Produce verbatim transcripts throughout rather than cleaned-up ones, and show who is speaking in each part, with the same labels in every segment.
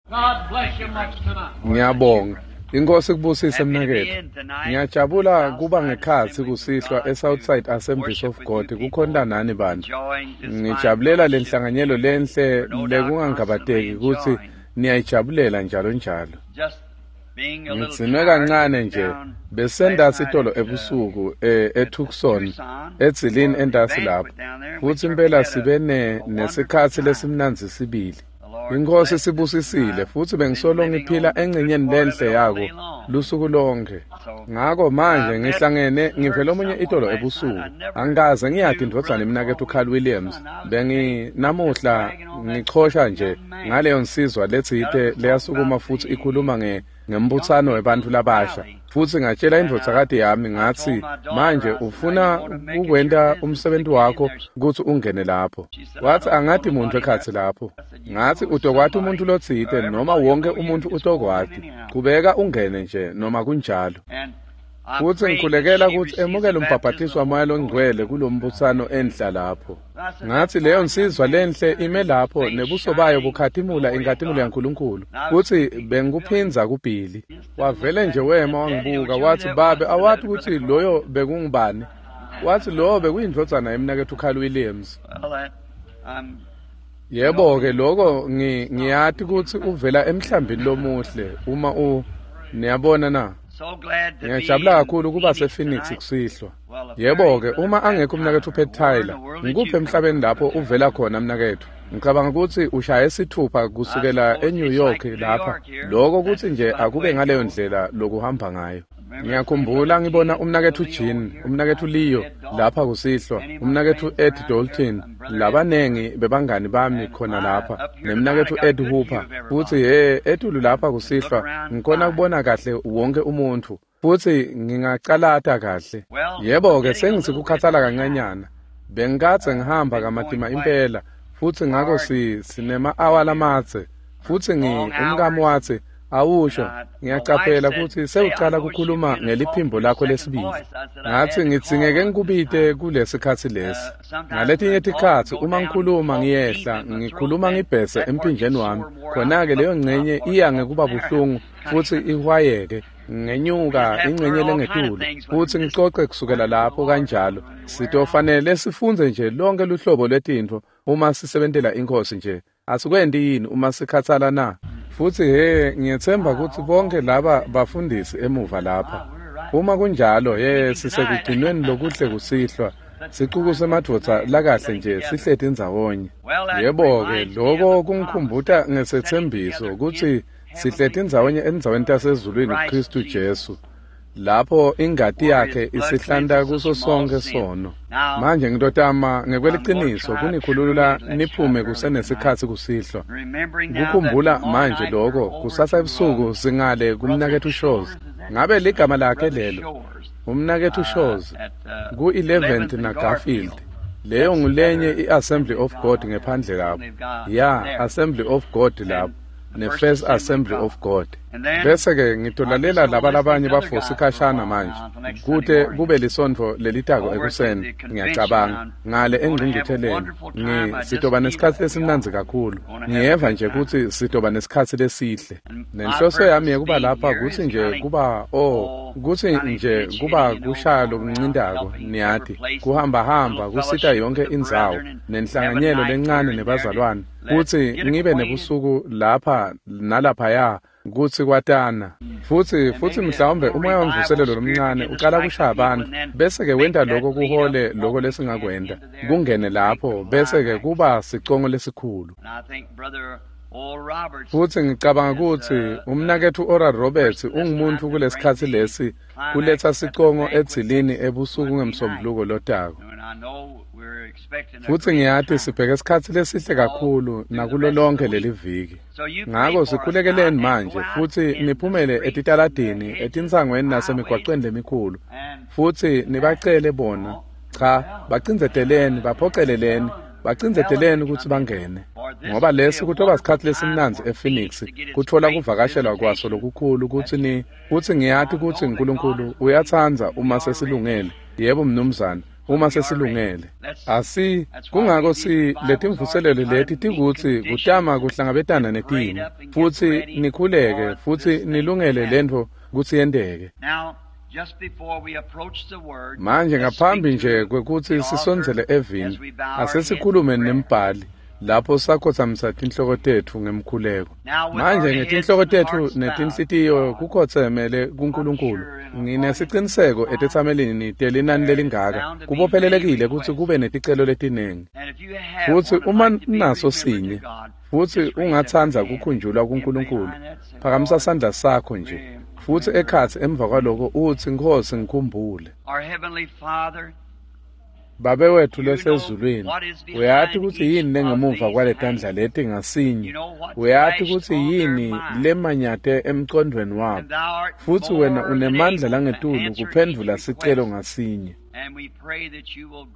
Speaker 1: God bless you much tonight.
Speaker 2: Ngiyabonga. Inkosi kubusise mnaketfu. Ngiyajabula kuba ngekhatsi kusihlwa eSouthside Assemblies of God kukhonta nani bantu. Ngijabulela lenhlanganyelo lenhle lekungangabateki kutsi niyayijabulela njalo njalo. Ngidzinwe kancane nje besendasi itolo ebusuku eTucson edzilini entasi lapho futsi impela sibe nesikhatsi lesimnandzi sibili. Inkosi sibusisile futsi bengisolo ngiphila engcenyeni lenhle yako lusuku lonke. Ngako manje ngihlangene ngivele omunye itolo ebusuku. Angikaze ngiyati indvodzana emnaketfu Carl Williams. Bengi namuhla ngichosha nje ngaleyo nsizwa letsite leyasukuma futsi ikhuluma nge ngembutsano webantfu labasha. Futsi ngatshela indvodzakati yami ngatsi manje ufuna ukwenta umsebenzi wakho kutsi ungene lapho. Watsi angati muntu ekhatsi lapho. Ngatsi utokwati umuntu lotsite noma wonke umuntu utokwati. Kubeka ungene nje noma kunjalo. Futsi ngikhulekela kutsi emukele umbhabhatiso waMoya loNgcwele kulombutsano enhla lapho. Ngatsi leyo nsizwa lenhle ime lapho nebuso bayo bukhatimula inkhatimulo yaNkulunkulu. Futsi bengikuphindza kubili. Wavele nje wema wangibuka watsi babe awati kutsi loyo bekungubani. Watsi lowo bekuyindvodzana yemnaketfu Carl Williams. Yebo-ke loko ngiyati kutsi uvela emhlambini lomuhle uma u niyabona na. Ngiyajabula kakhulu kuba sePhoenix kusihlwa. Yebo-ke uma angekho umnaketfu Pat Tyler, ngikuphi emhlabeni lapho uvela khona mnaketfu? Ngicabanga kutsi ushaye sithupha kusukela eNew York lapha. Loko kutsi nje akube ngaleyo ndlela lokuhamba ngayo. Ngiyakhumbula ngibona umnaketfu Jean, umnaketfu Leo lapha kusihlwa, umnaketfu Ed Dalton, labanengi bebangani bami khona lapha, nemnaketfu Ed Hooper. Futsi he etulu lapha kusihlwa ngikhona kubona kahle wonke umuntfu. Futsi ngingacalata kahle. Yebo-ke sengitsi kukhathala kancanyana. Bengikadze ngihamba kamatima impela futsi ngako si sinema-awa lamadze. Futsi ngi umkami watsi awusho ngiyacaphela kutsi sewucala kukhuluma ngeliphimbo lakho lesibili. Ngatsi ngidzingeke ngikubite kulesikhatsi lesi. Ngaletinye tikhatsi uma ngikhuluma ngiyehla ngikhuluma ngibhese emphinjeni wami. Khona-ke leyo ngcenye iya ngekuba buhlungu futsi ihwayeke. Ngenyuka ingcenye lengetulu futsi ngicoce kusukela lapho kanjalo. Sitofanele sifundze nje lonke luhlobo lwetintfo uma sisebentela inkosi nje. Asikwenti yini uma sikhathala na? Futsi he ngiyethemba kutsi bonke laba bafundisi emuva lapha. Uma kunjalo he sisekugcinweni lokuhle kusihlwa. Sicuku semadvodza lakahle nje sihleti ndzawonye. Yebo-ke loko kungikhumbuta ngesethembiso kutsi sihleti ndzawonye endzaweni tasezulwini Kristu Jesu. Lapho ingati yakhe isihlanta kuso sonke sono. Manje ngitotama ngekweliciniso kunikhulula niphume kusenesikhatsi kusihlwa. Kukhumbula manje loko kusasa ebusuku singale kumnaketfu Shows. Ngabe ligama lakhe lelo? Umnaketfu Shows ku eleventh na Garfield. Leyo ngulenye iAssembly of God ngephandle lapho. Ya, Assembly of God lapho. Ne-First Assembly of God. Bese-ke ngitolalela laba labanye bafosi khashana manje kute kube lisontfo lelitako ekuseni ngiyacabanga ngale engcungcutheleni ngi sitoba nesikhatsi lesimnandzi kakhulu. Ngiyeva nje kutsi sitoba nesikhatsi lesihle. Nenhloso yami yekuba lapha kutsi nje kuba oh kutsi nje kuba kushaya lokuncintako niyati kuhamba hamba kusita yonke indzawo nenhlanganyelo lencane nebazalwane kutsi ngibe nebusuku lapha nalaphaya kutsi kwatana. Futsi futsi mhlawumbe umoya wemvuselelo lomncane ucala kushaya abantu bese-ke wenta loko kuhole loko lesingakwenta kungene lapho bese-ke kuba sicongo lesikhulu. Futsi ngicabanga kutsi umnaketfu Oral Roberts ungumuntu kulesikhatsi lesi kuletsa sicongo edzilini ebusuku ngemsombuluko lotako. Futsi ngiyati sibheke isikhatsi lesihle kakhulu nakulo lonke leli viki. Ngako sikhulekeleni manje futsi niphumele etitaladini, etintsangweni nasemigwacweni lemikhulu. Futsi nibacele bona, cha, bacindzeteleni, baphoceleleni, bacindzeteleni kutsi bangene. Ngoba lesi kutoba sikhatsi lesimnandzi ePhoenix kutfola kuvakashelwa kwaso lokukhulu kutsi ni kutsi ngiyati kutsi uNkulunkulu uyatsandza uma sesilungele. Yebo mnumzane. uma sesilungele. Asi kungako si letimvuselelo leti tikutsi kutama kuhlangabetana netimo, futsi nikhuleke futsi nilungele lentfo kutsi yenteke. Manje ngaphambi nje kwekutsi sisondzele evini, asesikhulume nembhali lapho sakhotsamisa tinhloko tetfu ngemkhuleko. Manje ngetinhloko tetfu netinhlitiyo kukhotsemele kuNkulunkulu. Nginesiciniseko etetsamelini telinani lelingaka kubophelelekile kutsi kube neticelo letinengi. Futsi uma naso sinye, futsi ungatsandza kukhunjulwa kuNkulunkulu, phakamisa sandla sakho nje. Futsi ekhatsi emva kwaloko utsi, Nkhosi ngikhumbule. Babe wethu losezulwini, uyati kutsi yini lengemuva kwaletandla leti ngasinye. Uyati kutsi yini lemanyate emcondvweni wabo. Futsi wena unemandla langetulu kuphendvula sicelo ngasinye.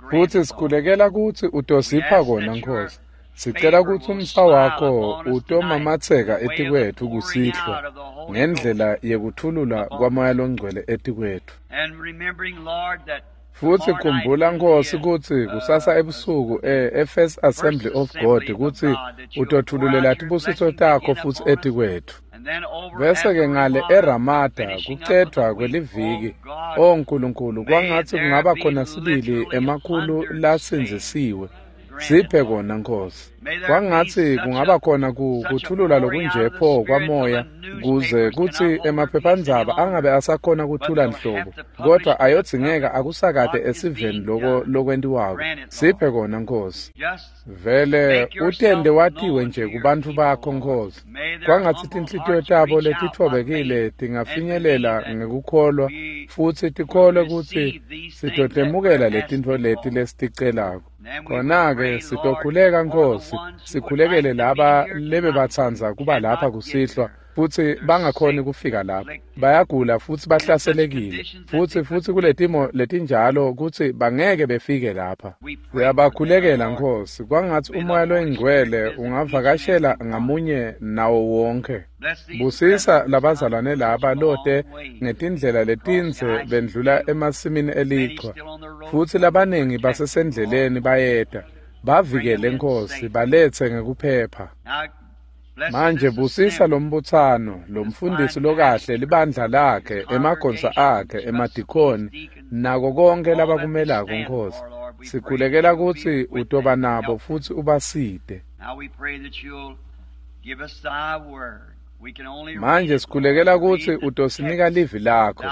Speaker 2: Futsi sikhulekela kutsi utosipha kona, Nkhosi. Sicela kutsi umsa wakho utomamatseka etikwetfu kusihlwa ngendlela yekuthulula kwaMoya loNgcwele etikwetfu. Futsi khumbula, Nkhosi, kutsi kusasa ebusuku e-First Assembly of God kutsi utothululela tibusiso takho futsi etikwetfu. Bese-ke ngale eRamada kucedvwa kweliviki, o Nkulunkulu, kwangatsi kungaba khona sibili emakhulu lasindzisiwe. Siphe kona, Nkhosi. Kwangatsi kungaba khona kuthulula lokunje pho kwamoya kuze kutsi emaphephandzaba angabe asakhona kuthula nhlobo, kodwa ayodzingeka akusakate esiveni loko lokwentiwako. Siphe kona, Nkhosi. Vele utende watiwe nje kubantfu bakho, Nkhosi. Kwangatsi tinhlitiyo tabo letitfobekile tingafinyelela ngekukholwa futsi tikholwe kutsi sitotemukela letintfo leti lesiticelako. Khona-ke sitokhuleka, Nkhosi, sikhulekele laba lebebatsandza kuba lapha kusihlwa futsi bangakhoni kufika lapha. Bayagula futsi bahlaselekile, futsi futsi kuletimo letinjalo kutsi bangeke befike lapha. Siyabakhulekela, Nkhosi, kwangatsi uMoya loyiNgcwele ungavakashela ngamunye nawo wonke. Busisa labazalwane laba lote ngetindlela letindze bendlula emasimini elichwa, futsi labaningi basesendleleni bayeta. Bavikele, Nkhosi, baletse ngekuphepha. Manje busisa lombutsano, lomfundisi lokahle, libandla lakhe, emagonsa akhe, emadikoni, nako konke labakumelako, Nkhosi. Sikhulekela kutsi utoba nabo futsi ubasite. Manje sikhulekela kutsi utosinika livi lakho.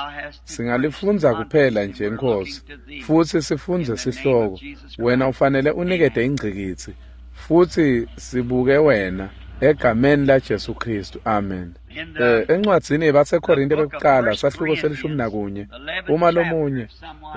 Speaker 2: Singalifundza kuphela nje, Nkhosi, futsi sifundze sihloko. Wena ufanele unikete ingcikitsi, futsi sibuke wena. Egameni laJesu Kristu, amen. Eh, encwadzini yabaseKorinte bekuqala sahluko selishumi nakunye, uma lomunye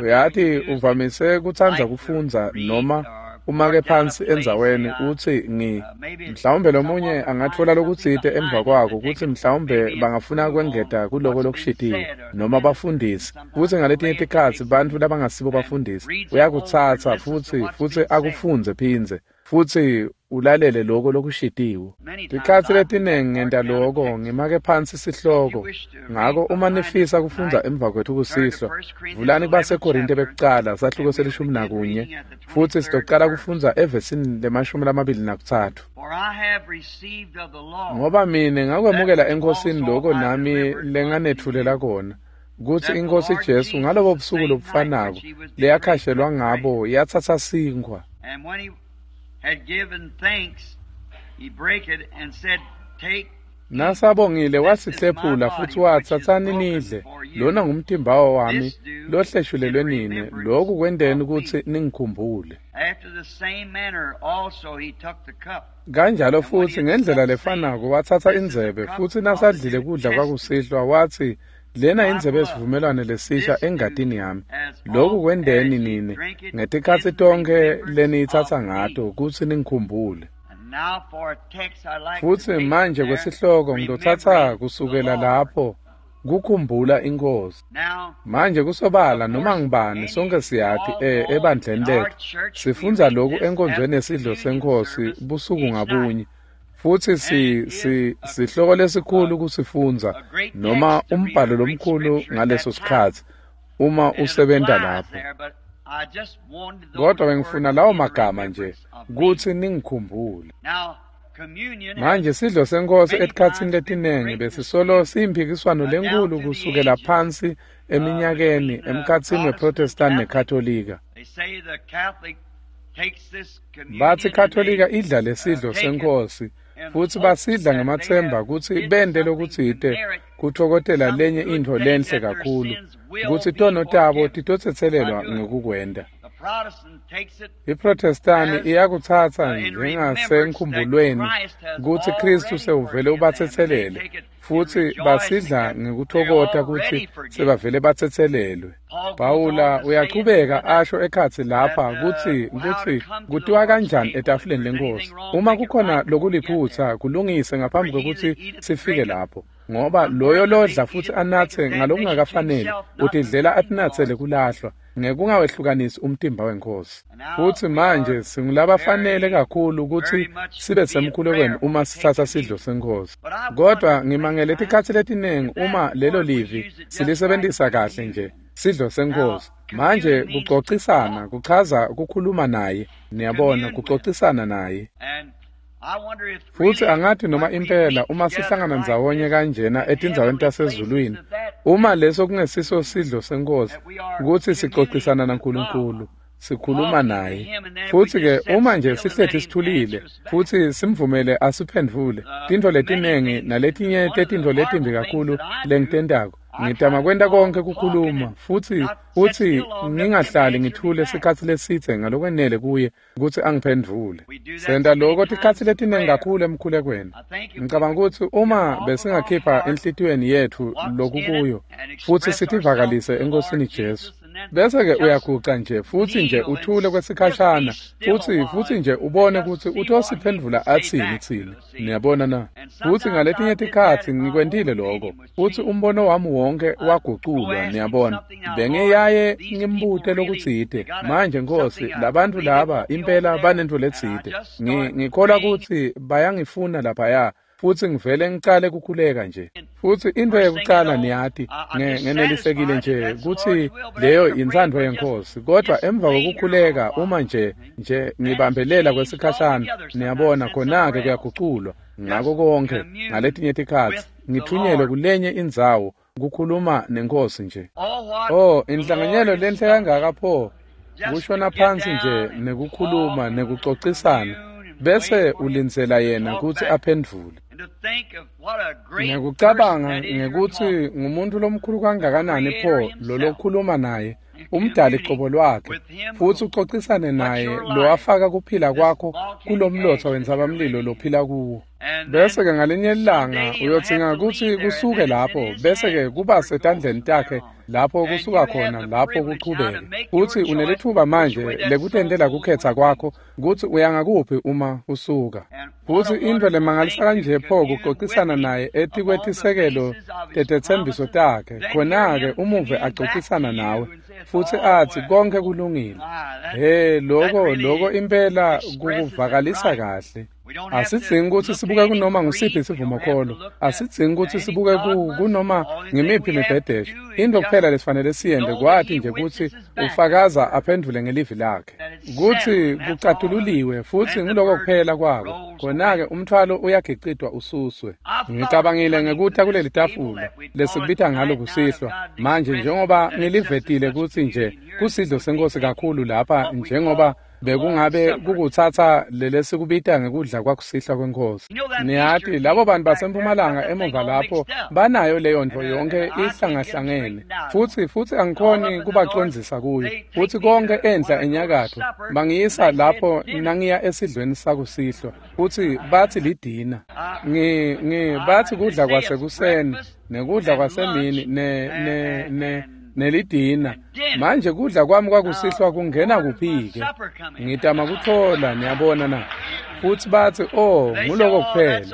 Speaker 2: uyati uvamise kutsandza kufundza noma umake phansi endzaweni utsi ngi mhlawumbe lomunye angatfola lokutsite emva kwako kutsi mhlawumbe bangafuna kwengeta kuloko lokushitiwe noma bafundisi. Futsi ngaletinye tikhatsi bantfu labangasibo bafundisi uyakutsatsa futsi futsi akufundze phindze futsi ulalele loko lokushitiwe. Tikhatsi letinengi ngenta loko, ngimake phansi sihloko. Ngako uma nifisa kufundza emva kwethu kusihlwa, vulani kubaseKorinte bekuqala sahluko selishumi nakunye, futsi sitocala kufundza evesini lemashumi lamabili nakutsatfu. Ngoba mine ngakwemukela eNkhosini loko nami lenganetfulela kona, kutsi iNkhosi Jesu ngalobo busuku lobufanako leyakhashelwa ngabo yatsatsa sinkhwa.
Speaker 1: Had given thanks, he brake it and said, Take.
Speaker 2: Nasabongile wasihlephula futsi watsatsani nidle, lona ngumtimba wami lohleshulelwe nine, lokhu kwenteni kutsi ningikhumbule.
Speaker 1: After the same manner also he took the cup.
Speaker 2: Kanjalo futsi ngendlela lefanako watsatsa indzebe, futsi nasadlile kudla kwakusihlwa watsi, lena indzebe yesivumelwano lesisha engatini yami. Lokhu kwenteni nine ngetikhatsi tonkhe leniyitsatsa ngato kutsi ningikhumbule. Futsi manje kwesihloko ngitotsatsa kusukela lapho kukhumbula iNkhosi. Manje kusobala noma ngibani sonke siyati e ebandleni letfu sifundza lokhu enkonzweni yesidlo seNkhosi busuku ngabunye. Futsi si si sihloko lesikhulu kusifundza noma umbhalo lomkhulu ngaleso sikhatsi uma usebenta lapho. Kodwa bengifuna lawo magama nje kutsi ningikhumbule. Manje sidlo senkosi etikhatsini letinengi besisolo siyimphikiswano lenkulu kusukela phansi eminyakeni emkhatsini weProtestant neKatolika. Batsi Katolika idla lesidlo senkosi futsi basidla ngemathemba kutsi bente lokutsite kutfokotela lenye intfo lenhle kakhulu kutsi tono tabo titotsetselelwa ngekukwenta. IProtestani iyakutsatsa njengasenkhumbulweni kutsi Khristu sewuvele ubatsetselele futsi basidla ngekutfokota kutsi sebavele batsetselelwe. Pawula uyachubeka asho ekhatsi lapha kutsi kutsi kutiwa kanjani etafuleni lenkosi. Uma kukhona lokuliphutsa kulungise ngaphambi kwekutsi sifike lapho, ngoba loyo lodla futsi anatse ngalokungakafaneli utidlela atinatsele kulahlwa ngekungawehlukanisi umtimba wenkosi. Futsi manje singulabafanele kakhulu kutsi sibe semkhulekweni uma sitsatsa sidlo senkosi. Kodwa ngimangele tikhatsi letinengi uma lelo livi silisebentisa kahle nje sidlo senkosi. Manje kucocisana kuchaza kukhuluma naye, niyabona, kucocisana naye. Futsi angathi noma impela uma sihlangana ndzawonye kanjena etindzaweni tasezulwini, uma leso kungesiso sidlo senkosi kutsi sicocisana naNkulunkulu, sikhuluma naye. Futsi-ke uma nje sihleti sithulile futsi simvumele asiphendvule tintfo letinengi naletinye tetintfo letimbi kakhulu lengitentako, ngitama kwenta konke kukhuluma futsi futsi ngingahlali ngithule sikhatsi lesitse ngalokwenele kuye kutsi angiphendvule. Senta loko tikhatsi letinengi kakhulu emkhulekweni. Ngicabanga kutsi uma besingakhipha enhlitiyweni yetfu lokukuyo futsi sitivakalise eNkosini Jesu, bese-ke uyaguca nje futsi nje uthule kwesikhashana futsi futsi nje ubone kutsi utosiphendvula atsini tsine. Niyabona na? Futsi ngaletinye tikhatsi ngikwentile lokho futsi umbono wami wonke waguculwa. Niyabona, bengiyaye ngimbute lokutsite, manje Nkosi, labantfu laba impela banentfo letsite, ngikholwa kutsi bayangifuna laphaya, futsi ngivele ngicale kukhuleka nje. Futsi intfo yekucala niyati ngenelisekile nje kutsi leyo intsandvo yenkosi, kodwa emva kokukhuleka uma nje nje ngibambelela kwesikhashana, niyabona, khona-ke kuyaguculwa ngako konke. Ngaletinye tikhatsi ngithunyelwe kulenye indzawo kukhuluma nenkosi nje. Oh, inhlanganyelo lenhle kangaka pho, kushona phansi nje nekukhuluma nekucocisana, bese ulindzela yena kutsi aphendvule. Ngekucabanga ngekutsi ngumuntu lomkhulu kangakanani pho lolokhuluma naye, umdali qobo lwakhe, futsi ucocisane naye lowafaka kuphila kwakho kulomlotsa wentsabamlilo lophila kuwo. Bese-ke ngalinye ilanga uyodzinga kutsi kusuke lapho, bese-ke kuba setandleni takhe lapho kusuka khona lapho kuchubeke. Futsi unelitfuba manje lekutentela kukhetsa kwakho kutsi uya ngakuphi uma usuka. Futsi intfo lemangalisa kanje pho kucocisana naye etikwetisekelo tetetsembiso takhe, khona-ke umuve acocisana nawe futsi atsi konke kulungile. He, loko loko impela kukuvakalisa kahle. Asidzingi kutsi sibuke kunoma ngusiphi sivumokholo, asidzingi kutsi sibuke kunoma ngimiphi imibhedesho. Into kuphela lesifanele siyente kwati nje kutsi ufakaza aphendvule ngelivi lakhe, kutsi kucatululiwe futsi nguloko kuphela kwako. Khona-ke umthwalo uyagicitwa ususwe. Ngicabangile ngekuta kuleli tafula lesikubita ngalo kusihlwa manje, njengoba ngilivetile kutsi nje kusidlo senkosi kakhulu lapha, njengoba bekungabe kukutsatsa lelesikubita ngekudla kwakusihlwa kwenkosi. Niyati labo bantu basempumalanga emuva lapho banayo leyo ntfo yonke ihlangahlangene, futsi futsi angikhoni kubacondzisa kuyo. Futsi konke enhla enyakatfo bangiyisa lapho nangiya esidlweni sakusihlwa, futsi batsi lidina. Ngi ngi batsi kudla kwasekuseni nekudla kwasemini ne ne ne nelidina. Manje kudla kwami kwakusihlwa kungena kuphi-ke? Ngitama kutfola, niyabona na? Futsi batsi, oh, nguloko kuphela.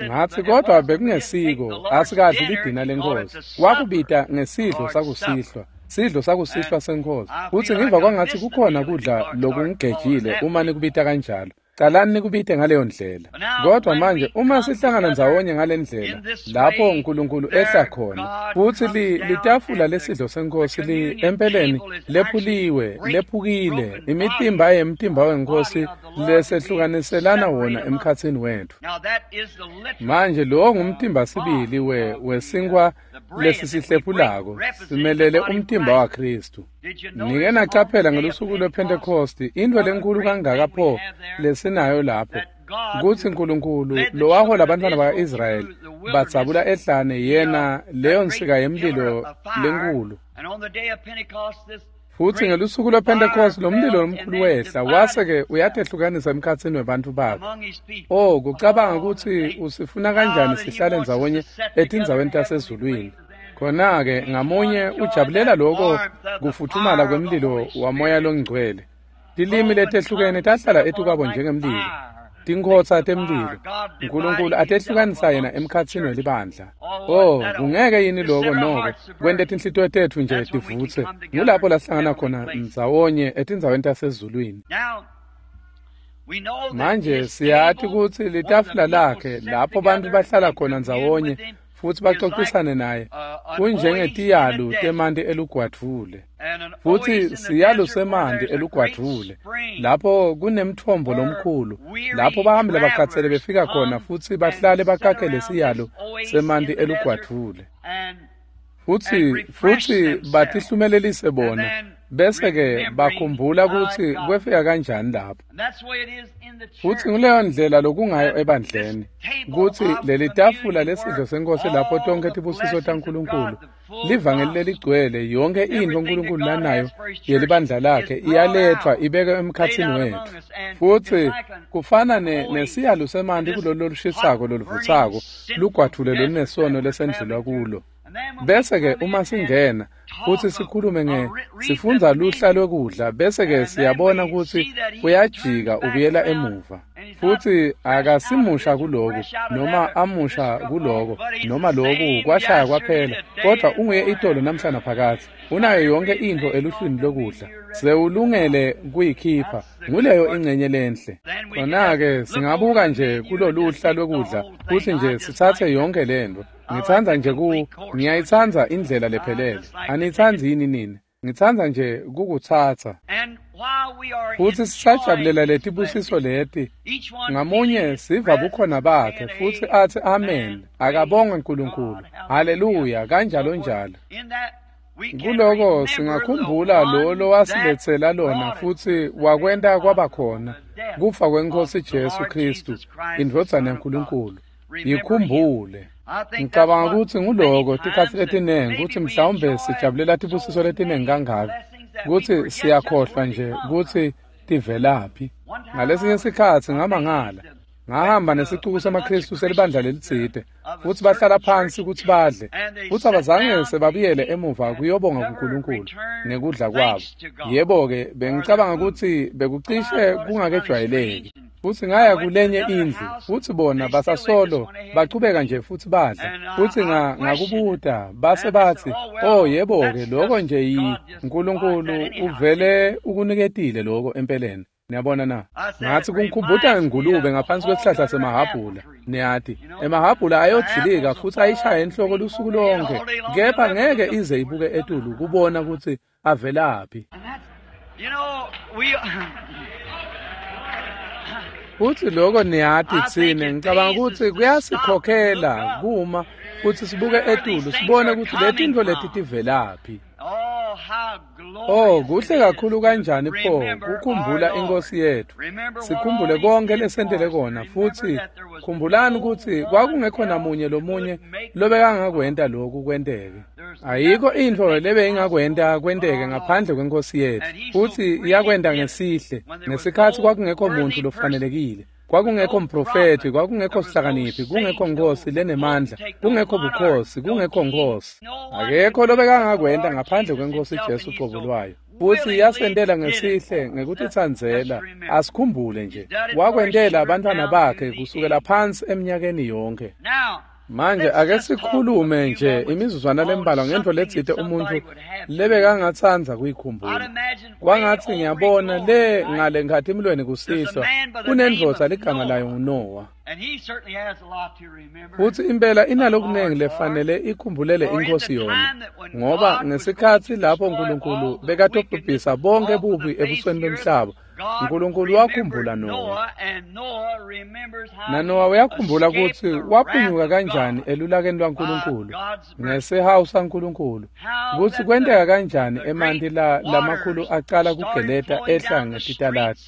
Speaker 2: Ngatsi, kodwa bekungesiko, asikadli lidina lenkosi. Wakubita ngesidlo sakusihlwa, sidlo sakusihlwa senkosi. Futsi ngiva kwangatsi kukhona kudla lokungigejile uma nikubita kanjalo. Calani nikubite ngaleyo ndlela. Kodwa manje uma sihlangana ndzawonye ngale ndlela lapho uNkulunkulu ehla khona, futsi litafula lesidlo senkosi li empeleni lephuliwe, lephukile, imitimba yemtimba wenkosi lesehlukaniselana wona emkhatsini wetfu. Manje lo ngumtimba sibili we wesinkwa lesisihlephulako, simelele umtimba waKhristu. Nike nacaphela ngelusuku lwePhentekosti intfo lenkulu kangaka pho lesinayo lapho, kutsi uNkulunkulu lowahola abantwana baka-Israyeli badzabula ehlane, yena leyo nsika yemlilo lenkulu. Futsi ngelusuku lwePhentekosti lo mlilo lomkhulu wehla wase-ke uyatehlukanisa emkhatsini webantfu bakhe. Oh, kucabanga kutsi usifuna kanjani sihlale ndzawonye etindzaweni tasezulwini. Khona-ke ngamunye ujabulela loko kufutfumala kwemlilo wamoya longcwele. Tilimi letehlukene tahlala etukwabo njengemlilo, tinkhotsa temlilo. uNkulunkulu atehlukanisa yena emkhatsini welibandla. Oh, kungeke yini loko noko kwente tinhlitiyo tetfu nje tivutse. Ngulapho lahlangana khona ndzawonye etindzaweni tasezulwini. Manje siyati kutsi litafula lakhe lapho bantfu bahlala khona ndzawonye futsi baxoxisane naye kunjengetiyalu temanti elugwadvule. Futsi siyalu semanti elugwadvule lapho kunemtfombo lomkhulu, lapho bahambi labakhatsele befika khona futsi bahlale bakakele siyalu semanti elugwadvule. Futsi futsi batihlumelelise bona, bese-ke bakhumbula kutsi kwefika kanjani lapho. Futsi nguleyo ndlela lokungayo ebandleni, kutsi leli tafula lesidlo senkosi lapho tonkhe tibusiso taNkulunkulu, livangeli leligcwele, yonke intfo uNkulunkulu lanayo yelibandla lakhe iyaletfwa ibekwe emkhatsini wetfu. Futsi kufana nesiyalu semanti kulolu lolushisako loluvutsako, lugwadvule lolunesono lesendlula kulo. Bese-ke uma singena futsi sikhulume nge sifundza luhla lwekudla, bese-ke siyabona kutsi uyajika ubuyela emuva. Futsi akasimusha kuloku noma amusha kuloko noma loku kwashaya kwaphela, kodwa unguye itolo namhla naphakadze. Unayo yonke intfo eluhlwini lokudla, sewulungele kuyikhipha. Nguleyo ingcenye lenhle. Khona-ke singabuka nje kuloluhla lwekudla futsi nje sitsatse yonke lentfo. Ngitsandza nje ku ngiyayitsandza indlela lephelele. Anitsandzi yini nini? Ngitsandza nje kukutsatsa. Futsi sisajabulela letibusiso leti. Ngamunye siva bukhona bakhe futsi atsi amen. Akabongwe uNkulunkulu. Haleluya, kanjalo njalo. Kuloko singakhumbula lo lowasiletsela lona futsi wakwenta kwaba khona kufa kweNkosi Jesu Khristu, indvodzana yaNkulunkulu. Yikhumbule. Ngicabanga kutsi nguloko tikhatsi letinengi kutsi mhlawumbe sijabulela tibusiso letinengi kangaka kutsi siyakhohlwa nje kutsi tivelaphi. Ngalesinye sikhatsi ngamangala, ngahamba nesicuku semaKhristu selibandla lelitsite, futsi bahlala phansi kutsi badle, futsi abazange sebabuyele emuva kuyobonga kuNkulunkulu ngekudla kwabo. Yebo-ke, bengicabanga kutsi bekucishe kungakejwayeleki. Futsi ngaya kulenye indlu, futsi bona basasolo bachubeka nje futsi badla. Futsi ngakubuta, base batsi, oh yebo-ke, loko nje yi uNkulunkulu uvele ukuniketile loko empeleni. Niyabona na? Ngatsi kungikhumbuta ngengulube ngaphansi kwesihlahla semahhabhula. Niyati, emahhabhula ayodzilika futsi ayishaya enhloko lusuku lonke, kepha ngeke ize ibuke etulu kubona kutsi avelaphi. Futsi loko niyati tsine, ngicabanga kutsi kuyasikhokhela kuma futsi sibuke etulu sibone kutsi letintfo leti tivelaphi. Oh, kuhle kakhulu kanjani pho kukhumbula inkosi yetfu. Sikhumbule konke lesentele kona, futsi khumbulani kutsi kwakungekho namunye lomunye lobekangakwenta loku kwenteke. Ayikho intfo lebeyingakwenta kwenteke ngaphandle kwenkosi yetfu, futsi iyakwenta ngesihle ngesikhatsi kwakungekho muntfu lofanelekile. Kwakungekho mprofethi, kwakungekho sihlakaniphi, kungekho nkosi lenemandla, kungekho bukhosi, kungekho nkosi. Akekho lobekangakwenta ngaphandle kwenkosi Jesu cobo lwayo. Futsi yasentela ngesihle ngekutitsandzela, asikhumbule nje. Wakwentela abantwana bakhe kusukela phansi eminyakeni yonke. Manje ake sikhulume nje imizuzwana lembalwa ngento letsite umuntu lebekangatsandza kuyikhumbula. Kwangatsi ngiyabona le ngale nkhatimulweni kusihlwa kunendvodza ligama layo nguNowa. Futsi impela inalokunengi lefanele ikhumbulele inkosi yona, ngoba ngesikhatsi lapho Nkulunkulu bekatobhubhisa bonke bubi ebusweni bemhlaba, Nkulunkulu wakhumbula Nowa. NaNowa uyakhumbula kutsi waphunyuka kanjani elulakeni lwaNkulunkulu ngesihawu saNkulunkulu, kutsi kwenteka kanjani emanti la lamakhulu acala kugeleta ehla ngetitaladi,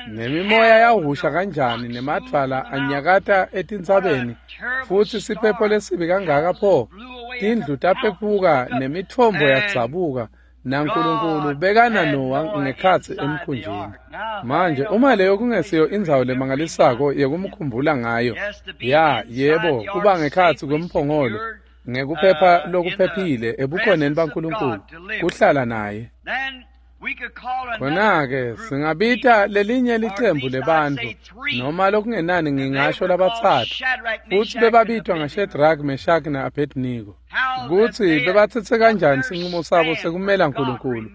Speaker 2: nemimoya yahusha kanjani nemadvwala anyakata etintsabeni, futsi siphepho lesibi kangaka pho, tindlu taphephuka nemitfombo yadzabuka, naNkulunkulu bekana Nowa ngekhatsi emkhunjini. Manje uma leyo kungesiyo indzawo lemangalisako yekumkhumbula ngayo, ya yebo, kuba ngekhatsi kwemphongolo ngekuphepha lokuphephile ebukhoneni baNkulunkulu, kuhlala naye. Khona-ke singabita lelinye licembu lebantfu, noma lokungenani ngingasho labatsatfu, futsi bebabitwa ngaShadrach, Meshach na-Abednego, kutsi bebatsetse kanjani sincumo sabo sekumela Nkulunkulu,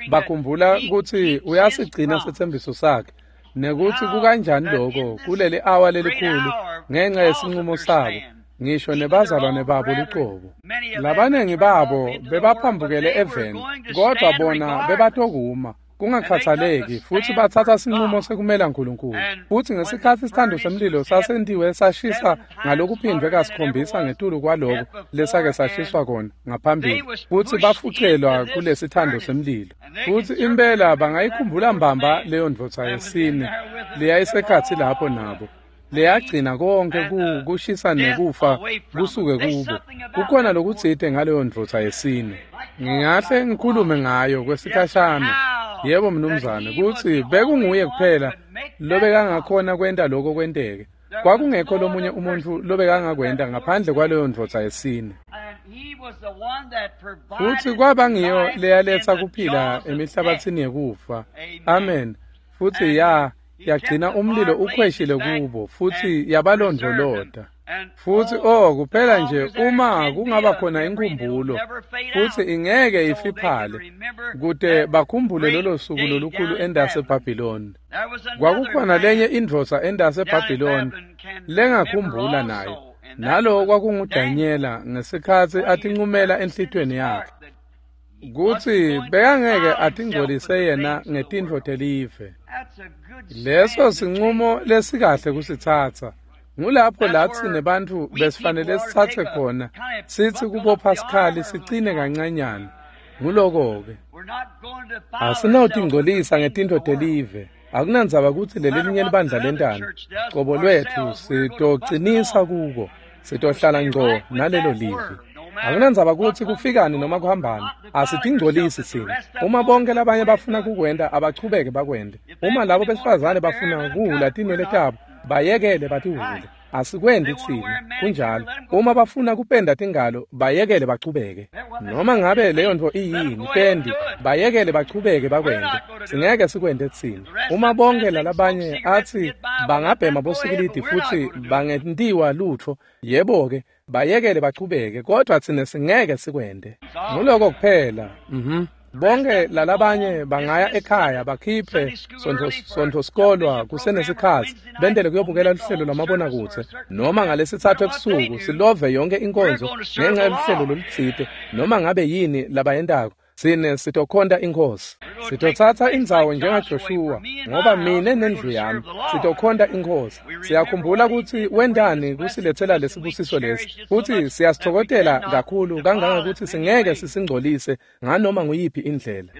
Speaker 2: bakhumbula kutsi uyasigcina setsembiso sakhe, nekutsi kukanjani loko kuleli awa lelikhulu ngenca yesincumo sabo, ngisho nebazalwane babo lucobo. Labanengi babo bebaphambukele eveni, kodwa bona bebatokuma kungakhathaleki, futsi batsatsa sincumo sekumela Nkulunkulu. Futsi ngesikhatsi isithando semlilo sasentiwe sashisa ngalokuphindvwe kasikhombisa ngetulu kwaloko lesake sashiswa kona ngaphambili, futsi bafucelwa kulesithando semlilo. Futsi impela bangayikhumbula mbamba leyo ndvodza yesine leyayisekhatsi lapho nabo, leyagcina konke kushisa nekufa kusuke kubo. Kukhona lokutsite ngaleyo ndvodza yesine. Ngingahle ngikhulume ngayo kwesikhashana. Yebo mnumzane, kutsi bekunguye kuphela lobekangakhona kwenta lokho kwenteke. Kwakungekho lomunye umuntfu lobekangakwenta ngaphandle kwaleyo ndvodza yesine. Futsi kwaba ngiyo leyaletsa kuphila emihlabatsini yekufa. Amen. Futsi ya yagcina umlilo ukhweshile kubo, futsi yabalondvolota. Futsi oh kuphela nje uma kungaba khona inkhumbulo, futsi ingeke ifiphale, kute bakhumbule lolo suku lolukhulu endase Babylon. Kwakukhona lenye indvodza endase Babylon lengakhumbula nayo, nalo kwakunguDanyela ngesikhatsi atincumela enhlitiyweni yakhe kutsi bekangeke atingcolise yena ngetintfo telive. Leso sincumo lesikahle kusitsatsa. Ngulapho latsi nebantfu besifanele sitsatse khona, sitsi kubopha sikhali sicine kancanyana. Nguloko-ke. Asinawutingcolisa ngetintfo telive. Akunandzaba kutsi lelelinye libandla lentani. Cobo lwetfu sitocinisa kuko, sitohlala ngco nalelo livi. Akunandzaba kutsi kufikani noma kuhambani, asitingcolisi tsine. Uma bonke labanye bafuna kukwenta, abachubeke bakwente. Uma labo besifazane bafuna kuhhula tinwele tabo, bayekele batihhule. Asikwendi tsine, kunjalo. Uma bafuna kupenda tingalo, bayekele bachubeke. Noma ngabe leyo ntfo iyini, pendi, bayekele bachubeke bakwente. Singeke sikwente tsine. Uma bonke lalabanye atsi bangabhema bosikilidi futsi bangentiwa lutfo, yebo-ke, bayekele bachubeke, kodwa tsine singeke sikwente. Nguloko kuphela. Mhm. Bonke lalabanye bangaya ekhaya bakhiphe sontfo sikolwa kusenesikhatsi bentele kuyobukela luhlelo lwamabonakudze, noma ngalesitsatfu ebusuku silove yonke inkonzo ngenxa yeluhlelo lolutsite, noma ngabe yini labayentako. Tsine sitokhonta iNkhosi. Sitotsatsa indzawo njengaJoshuwa, ngoba mine nendlu yami sitokhonta iNkhosi. Siyakhumbula kutsi wentani kusiletsela lesibusiso lesi, futsi siyasitfokotela kakhulu kangangekutsi singeke sisingcolise nganoma nguyiphi indlela.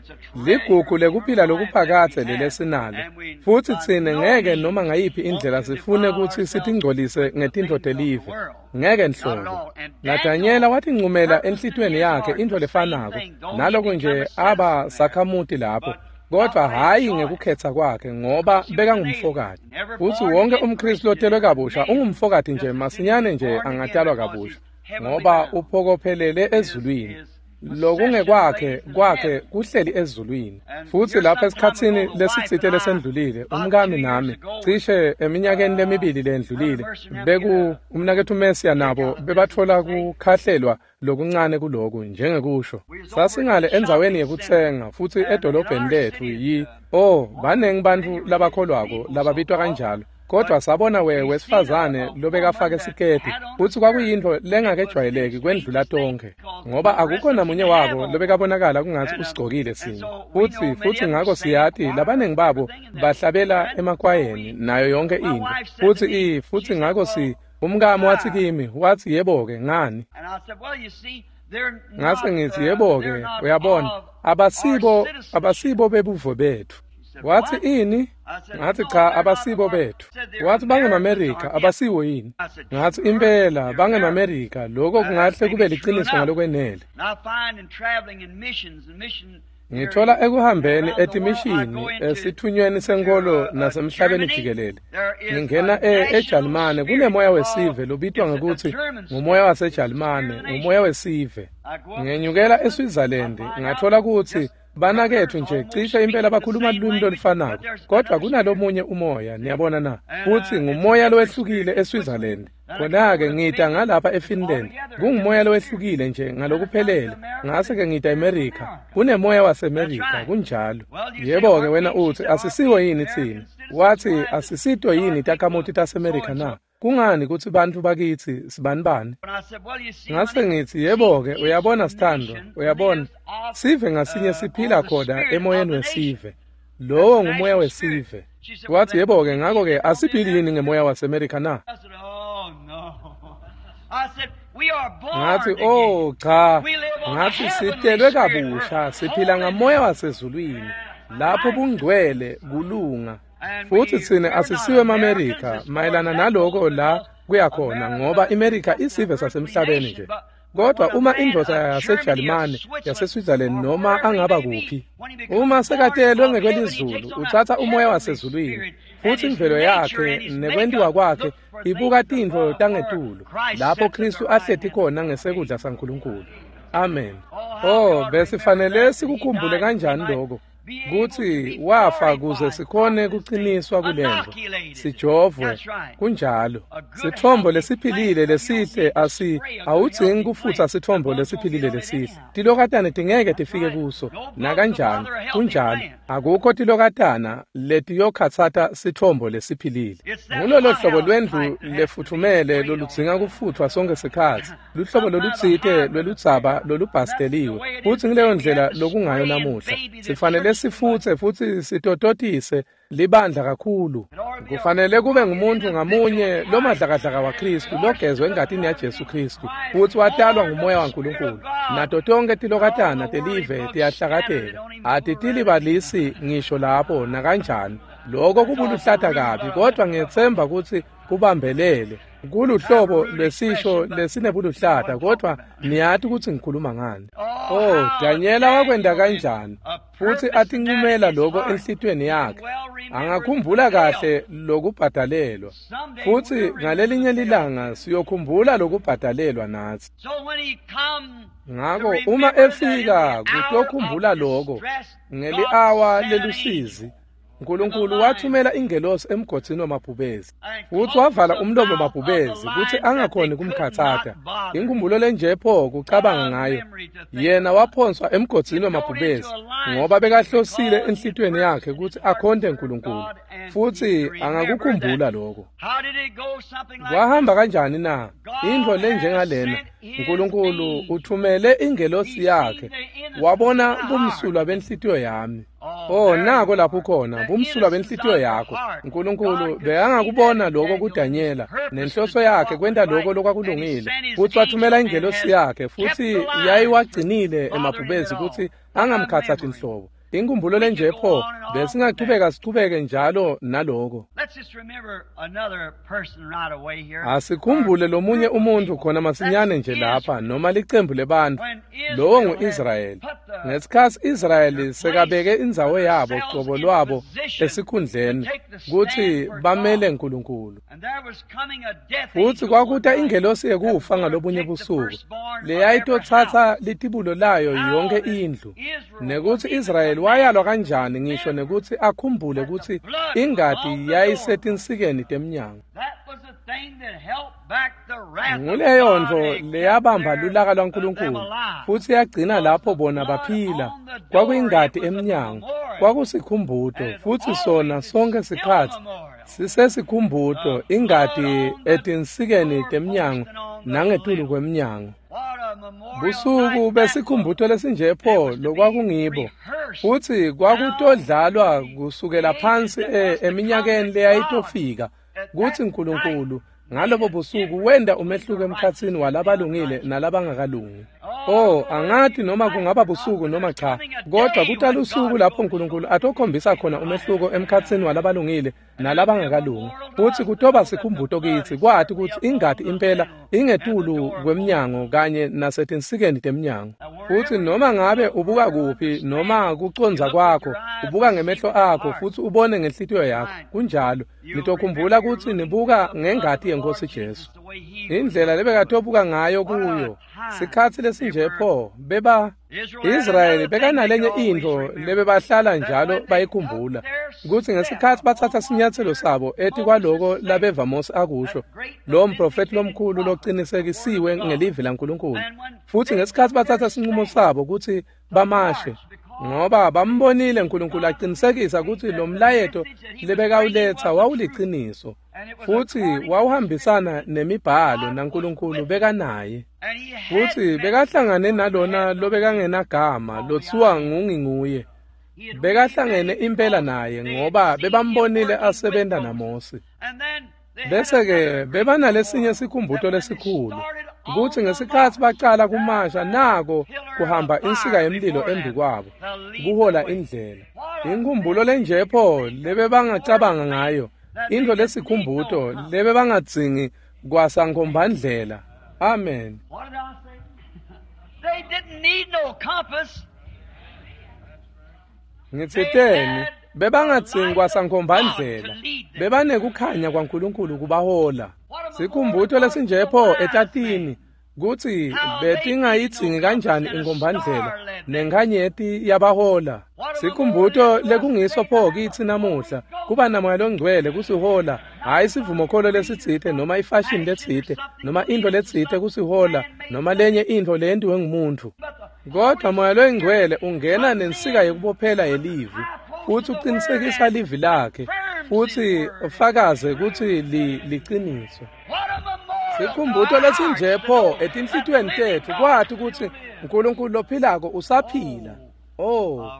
Speaker 2: Ligugu lekuphila lokuphakadze lelesinalo, futsi tsine ngeke noma ngayiphi indlela sifune kutsi sitingcolise ngetintfo telive. Ngeke nhlobo. NaDanyela watincumela enhlitiyweni yakhe intfo lefanako, naloko nje aba sakhamuti lapho, kodwa hhayi ngekukhetsa kwakhe, ngoba bekangumfokati. Futsi wonke umKhristu lotelwe kabusha ungumfokati nje masinyane nje angatalwa kabusha, ngoba uphokophelele ezulwini. Lokungekwakhe kwakhe kuhleli ezulwini. Futsi lapha esikhatsini lesitsite lesendlulile, umkami nami cishe eminyakeni lemibili lendlulile, beku umnaketfu Mesiya nabo bebatfola kukhahlelwa lokuncane kuloku njengekusho. Sasingale endzaweni yekutsenga futsi edolobheni letfu yi oh banengi bantfu labakholwako lababitwa kanjalo. Kodwa sabona we wesifazane lobekafake siketi futsi kwakuyintfo lengakejwayeleki kwendlula tonkhe, ngoba akukho namunye wabo lobekabonakala kungatsi usigcokile sinye. Futsi futsi ngako siyati labanengi babo bahlabela emakwayeni nayo yonke intfo. Futsi i futsi ngako si umkami watsi kimi, watsi yebo-ke ngani? Ngase ngitsi yebo-ke uyabona abasibo abasibo bebuvo betfu. Watsi ini? Ngathi cha abasibo bethu. Wathi bangemaMerika abasiwo yini? Ngathi impela bangemaMerika, lokho kungahle kube liciniso ngalokwenele. Ngithola ekuhambeni etimishini esithunyweni senkolo nasemhlabeni jikelele. Ngingena eJalimane kunemoya wesive lobitwa ngekutsi ngumoya waseJalimane, ngumoya wesive. Ngenyukela eSwitzerland ngathola kutsi banaketfu nje cishe impela bakhuluma lulwimi lolufanako, kodwa kunalomunye umoya, niyabona na, futsi ngumoya lowehlukile eSwitzerland. Khona-ke ngita ngalapha eFinland, kungumoya lowehlukile nje ngalokuphelele. Ngase-ke ngita eMerika, kunemoya waseMerika, kunjalo. Yebo-ke wena utsi asisiwo yini tsine? Watsi asisito yini takhamuti taseMerika na? Kungani kutsi bantfu bakitsi sibanibani? Ngase ngitsi yebo-ke uyabona sithandwa, uyabona sive ngasinye siphila khona emoyeni wesive. Lowo ngumoya wesive. Wathi yebo-ke ngako-ke asiphili yini ngemoya waseMerika na? Ngathi oh cha, ngathi sitelwe kabusha, siphila ngamoya wasezulwini lapho bungcwele kulunga. Futsi tsine asisiwe emaMerika mayelana naloko la kuyakhona, ngoba iMerika isive sasemhlabeni nje. Kodwa uma indvodza yaseJalimane, yaseSwitzerland noma angaba kuphi, uma sekatelwe ngekwelizulu utsatsa umoya wasezulwini, futsi imvelo yakhe nekwentiwa kwakhe ibuka tintfo tangetulu lapho Khristu ahleti khona ngesekudla saNkulunkulu. Amen. Oh, besifanele sikukhumbule kanjani lokho, kutsi wafa kuze sikhone kuqiniswa kulento, sijovwe. Kunjalo. Sithombo lesiphilile lesihle asi awudzingi kufutsa sithombo lesiphilile lesihle. Tilokatane tingeke tifike kuso nakanjani. Kunjalo. Akukho tilokatana letiyokhatsata sithombo lesiphilile. Ngulolo hlobo lwendlu lefuthumele loludzinga kufuthwa sonke sikhatsi, luhlobo lolutsite lweludzaba lolubhasteliwe. Futsi ngileyo ndlela lokungayo namuhla. Sifanele sifutse futsi sitototise libandla kakhulu. Kufanele kube ngumuntu ngamunye lomadlakadlaka waKhristu logezwe engatini yaJesu Khristu futsi watalwa ngumoya waNkulunkulu. Nato tonke tilokatana telive tiyahlakateka, atitilibalisi ngisho lapho nakanjani. Lokho kubuluhlata kabi, kodwa ngiyetsemba kutsi kubambelele kuluhlobo lwesisho lesinebuluhlata, kodwa niyati kutsi ngikhuluma ngani. Oh, Danyela wakwenta kanjani futsi atinqumela lokho enhlitiyweni yakhe. Angakhumbula kahle lokubhadalelwa, futsi ngalelinye lilanga siyokhumbula lokubhadalelwa natsi. Ngako uma efika kutokhumbula lokho ngeli-awa lelusizi, Nkulunkulu wathumela ingelosi emgodzini wamabhubezi futsi wavala umlomo wamabhubezi kutsi angakhoni kumkhatsata. Inkhumbulo lenje pho kucabanga ngayo. Yena waphonswa emgodzini wamabhubezi ngoba bekahlosile enhlitiyweni yakhe kutsi akhonte Nkulunkulu, futsi angakukhumbula lokho. Kwahamba kanjani na? Intfo lenjengalena, Nkulunkulu uthumele ingelosi yakhe, wabona bumsulwa benhlitiyo yami. Oh, nako lapho khona bumsulwa benhlitiyo yakho. Nkulunkulu bekangakubona lokho kuDanyela nenhloso yakhe kwenta lokho lokwakulungile, futsi wathumela ingelosi yakhe futsi yayiwagcinile emabhubezi kutsi angamkhatsathi inhlobo. Inkhumbulo lenje pho, besingachubeka sichubeke njalo naloko. Asikhumbule lomunye umuntu khona masinyane nje lapha, noma licembu lebantfu. Lowo ngu-Israyeli. Ngesikhatsi Israyeli sekabeke indzawo yabo cobo lwabo esikhundleni kutsi bamele Nkulunkulu. Futsi kwakuta ingelosi yekufa ngalobunye busuku leyayitotsatsa litibulo layo yonke indlu, nekutsi Israyeli wayalwa kanjani ngisho nekutsi akhumbule kutsi ingati yayisetinsikeni temnyango. Nguleyo ntfo leyabamba lulaka lwaNkulunkulu futsi yagcina lapho bona baphila. Kwakuyingati emnyango, kwakusikhumbuto, futsi sona sonke sikhatsi sisesikhumbuto, ingati etinsikeni temnyango nangetulu kwemnyango. Busuku besikhumbuto lesinje pho lokwakungibo, futsi kwakutodlalwa kusukela phansi eminyakeni leyayitofika kutsi Nkulunkulu ngalobo busuku wenda umehluko emkhatsini walabalungile nalabangakalungi. Oh, angati noma kungaba busuku noma cha, kodwa kutalusuku lapho Nkulunkulu atokhombisa khona umehluko emkhatsini walabalungile nalabangakalungi. Futsi kutoba sikhumbuto kitsi kwati kutsi ingati impela ingetulu kwemnyango kanye nasetinsikeni temnyango. Futsi noma ngabe ubuka kuphi noma kucondza kwakho, ubuka ngemehlo akho futsi ubone ngenhlitiyo yakho, kunjalo nitokhumbula kutsi nibuka ngengati yeNkosi Jesu. Indlela lebekatobuka ngayo kuyo sikhatsi lesinje pho beba Israyeli bekanalenye intfo lebebahlala njalo bayikhumbula, kutsi ngesikhatsi batsatsa sinyatselo sabo etikwaloko labeva Mose akusho, lo mprofethi lomkhulu locinisekisiwe ngelivi laNkulunkulu, futsi ngesikhatsi batsatsa sinqumo sabo kutsi bamashe, ngoba bambonile uNkulunkulu aqinisekisa kutsi lo mlayeto lebekawuletsa wawuliciniso futsi wawuhambisana nemibhalo naNkulunkulu bekanaye. Futsi bekahlangane nalona lobekangenagama lothiwa ngunginguye, bekahlangene impela naye ngoba bebambonile asebenta naMose. Bese-ke bebanalesinye sikhumbuto lesikhulu kutsi ngesikhatsi bacala kumasha nako kuhamba insika yemlilo embi kwabo kuhola indlela. Inkhumbulo lenje pho lebebangacabanga ngayo, intfo lesikhumbuto lebebangadzingi kwasankhombandlela. Amen.
Speaker 1: They didn't need no compass.
Speaker 2: Ngitsiteni bebangadzingi kwasankhombandlela, bebanekukhanya kwaNkulunkulu kubahola. Sikhumbuto lesinje pho etatini kutsi betingayidzingi kanjani inkombandlela nenkhanyeti yabahola. Sikhumbuto lekungiso pho kitsi namuhla kuba namoya longcwele kusihola, hhayi sivumokholo lesitsite noma ifashini letsite noma intfo letsite kusihola noma lenye intfo leyentiwe ngumuntfu, kodwa moya longcwele ungena nensika yekubophela yelivi futsi uqinisekisa livi lakhe futsi ufakaze kutsi liciniso. Sikhumbuto lesinje pho etinhlitiyweni tetfu kwati kutsi uNkulunkulu lophilako usaphila. Oh,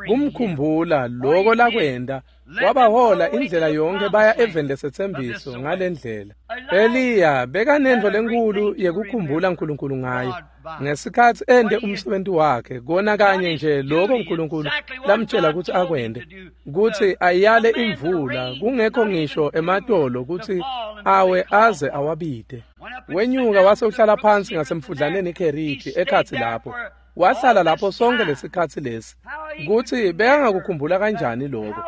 Speaker 2: kumkhumbula loko lakwenda wabahola indlela yonke baya eveni lesetsembiso ngalendlela. Eliya bekanentfo lenkulu yekukhumbula uNkulunkulu ngayo ngesikhatsi ente umsebenzi wakhe, kona kanye nje loko uNkulunkulu lamtjela kutsi akwente, kutsi ayale imvula kungekho ngisho ematolo kutsi awe aze awabite. Wenyuka wase uhlala phansi ngasemfudlaneni iKheriti ekhatsi lapho. Wahlala lapho sonke lesikhatsi lesi. Kutsi bekangakukhumbula kanjani lokho,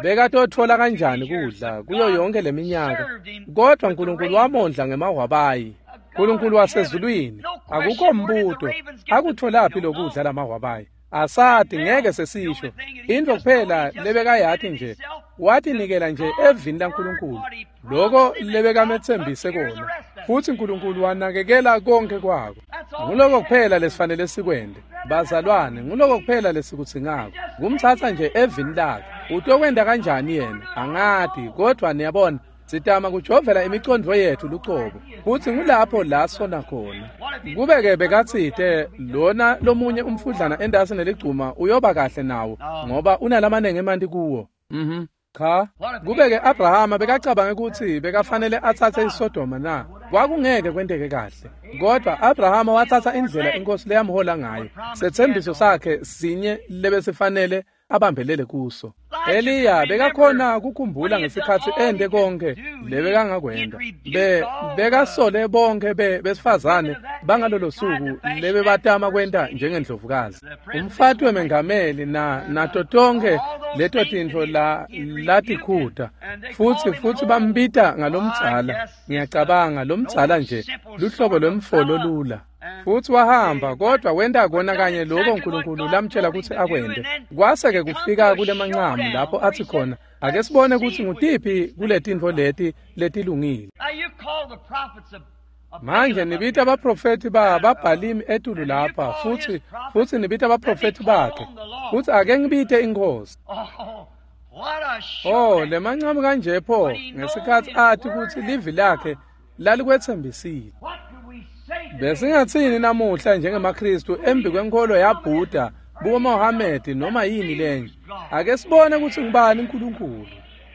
Speaker 2: bekatotfola kanjani kudla kuyo yonke leminyaka, kodwa uNkulunkulu wamondla ngemahwabayi. uNkulunkulu wasezulwini, akukho mbuto akutholaphi lokudla lamahwabayi, asati, ngeke sesisho. Intfo kuphela lebekayati nje, watinikela nje evini laNkulunkulu loko lebekametsembise kona, futsi uNkulunkulu wanakekela konke kwako. Nguloko kuphela lesifanele sikwente bazalwane, nguloko kuphela lesikudzingako, kumtsatsa nje evini lakhe. Utokwenta kanjani yena angati, kodwa niyabona sitama kujovela imicondvo yetfu lucobo, futsi ngulapho la sona khona. Kube-ke bekatsite lona lomunye umfudlana entasi neligcuma uyoba kahle nawo ngoba unalamanengi emanti kuwo. Mhm. Cha, kube-ke Abrahama bekacabange kutsi bekafanele atsatse iSodoma na, kwakungeke kwenteke kahle. Kodwa Abrahama watsatsa indlela inkosi leyamhola ngayo, setsembiso sakhe sinye lebesifanele abambelele kuso. Eliya bekakhona kukhumbula ngesikhatsi ente konke lebekangakwenta. Be bekasole bonke be besifazane bangalolo suku lebebatama kwenta njengendlovukazi. Umfati wemengameli na nato tonke leto tintfo la latikhuta futsi futsi bambita ngalomdzala. Ngiyacabanga lomdzala nje luhlobo lwemfolo lula. Futsi wahamba kodwa wenta kona kanye lokho uNkulunkulu lamtshela kutsi akwente. Kwase-ke kufika kulemancamu lapho athi khona ake sibone kutsi ngutiphi kuletintfo leti letilungile. Manje nibita abaprofethi ba babhalimi etulu lapha futsi futsi nibita abaprofethi bakhe futsi ake ngibite inkosi. Oh, lemancamu kanje pho ngesikhatsi athi kutsi livi lakhe lalikwetsembisile. Besingatsini namuhla njengemaKristu embi kwenkolo yaBuddha, buMohammed noma yini lenye. Ake sibone kutsi ngubani uNkulunkulu.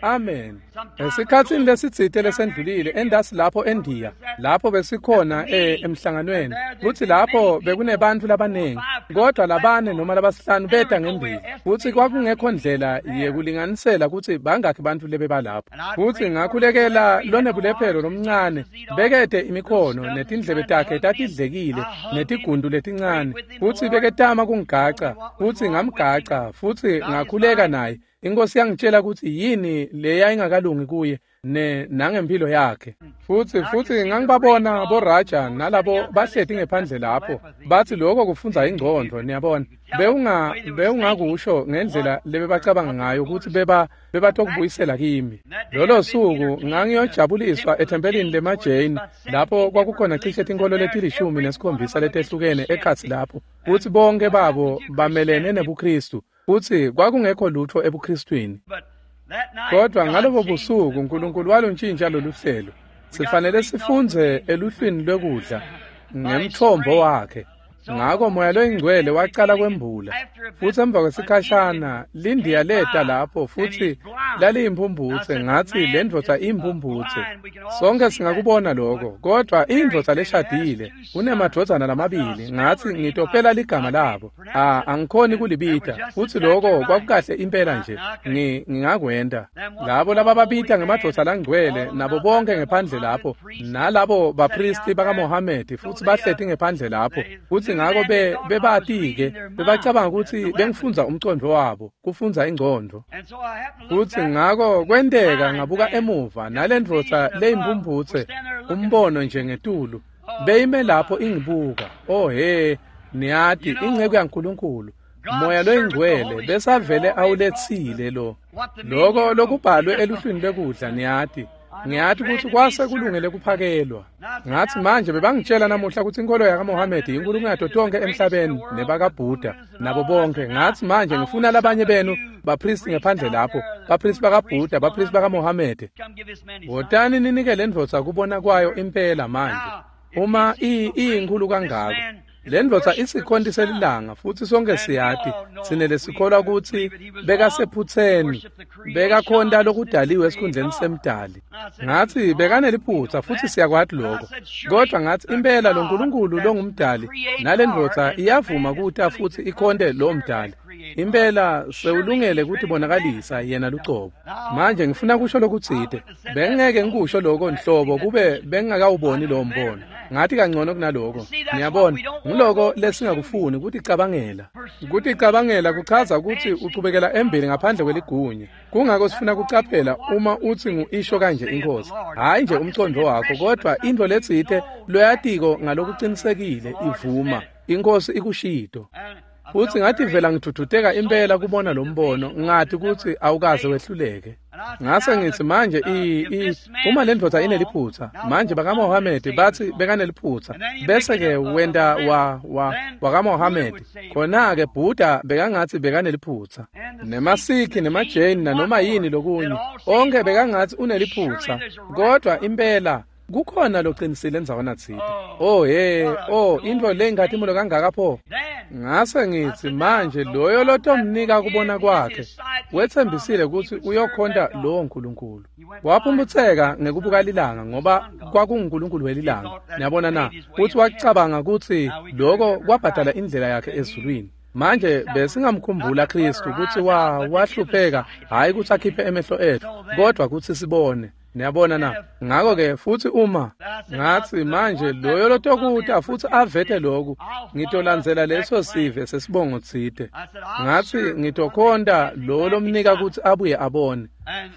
Speaker 2: Amen. Esikhatsini lesitsite lesendlulile endasi lapho eNdiya, lapho besikhona emhlanganweni, kutsi lapho bekunebantfu labanengi, kodwa labane noma labasihlanu beta ngembili, futsi kwakungekho ndlela yekulinganisela kutsi bangakhi bantfu lebebalapho. Futsi ngakhulekela lonebulephelo lomncane, bekete imikhono netindlebe takhe tatidlekile netigundu letincane, futsi beketama kungigaca, futsi ngamgaca, futsi ngakhuleka naye. Inkosi yangitshela kutsi yini leyayingakalungi kuye ne nangempilo yakhe. Futsi futsi ngangibabona boRaja nalabo bahleti ngephandle lapho bathi lokho kufundza ingcondvo, niyabona. Bewunga bewungakusho ngendlela lebebacabanga ngayo kutsi beba bebatokubuyisela kimi. Lolo suku ngangiyojabuliswa ethempelini lemaJain lapho kwakukhona cishe tinkolo letilishumi nesikhombisa letehlukene ekhatsi lapho, futsi bonke babo bamelene nebuKristu. Futsi kwakungekho lutho ebuKristwini. Kodwa ngalobo busuku uNkulunkulu waluntshintsha lolu hlelo. Sifanele sifundze eluhlwini lwekudla ngemthombo wakhe. Ngako Moya loyiNgcwele wacala kwembula. Futsi emva kwesikhashana lindiya leta lapho futsi laliyimphumphutse. Ngatsi le ndvodza iyimphumphutse. Sonke singakubona lokho, kodwa indvodza leshadile unemadvodzana lamabili. Ngatsi ngitopela ligama labo. Ah, angikhoni kulibita. Futsi lokho kwakukahle impela nje. Ngi ngingakwenta. Labo labababita ngemadvodza langcwele nabo bonke ngephandle lapho, nalabo bapristi bakaMohamedi futsi bahleti ngephandle lapho. Futsi ngako be bebati-ke bebacabanga kutsi bengifundza umcondvo wabo, kufundza ingcondvo. Futsi ngako kwenteka ngabuka emuva nalendvodza leyimphumphutse, umbono nje ngetulu, beyime lapho ingibuka. Oh he, niyati inceku yaNkulunkulu, Moya loyiNgcwele besavele awuletsile lo. Loko lokubhalwe eluhlwini lwekudla, niyati. Ngiyati kutsi kwase kulungele kuphakelwa. Ngatsi manje bebangitshela namuhla kutsi inkolo yakaMohamedi inkulu kunato tonke emhlabeni nebakaBuddha nabo bonke. Ngatsi manje ngifuna labanye benu bapristi ngephandle lapho, bapristi bakaBuddha, bapristi bakaMohamedi. Wotani ninike le ndvodza kubona kwayo impela manje. Uma iyinkulu kangako. Le ndvodza isikhonti selilanga futsi sonke siyati sinele sikholwa kutsi bekasephutseni, bekakhonta lokudaliwe esikhundleni semdali. Ngatsi bekaneliphutsa futsi siyakwati lokho. Kodwa ngatsi impela lo Nkulunkulu longumdali nale ndvodza iyavuma kuta futsi ikhonte lo mdali. Impela sewulungele kutibonakalisa yena lucobo. Manje ngifuna kusho lokutsite. Bengeke ngikusho lokho nhlobo kube bengingakawuboni lo mbono. Ngathi kangcono kunaloko. Niyabona, ngiloko lesingakufuni kuticabangela. Kuticabangela kuchaza kutsi uchubekela embili ngaphandle kweligunya. Kungako sifuna kucaphela uma utsi ngu-isho kanje inkosi. Hhayi nje umcondvo wakho, kodwa intfo letsite loyatiko ngalokucinisekile ivuma. Inkosi ikushito. Futsi ngativela ngiduduteka impela kubona lo mbono, ngati kutsi awukaze wehluleke. Ngase ngitsi manje i i uma le ndvodza ineliphutsa, manje bakaMohamedi batsi bekaneliphutsa, bese-ke wenta wa wa wakaMohamedi, khona-ke Buddha bekangatsi bekaneliphutsa, nemaSikhi nemaJain nanoma yini lokunye, onke bekangatsi uneliphutsa, kodwa impela kukhona loqinisile endzaweni tsite. Oh he, oh intfo leyinkhatimulo kangaka pho. Ngase ngitsi manje loyo lotomnika kubona kwakhe wetsembisile kutsi uyokhonta lowo Nkulunkulu. Waphumbutseka ngekubuka lilanga ngoba kwakunguNkulunkulu welilanga. Niyabona na? Futsi wacabanga kutsi lokho kwabhadala indlela yakhe ezulwini. Manje besingamkhumbula Kristu kutsi wa wahlupheka, hhayi kutsi akhiphe emehlo etfu, kodwa kutsi sibone. Niyabona na? Ngako-ke futsi uma ngatsi manje loyo lotokuta futsi avete loku, ngitolandzela leso sive sesibongo tsite. Ngatsi ngitokhonta lo lomnika kutsi abuye abone.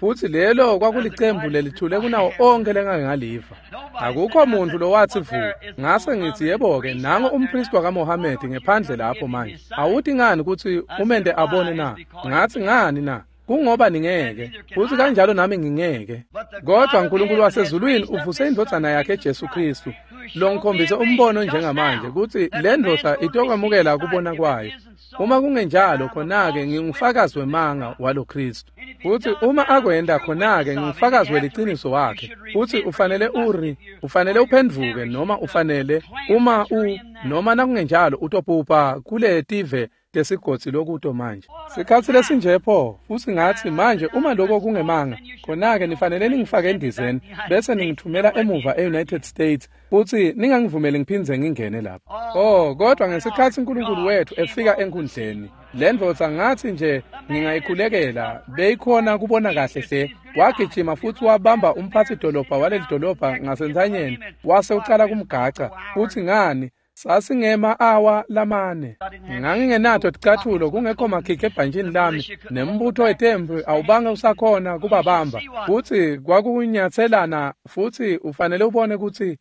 Speaker 2: Futsi lelo kwakulicembu lelithule kunawo onkhe lengake ngaliva. Akukho muntu lowatsi vu. Ngase ngitsi yebo-ke nango umpristi wakaMohamedi ngephandle lapho manje. Awuti ngani kutsi umente abone na? Ngatsi ngani na? Kungoba ningeke, futsi kanjalo nami ngingeke. Kodwa uNkulunkulu wasezulwini uvuse indvodzana yakhe Jesu Kristu, longikhombise umbono njengamanje kutsi le ndvodza itokwamukela kubona kwayo. Uma kungenjalo khona-ke ngingufakazi wemanga walo Kristu. Futsi uma akwenta khona-ke ngingufakazi weliciniso wakhe. Futsi ufanele uri, ufanele uphendvuke noma ufanele uma u noma nakungenjalo utopupha kule tive tesigodzi lokuto manje. Sikhatsi lesinje pho, futsi ngatsi manje uma lokho kungemanga, khona-ke nifanele ningifake endizeni bese ningithumela emuva e-United States futsi ningangivumeli ngiphindze ngingene lapho. Oh, kodwa ngesikhatsi uNkulunkulu wethu efika enkundleni, le ndvodza ngatsi nje ngingayikhulekela, beyikhona kubona kahle hle. Wagijima futsi wabamba umphatsi dolobha waleli dolobha ngasentsanyeni, wase ucala kumgaca, futsi ngani sasingema awa lamane. Ngangingenato ticathulo, kungekho makhikhi ebhantjini lami, nembutho wetempi awubange usakhona kubabamba. Futsi kwakunyatselana, futsi ufanele ubone kutsi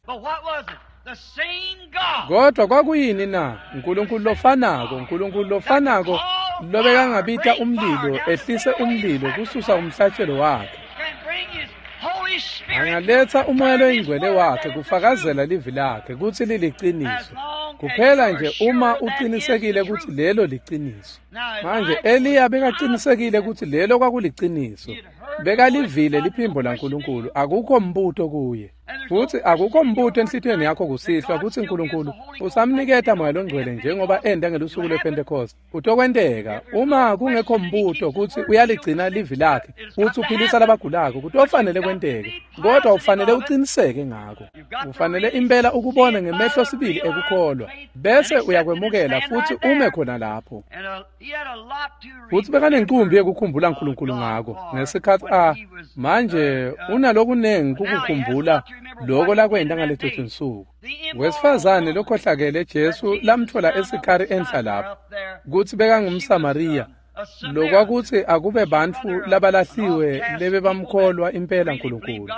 Speaker 2: kodwa kwakuyini na? uNkulunkulu lofanako, uNkulunkulu lofanako lobekangabita umlilo, ehlise umlilo kususa umhlatshelo wakhe. Angaletsa umoya loyingcwele wakhe kufakazela livi lakhe kutsi liliciniso. Kuphela nje uma uqinisekile kutsi lelo liciniso. Manje Eliya bekaqinisekile kutsi lelo kwakuliciniso. Bekalivile liphimbo laNkulunkulu, akukho mbuto kuye. Futsi akukho mbuto enhlitiyweni yakho kusihlwa kutsi uNkulunkulu usamniketa moya longcwele njengoba enda ngelusuku lwePentecost. Kutokwenteka uma kungekho mbuto kutsi uyaligcina livi lakhe futsi uphilisa labagulako, kutofanele kwenteke. Kodwa ufanele uqiniseke ngako. Ufanele impela ukubone ngemehlo sibili ekukholwa, bese uyakwemukela futsi ume khona lapho. Futsi bekanencumbi yekukhumbula uNkulunkulu ngako ngesikhatsi a manje unalokunengi kukukhumbula loko lakwenta ngaleto tinsuku. Wesifazane lokhohlakele Jesu lamtfola eSikhari enhla lapho, kutsi bekangumSamariya, lokwakuthi akube bantfu labalahliwe lebebamkholwa impela uNkulunkulu.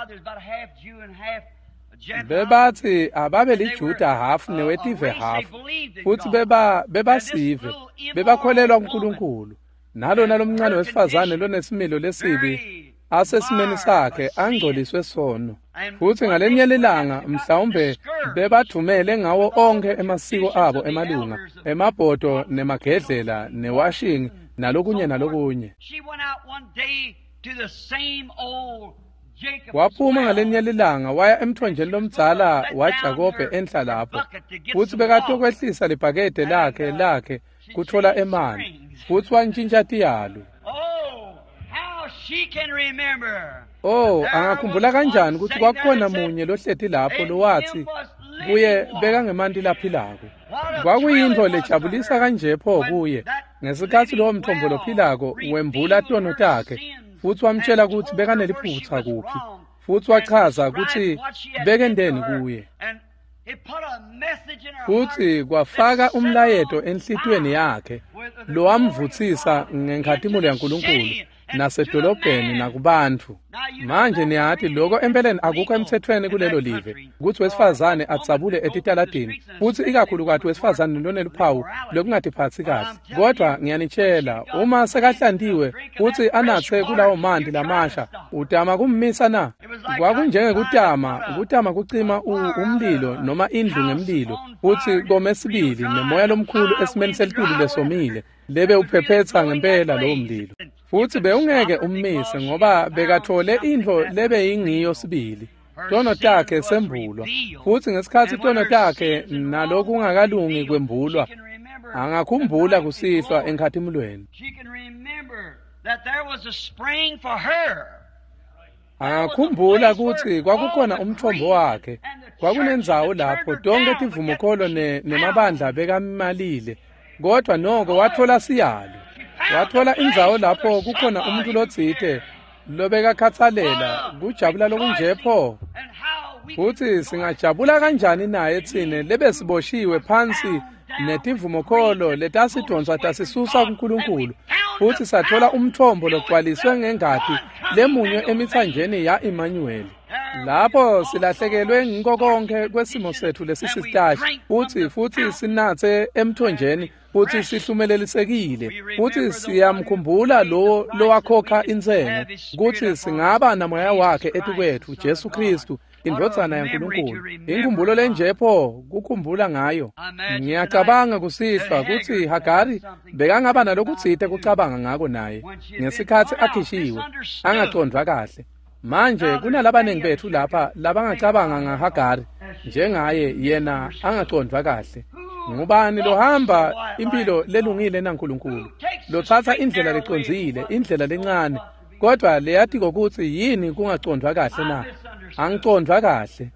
Speaker 2: Bebathi ababe liJuda hafu newetive hafu, futsi beba bebasive, bebakholelwa kuNkulunkulu. Nalona lomncane wesifazane lonesimilo lesibi asesimeni sakhe angcoliswe sono. Futsi ngalenye lilanga mhlawumbe bebadvumele ngawo onkhe emasiko abo emalunga, emabhodo nemagedlela newashing nalokunye nalokunye. Waphuma ngalenye lilanga waya emthonjeni lomdzala waJakobe enhla lapho, futsi bekatokwehlisa libhakede lakhe lakhe kutfola emanti, futsi wantjintja tiyalo. Oh, angakhumbula kanjani kutsi kwakukhona munye lohleti lapho lowatsi kuye bekangemanti laphilako. Kwakuyintfo lejabulisa kanje pho kuye ngesikhatsi lowo mthombo lophilako wembula tono takhe, futsi wamtjela kutsi bekaneliphutsa kuphi, futsi wachaza kutsi bekenteni kuye. Futsi kwafaka umlayeto enhlitiyweni yakhe lowamvutsisa ngenkhatimulo yaNkulunkulu nasedolobheni nakubantfu. Manje niyati lokho empeleni akukho emtsetfweni kulelo live kutsi wesifazane adzabule etitaladini, futsi ikakhulukati wesifazane loneluphawu lokungatiphatsi kahle. Kodwa ngiyanitshela, uma sekahlantiwe futsi anatse kulawo manti lamasha, utama kummisa na? Kwakunjengekutama kutama kucima umlilo noma indlu ngemlilo, futsi kome sibili nemoya lomkhulu esimeni selitulu lesomile lebe uphephetsa ngempela lowo mlilo. Futsi bewungeke ummise ngoba bekathole intfo lebe yingiyo sibili. Tono takhe sembulwa, futsi ngesikhatsi tono takhe nalokungakalungi kwembulwa, angakhumbula kusihlwa enkhatimulweni. Angakhumbula kutsi kwakukhona umthombo wakhe, kwakunendzawo lapho tonke tivumokholo nemabandla bekamalile, Kodwa noko wathola siyalo. Wathola indzawo lapho kukhona umuntu lotsite lobekakhatsalela kujabula lokunje pho. Futhi singajabula kanjani naye tsine lebesiboshiwe phansi netivumokholo letasidonswa tasisusa kuNkulunkulu, futhi sathola umthombo logcwaliswe ngengati lemunywe emithanjeni ya-Emmanuel. Lapho silahlekelwe ngiko konke kwesimo sethu lesisitashi, futhi futhi sinathe emthonjeni, futhi sihlumelelisekile, futhi siyamkhumbula lo lowakhokha intsengo, kutsi singaba namoya wakhe etukwethu, Jesu Kristu, indvodzana yaNkulunkulu. Inkhumbulo lenje pho kukhumbula ngayo. Ngiyacabanga kusihlwa kutsi Hagari bekangaba nalokutsite kucabanga ngako naye ngesikhatsi akhishiwe, angacondvwa kahle. Manje kunalabanengi bethu lapha labangacabanga ngaHagari njengaye, yena angacondvwa kahle. Ngubani lohamba impilo lelungile naNkulunkulu, lotsatsa indlela lecondzile, indlela lencane, kodwa leyatiko kutsi yini kungacondvwa kahle na? Angicondvwa kahle.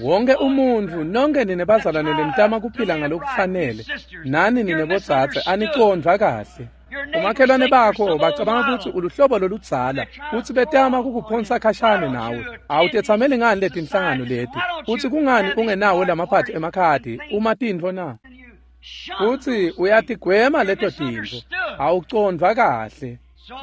Speaker 2: Wonke umuntfu, nonke nine bazalwane lenitama kuphila ngalokufanele, nani nine bodzadze, anicondvwa kahle. Umakhelwane bakho bacabanga kutsi uluhlobo loludzala, kutsi betama kukuphonsa khashane nawe. Awutetsameli ngani letinhlangano leti? Kutsi kungani ungenawo lamaphathi emakhadi uma tintfo na? Kutsi uyatigwema leto tintfo. Awucondvwa kahle.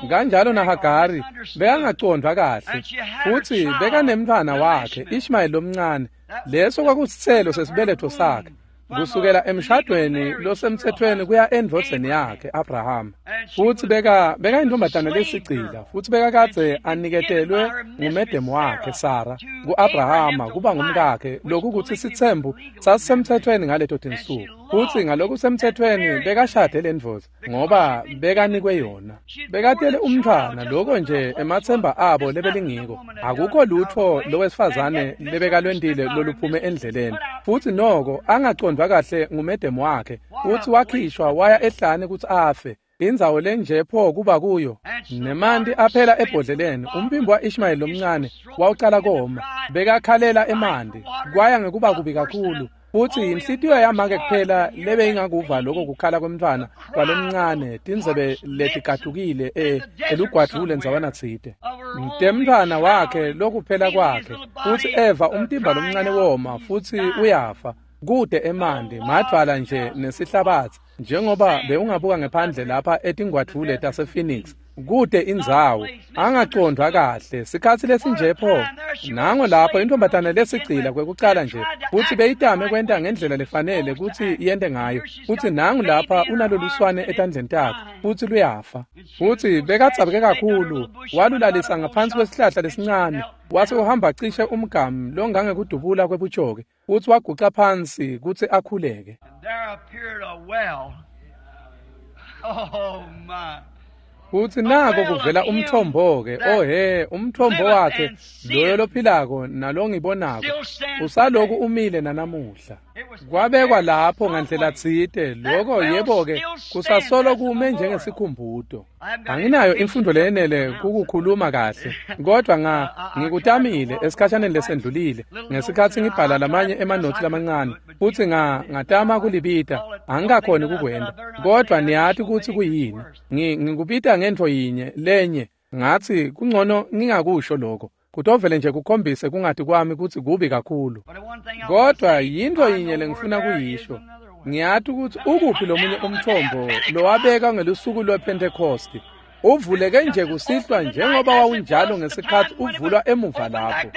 Speaker 2: Kanjalo naHagari bekangacondvwa kahle, futsi bekanemntfwana wakhe Ishmael lomncane. Leso kwakusitselo sesibeletho sakhe, kusukela emshadweni losemthethweni kuya endvodzeni yakhe Abraham. Futsi beka bekayintombazana lesigcila, futsi bekakadze aniketelwe ngumedemu wakhe Sara ku-Abrahama kuba ngumkakhe, lokukutsi sitsembu sasisemthethweni ngaleto tinsuku. Futsi ngalokusemthethweni bekashade lendvodza ngoba bekanikwe yona. Bekatele umntfwana, loko nje ematsemba abo lebelingiko. Akukho lutfo lowesifazane lebekalwentile loluphume endleleni. Futsi noko angacondvwa kahle ngumedemu wakhe, futsi wakhishwa waya ehlane kutsi afe. Indzawo lenje pho kuba kuyo. Nemanti aphela ebhodleleni. Umphimbo wa-Ishmael lomncane wawucala koma. Bekakhalela emanti, kwaya ngekuba kubi kakhulu. Futsi inhlitiyo yamake kuphela lebeyingakuva lokho kukhala kwemntfwana kwalomncane, tindzebe letigatukile e elugwadvule ndzawana tsite. Temntfwana wakhe lokuphela kwakhe, futsi eva umtimba lomncane woma, futsi uyafa. Kude emanti, madvwala nje nesihlabatsi, njengoba bewungabuka ngephandle lapha etingwadvule tasePhoenix. Kude indzawo, angacondvwa kahle, sikhatsi lesinje pho. Nango lapho intombazana lesigcila kwekucala nje, futsi beyitame kwenta ngendlela lefanele kutsi yente ngayo. Futsi nangu lapha unaloluswane etandleni takhe, futsi luyafa. Futsi bekadzabuke kakhulu, walulalisa ngaphansi kwesihlahla lesincane, wase uhamba cishe umgamu longangekudubula kwebutjoki, futsi waguca phansi kutsi akhuleke.
Speaker 1: Oh my.
Speaker 2: Futsi nako kuvela umthombo-ke, oh he, umthombo wakhe loyo lophilako nalongibonako usaloku umile nanamuhla. Kwabekwa lapho ngandlela tsite, loko yebo-ke kusasolo kume njengesikhumbuto. Anginayo imfundo leyenele kukukhuluma kahle, kodwa nga ngikutamile esikhashaneni lesendlulile ngesikhatsi ngibhala lamanye emanothi lamancane, futsi nga ngatama kulibita, angikakhoni kukwenta. Kodwa niyati kutsi kuyini, ngikubita ngentfo yinye lenye, ngatsi kungcono ngingakusho lokho. Kutovele nje kukhombise kungati kwami kutsi kubi kakhulu. Kodwa yintfo yinye lengifuna kuyisho. Ngiyati kutsi ukuphi lomunye umthombo lowabeka ngelusuku lwePhentekhosti. Uvuleke nje kusihlwa njengoba wawunjalo ngesikhatsi uvulwa emuva lapho.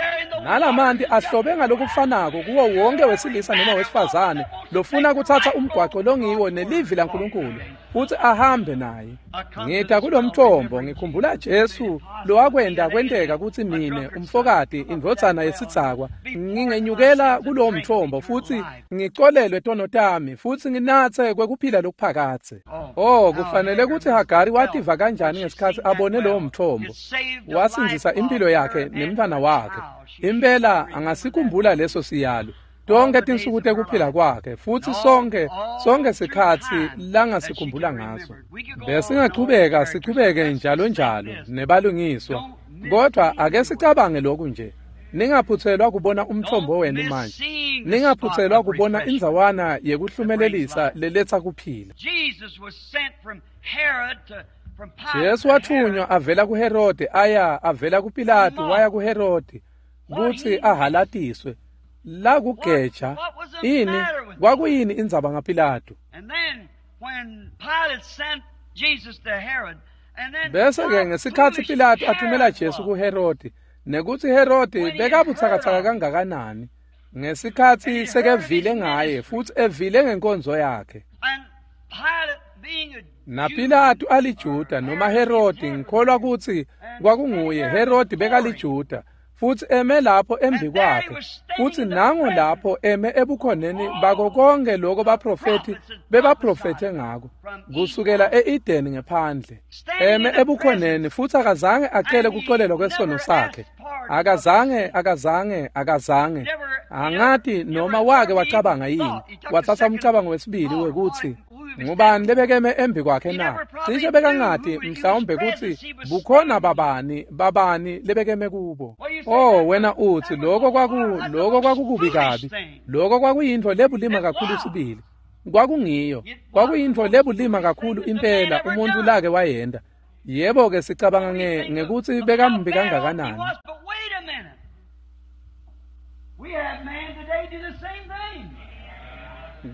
Speaker 2: Nalamanti ahlobe ngalokufanako kuwo wonke wesilisa noma wesifazane lofuna kutsatsa umgwaco longiwo nelivi laNkulunkulu futsi ahambe naye. Ngita kulomthombo ngikhumbula Jesu lowakwenta kwenteka kutsi mine umfokati indvodzana yesidzakwa ngingenyukela kulowo mthombo futsi ngicolelwe tono tami futsi nginatse kwekuphila lokuphakadze. Oh, kufanele kutsi Hagari wativa kanjani ngesikhatsi abone lowo mthombo. Wasindzisa impilo yakhe nemntfwana wakhe. Impela angasikhumbula leso siyalo tonke tinsuku tekuphila kwakhe futsi sonke sonke sikhatsi langasikhumbula ngaso. Besingachubeka sichubeke njalo njalo nebalungiswa, kodwa ake sicabange lokhu nje. Ningaphutselwa kubona umthombo wenu manje. Ningaphutselwa kubona indzawana yekuhlumelelisa leletsa kuphila. Jesu wathunywa avela kuHerode aya avela kuPilatu waya kuHerode kutsi ahalatiswe. La kugeja ini kwakuyini indzaba ngaPilatu? Bese ke ngesikhatsi Pilatu athumela Jesu kuHerode, nekutsi Herode bekabutsakatsaka kangakanani ngesikhatsi sekevile ngaye futsi evile ngenkonzo yakhe. NaPilatu aliJuda noma Herode, ngikholwa kutsi kwakunguye Herode bekaliJuda, futsi eme lapho embi kwakhe, futsi nango lapho eme ebukhoneni bako konke lokho baprofethi bebaprofethe ngako kusukela e-Edeni ngephandle, eme ebukhoneni futsi akazange acele kuxolelwa kwesono sakhe. Akazange akazange akazange angati noma wake wacabanga yini, watsatsa umcabango wesibili wekutsi ngubani lebekeme embi kwakhe na? Cishe bekangati mhlawumbe kutsi bukhona babani babani lebekeme kubo. Oh wena uthi lokho kwaku lokho kwakukubi kabi, lokho kwakuyintfo lebulima kakhulu sibili. Kwakungiyo, kwakuyintfo lebulima kakhulu impela umuntu lake wayenda. Yebo ke sicabanga nge ngekutsi bekambi kangakanani.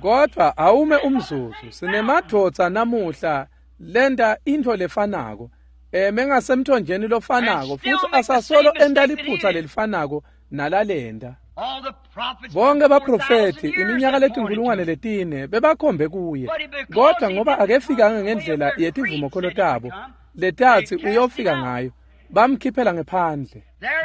Speaker 2: Kodwa awume umzuzu, sinemadvodza namuhla lenta intfo lefanako, eme ngasemthonjeni lofanako futsi asasolo enta liphutsa lelifanako nalalenta. Bonke baprofethi iminyaka letinkulungwane letine bebakhombe kuye, kodwa ngoba akefikanga ngendlela yetivumokholo tabo letatsi uyofika ngayo, bamkhiphela ngephandle.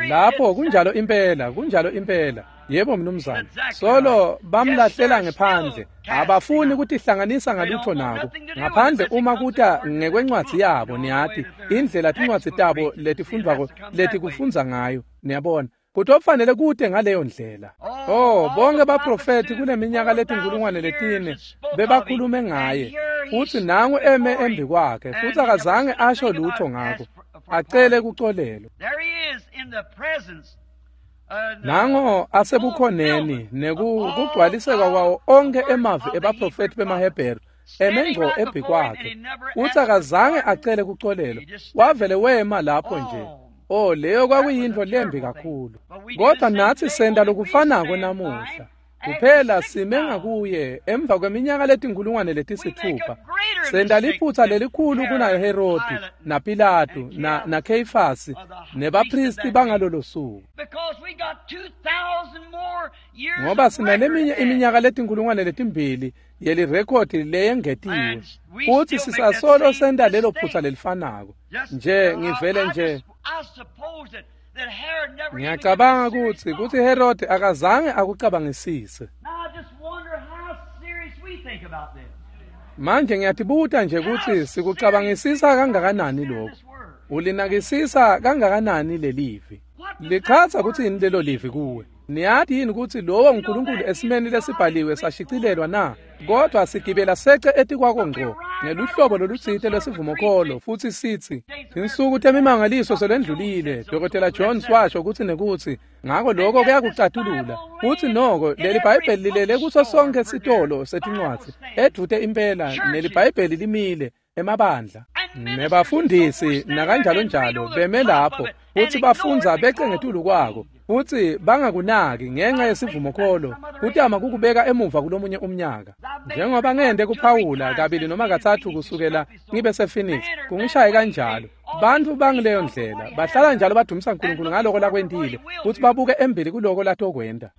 Speaker 2: Lapho kunjalo impela, kunjalo impela. Yebo mnumzane. Solo bamlahlela ngephandle, abafuni kutihlanganisa ngalutho nako ngaphandle uma kuta ngekwencwadzi yabo. Niyati indlela tincwadzi tabo letifundvwako letikufundza ngayo, niyabona kutofanele kute ngaleyo ndlela. Oh bonke baprofethi kuleminyaka letinkulungwane letine bebakhulume ngaye, futsi nangu eme embi kwakhe futsi akazange asho lutho ngako, acele kuxolelwa. Nango asebukhoneni nekugcwaliseka kwawo onke emavi ebaprofethi bemaHebheru eme ngco embi kwakhe, futsi akazange acele kuxolelwa, wavele wema lapho nje. Oh leyo kwakuyintfo lembi kakhulu. Kodwa natsi senta lokufanako namuhla. Kuphela sime ngakuye emva kweminyaka letinkulungwane letisithupha, senta liphutsa lelikhulu kunaHerodi naPilatu na naKheyifasi nebaphristi bangalolo suku, ngoba sinaleminye iminyaka letinkulungwane letimbili yelirekhodi leyengetiwe, futsi sisasolo senta lelo phutsa lelifanako nje. Ngivele nje ngiyacabanga kutsi kutsi Herode akazange akucabangisise. Manje ngiyatibuta nje kutsi sikucabangisisa kangakanani lokho, ulinakisisa kangakanani lelivi. Lichaza kutsi yini lelo livi kuwe? Niyati yini kutsi lowo nguNkulunkulu esimeni lesibhaliwe sashicilelwa na? Kodwa sigibela sece etikwako ngco ngeluhlobo lolutsite lwesivumokholo futsi sitsi tinsuku temimangaliso selendlulile. Dokotela Jones washo kutsi nekutsi ngako lokho kuyakucatulula. Futsi noko leli Bhayibheli lilele kuso sonke sitolo setincwadzi edvute impela, neliBhayibheli limile emabandla nebafundisi nakanjalo njalo beme lapho futsi bafundza bece ngetulu kwako futsi bangakunaki ngenxa yesivumokholo, kutama kukubeka emuva kulomunye umnyaka. Njengoba ngende kuphawula kabili noma katsatfu kusukela ngibe sePhoenix, kungishaye kanjalo. Bantfu bangileyo ndlela bahlala njalo badumisa uNkulunkulu ngaloko lakwentile futsi babuke embili kuloko latokwenta,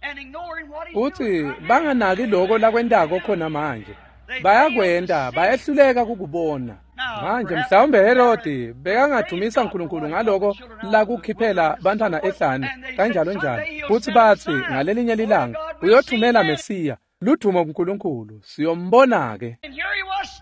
Speaker 2: futsi banganaki loko lakwentako khona manje. Bayakwenta, bayehluleka kukubona. Manje mhlawumbe Herodi bekangadumisa uNkulunkulu ngaloko lakukhiphela bantwana ehlane kanjalo njalo, futsi batsi ngalelinye lilanga uyothumela Mesiya, ludumo kuNkulunkulu, siyombona ke.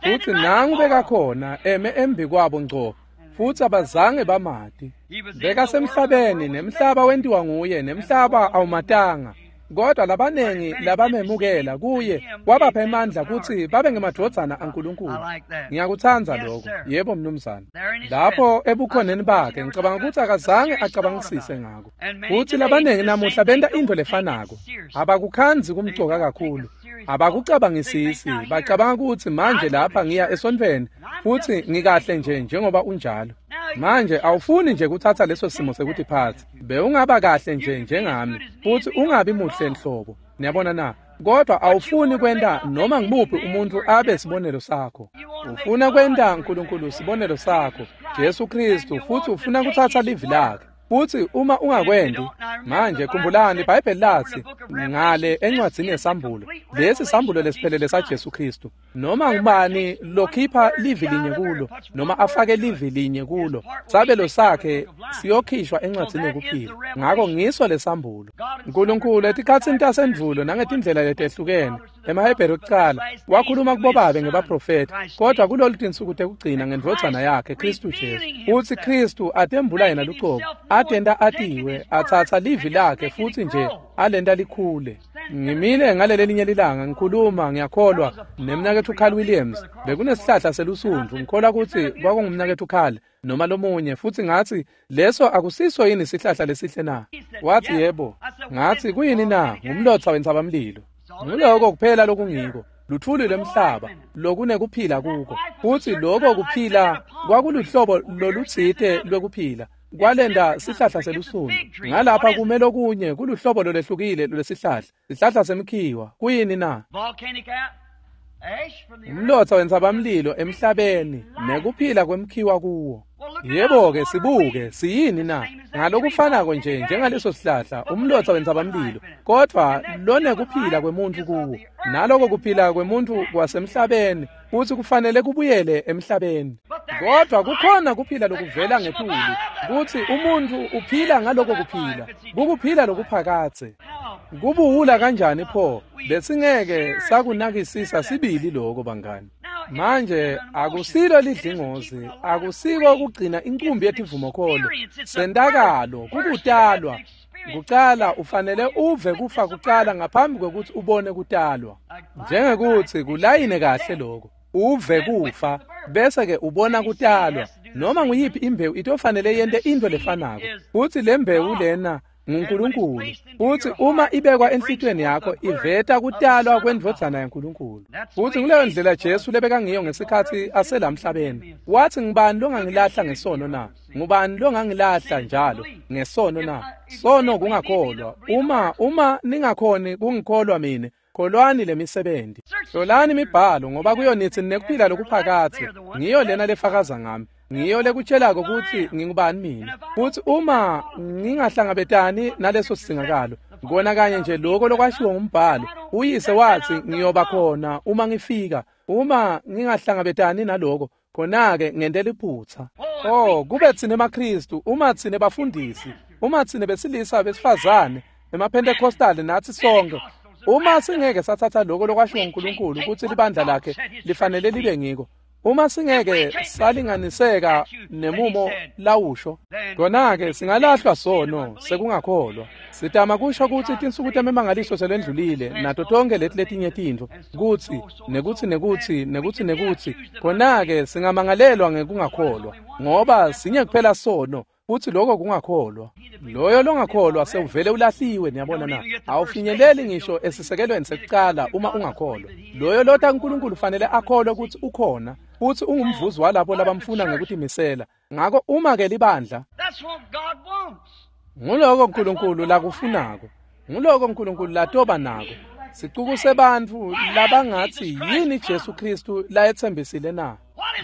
Speaker 2: Futsi nangu bekakhona eme embi kwabo ngco, futsi abazange bamati. Bekasemhlabeni nemhlaba wentiwa nguye, nemhlaba awumatanga. Kodwa labanengi labamemukela kuye wabapha emandla kutsi babe ngemadvodzana aNkulunkulu. Ngiyakutsandza lokho. Yebo mnumzane. Lapho ebukhoneni bakhe ngicabanga kutsi akazange acabangisise ngako. Kutsi labanengi namuhla benta intfo lefanako. Abakukhandzi kumcoka kakhulu. Abakucabangisisi, bacabanga kutsi manje lapha ngiya esontfweni futsi ngikahle nje njengoba unjalo. Manje awufuni nje kuthatha leso simo sekutiphatsa. Bewungaba kahle nje njengami futsi ungabi muhle enhlobo. Niyabona na? Kodwa awufuni kwenta noma ngimuphi umuntu abe sibonelo sakho. Ufuna kwenta uNkulunkulu sibonelo sakho, Jesu Kristu, futsi ufuna kuthatha livi lakhe. Futsi uma ungakwendi, manje khumbulani iBhayibheli lathi ngale encwadzini yesambulo, lesi sambulo lesiphelele saJesu Kristu, noma ngubani lokhipha livi linye kulo noma afake livi linye kulo, sabelo sakhe siyokhishwa encwadzini yekuphila. Ngako ngiso lesambulo. uNkulunkulu etikhatsini tasendvulo nangetindlela letehlukene, emaHebheru kucala wakhuluma kubobabe ngebaprofeti, kodwa kulolu tinsuku tekugcina ngendvodzana yakhe Kristu Jesu. Utsi Kristu atembula yena lucobo, atenta atiwe, atsatsa livi lakhe futsi nje alenta likhule. Ngimile ngalelelinye lilanga ngikhuluma, ngiyakholwa nemnaketfu Carl Williams. Bekunesihlahla selusundvu, ngikholwa kutsi kwakungumnaketfu Carl noma lomunye, futsi ngatsi leso akusiso yini sihlahla lesihle na? Wathi yebo. Ngatsi kuyini na? Ngumlotsa wentsabamlilo. Nguloko kuphela lokungiko, luthuli lwemhlaba lokunekuphila kuko. Futsi loko kuphila kwakuluhlobo lolutsite lwekuphila kwalenda sihlahla selusundvu. Ngalapha kume lokunye kuluhlobo lolwehlukile lwesihlahla, sihlahla semkhiwa. Kuyini na? Umlotsa wentsabamlilo emhlabeni nekuphila kwemkhiwa kuwo. Yebo-ke sibuke siyini na? Ngalokufanako nje njengaleso sihlahla, umlotsa wentsabamlilo, kodvwa lonekuphila kwemuntfu kuwo. Naloko kuphila kwemuntfu kwasemhlabeni, futsi kufanele kubuyele emhlabeni. Kodvwa kukhona kuphila lokuvela ngetulu, kutsi umuntfu uphila ngaloko kuphila, kukuphila lokuphakadze. Kubuwula kanjani pho? Besingeke sakunakisisa sibili lokho bangani. Manje akusilo lidlingozi, akusiko kugcina inkumbi yetivumokholo. Sentakalo kukutalwa. Kucala ufanele uve kufa kucala ngaphambi kwekutsi ubone kutalwa. Njengekutsi kulayine kahle lokho. Uve kufa bese ke ubona kutalwa. Noma nguyiphi imbewu itofanele yente into lefanako. Futsi le mbewu lena nguNkulunkulu. Futsi uma ibekwa enhlitiyweni yakho iveta kutalwa kwendvodzana yaNkulunkulu. Futsi nguleyo ndlela Jesu lebekangiyo ngesikhatsi aselamhlabeni. Wathi ngubani longangilahla ngesono na? Ngubani longangilahla njalo ngesono na? Sono kungakholwa. Uma uma ningakhoni kungikholwa mina, kholwani lemisebenti. Hlolani imibhalo ngoba kuyo nitsi nekuphila lokuphakadze. Ngiyo lena lefakaza ngami. Ngiyo lekutshelako kutsi ngingubani mina. Futsi uma ngingahlangabetani naleso singakalo, ngibona kanye nje lokho lokwashiwo ngumbhalo. Uyise wathi ngiyoba khona uma ngifika. Uma ngingahlangabetani naloko, khona-ke ngente liphutsa. Oh, kube tsine emaKristu, uma tsine bafundisi, uma tsine besilisa besifazane, emaPentecostal natsi sonke, uma singeke sathatha lokho lokwashiwo nguNkulunkulu kutsi libandla lakhe lifanele libe ngiko, uma singeke salinganiseka nemumo lawusho, khona-ke singalahlwa sono sekungakholwa. Sitama kusho kutsi tinsuku temimangaliso selendlulile nato tonke leti letinye tintfo, kutsi nekutsi nekutsi nekutsi nekutsi, khona-ke singamangalelwa ngekungakholwa, ngoba sinye kuphela sono, futsi lokho kungakholwa. Loyo longakholwa sewuvele ulahliwe, niyabona na? Awufinyeleli ngisho esisekelweni sekucala uma ungakholwa. Loyo lota uNkulunkulu fanele akholwe kutsi ukhona, futsi ungumvuzi walabo labamfuna ngekutimisela. Ngako uma ke libandla, nguloko uNkulunkulu lakufunako, nguloko uNkulunkulu latoba nako. Sicuku sebantfu labangatsi yini Jesu Kristu layetsembisile na?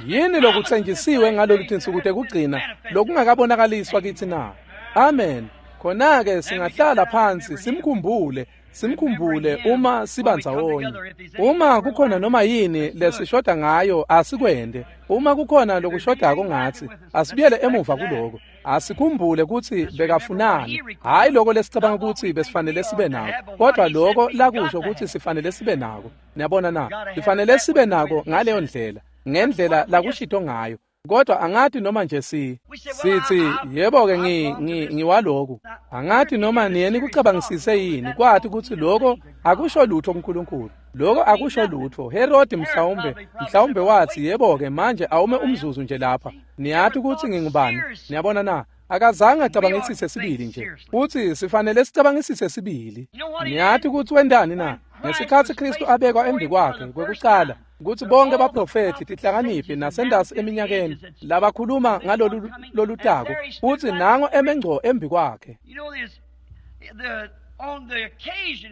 Speaker 2: Yini lokutsenjisiwe ngalolu tinsuku tekugcina lokungakabonakaliswa kitsi na? Amen. Khona-ke singahlala phansi simkhumbule, simkhumbule uma siba ndzawonye. Uma kukhona noma yini lesishoda ngayo asikwende. Uma kukhona lokushodako ngatsi, asibuyele emuva kuloko. Asikhumbule kutsi bekafunani, hhayi loko lesicabanga kutsi besifanele sibe nako, kodwa loko lakusho kutsi sifanele sibe nako. Niyabona na? Sifanele sibe nako ngaleyo ndlela, ngendlela lakushito ngayo. Kodwa angathi noma nje si sithi yebo-ke ngi ngiwaloku. Angathi noma niye nikucabangisise yini kwathi ukuthi lokho akusho lutho kuNkulunkulu. Lokho akusho lutho. Herod mhlawumbe mhlawumbe wathi yebo-ke manje awume umzuzu nje lapha. Niyathi ukuthi ngingubani? Niyabona na? Akazange acabangisise sibili nje. Uthi sifanele sicabangisise sibili. Niyathi ukuthi wendani na? Ngesikhathi Kristu abekwa embi kwakhe kwekuqala ukuthi bonke baprofethi tihlakaniphi nasendasi eminyakeni labakhuluma ngalolu lolutako uthi nango emengco embi kwakhe.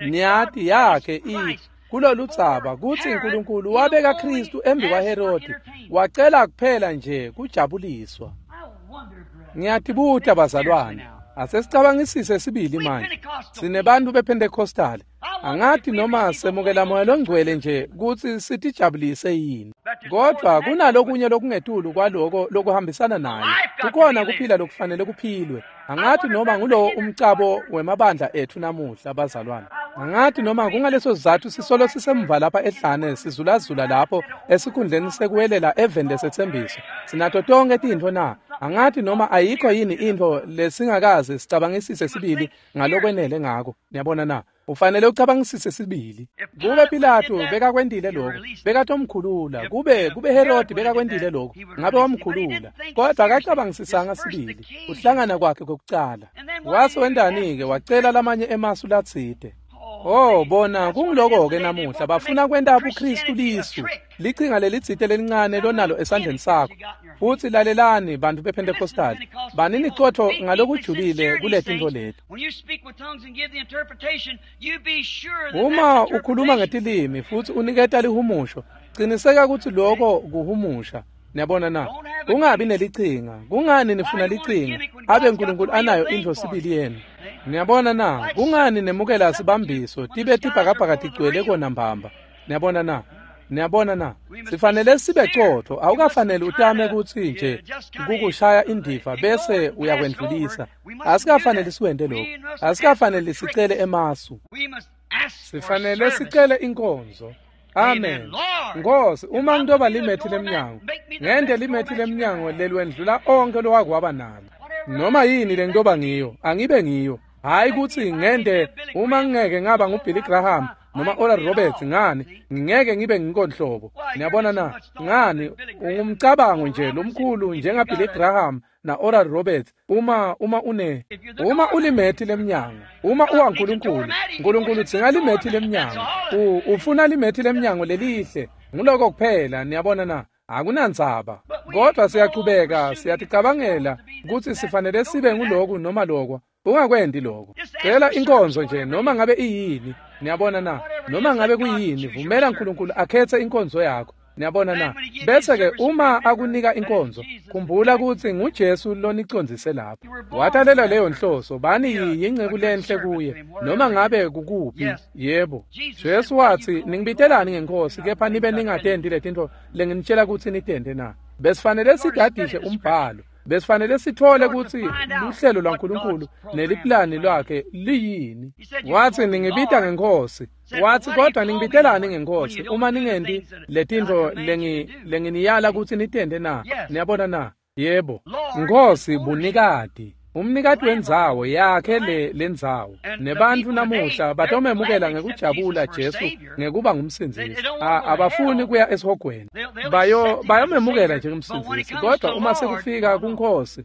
Speaker 2: Niyathi yakhe i kuloludzaba kuthi uNkulunkulu wabeka Kristu embi kwaHerodi wacela kuphela nje kujabuliswa. Ngiyatibuta bazalwane, asesicabangisise sibili manje. Sinebantu bePentecostal. Angathi noma semukela moya longcwele nje kuthi sitijabulise yini. Kodwa kunalokunye lokungetulu kwaloko lokuhambisana naye. Kukhona kuphila lokufanele kuphilwe. Angathi noma ngulowo umcabo wemabandla ethu namuhla bazalwane. Angathi noma kungaleso sizathu sisolo sisemva lapha ehlane sizulazula lapho esikhundleni sekuwelela eveni lesethembiso. Sinato tonke tintfo na? Angathi noma ayikho yini intfo lesingakaze sicabangisise sibili ngalokwenele ngako. Niyabona na? Ufanele ucabangisise sibili. Kube Pilato bekakwendile lokho, bekatomkhulula. Kube kube Herod bekakwendile lokho, ngabe wamkhulula. Kodwa akacabangisisanga sibili uhlangana kwakhe kokucala. Wase wendani-ke wacela lamanye emasu latsite. Oh bona kungiloko-ke namuhla bafuna kwenta ubuKristu lisu lichinga lelitsite lelincane lonalo esandleni sakho. Futhi lalelani bantu bePentecostal, banini cotho ngalokujulile kuletintfo leti. Uma ukhuluma ngetilimi futhi uniketa lihumusho, qiniseka ukuthi lokho kuhumusha. Niyabona na? Kungabi nelichinga. Kungani nifuna lichinga abe uNkulunkulu anayo intfo sibili yenu? Niyabona na? Kungani nemukela sibambiso tibe tibhakabhaka tigcwele kona mbamba? Niyabona na? Niyabona na? Sifanele sibe cotho. Awukafanele utame ukuthi nje kukushaya indiva bese uyakwendlulisa. Asikafanele siwente lokho. Asikafanele sicele emasu. Sifanele sicele inkonzo. Amen. Nkosi, uma ngitoba limethi lemnyango, ngende limethi lemnyango lelwendlula onke lowakwaba nalo. Noma yini lengitoba ngiyo, angibe ngiyo. Hayi ukuthi ngende uma ngeke ngaba nguBilly Graham noma Oral Roberts ngani, ngeke ngibe nginkonhlobo. Niyabona na? Ngani ungumcabango nje lomkhulu njenga Billy Graham na Oral Roberts uma uma une uma ulimethi lemnyango, uma uwaNkulunkulu, uNkulunkulu udzinga limethi lemnyango. Ufuna limethi lemnyango lelihle. Nguloko kuphela, niyabona na? Akunandzaba. Kodwa siyaqhubeka siyaticabangela ukuthi sifanele sibe nguloku noma lokho. Ungakwendi lokho. Cela inkonzo nje noma ngabe iyini. Niyabona na? Noma ngabe kuyini, vumela uNkulunkulu akhethe inkonzo yakho. Niyabona na? Bese ke uma akunika inkonzo, khumbula ukuthi nguJesu lonicondzise lapho. Watalela leyo nhloso, bani yinceku lenhle kuye noma ngabe kukuphi. Yebo. Jesu wathi, "Ningibitelani ngenkosi kepha nibe ningatendi letintfo lenginitshela ukuthi nitende na?" Besifanele sidadishe umbhalo. Besifanele sithole ukuthi luhlelo lwaNkulunkulu neliplani lwakhe liyini. Wathi ningibita ngenkosi. Wathi kodwa ningibitelani ngenkosi uma ningendi letintfo lengi lenginiyala ukuthi nitende na? Niyabona na? Yebo. Nkosi bunikati. Umnikati wendzawo yakhe le lendzawo. Nebantu namuhla batomemukela ngekujabula Jesu ngekuba ngumsindzisi. Abafuni kuya esihogweni. Bayo bayomemukela njengomsindzisi kodwa uma sekufika kuNkosi,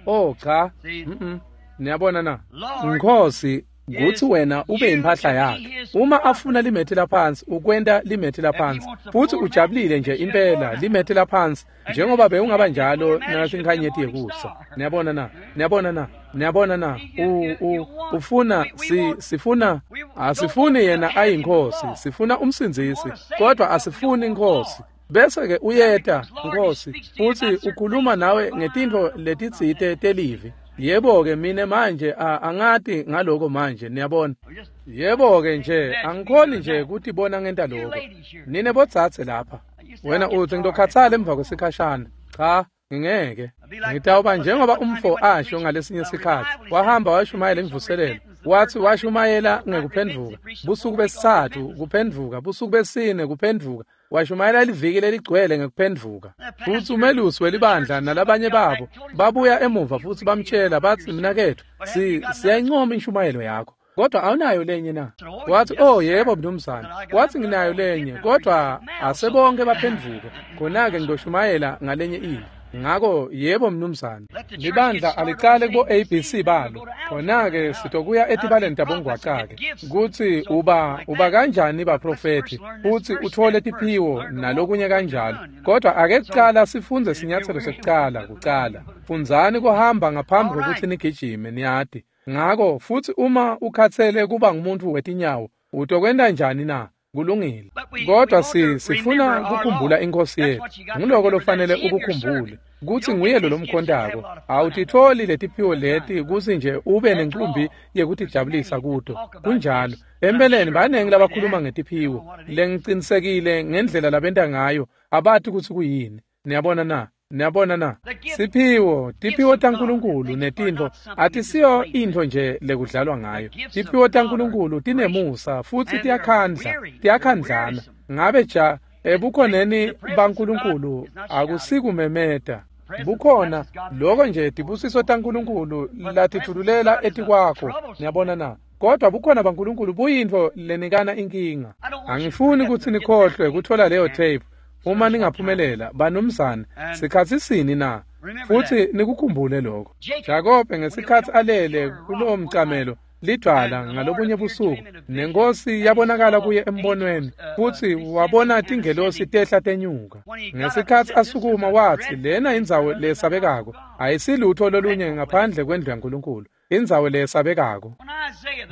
Speaker 2: oh cha, mhm. Niyabona na? Nkosi kuthi wena ube impahla yakhe. Uma afuna limethi laphansi, ukwenta limethi laphansi. Futhi ujabulile nje impela limethi laphansi njengoba bewungaba njalo nasinkhanyeti yekusa. Niyabona na? Niyabona na? Niyabona na? U u ufuna si sifuna asifuni yena ayinkosi, sifuna umsindzisi, kodwa asifuni inkosi. Bese ke uyeta Nkosi futhi ukhuluma nawe ngetintfo letitsite telivi. Yebo ke mine manje angati ngaloko manje, niyabona. Yebo ke nje angikhoni nje ukuthi bona ngenta lokho. Nine botsatse lapha. Wena uthi ngitokhatsala emva kwesikhashana. Cha, ngingeke. Ngitawuba njengoba umfo asho ngalesinye isikhathi. Wahamba washumayela imvuselelo. Wathi washumayela ngekuphendvuka busuku besithathu kuphendvuka, busuku besine kuphendvuka, washumayela liviki leligcwele ngekuphendvuka. Futhi umelusi welibandla nalabanye babo babuya emuva futhi bamtshela bathi, mnakethu, si siyayincoma inshumayelo yakho, kodwa awunayo lenye na? Wathi, oh yebo mnumzane. Wathi, nginayo lenye, kodwa asebonke baphendvuke, khona-ke ngidoshumayela ngalenye into. Ngako yebo mnumzane, libandla alicale kubo A B C balo, khona-ke sitokuya etibaleni tabongwacake kutsi uba uba kanjani baprofethi futhi uthole tiphiwo nalokunye kanjalo. Kodwa ake kucala sifunze sinyathelo sekucala kucala. Fundzani kuhamba ngaphambi kokuthi nigijime, niyati. Ngako futhi uma ukhathele kuba ngumuntu wetinyawo, utokwenta njani na? Kulungile. Kodwa si sifuna kukhumbula inkosi yethu. Nguloko lofanele ukukhumbule, kutsi nguye lo lomkhontako. Awutitholi letiphiwo leti kutsi nje ube nenqumbi yekutijabulisa kuto. Kunjalo. Empeleni banengi labakhuluma ngetiphiwo lengicinisekile ngendlela labenta ngayo, abati kutsi kuyini. Niyabona na? Niyabona na? Siphiwo, tiphiwo taNkulunkulu netintfo atisiyo intfo nje lekudlalwa ngayo. Tiphiwo taNkulunkulu tinemusa futhi tiyakhandla, tiyakhandlana. Ngabe ja ebukhoneni baNkulunkulu akusikumemeta. Bukhona lokho nje tibusiso taNkulunkulu latithululela etikwakho. Niyabona na? Kodwa bukhona baNkulunkulu buyintfo lenikana inkinga. Angifuni kutsi nikhohlwe kuthola leyo tape. Uma ningaphumelela banumzane, sikhatsi sini na? Futhi nikukhumbule lokho. Jakobe ngesikhatsi alele kulowo mcamelo lidwala ngalobunye busuku, nenkosi yabonakala kuye embonweni, futhi wabona tingelosi tehla tenyuka. Ngesikhatsi asukuma wathi, lena indzawo lesabekako, ayisilutho lolunye ngaphandle kwendlu yaNkulunkulu, indzawo lesabekako.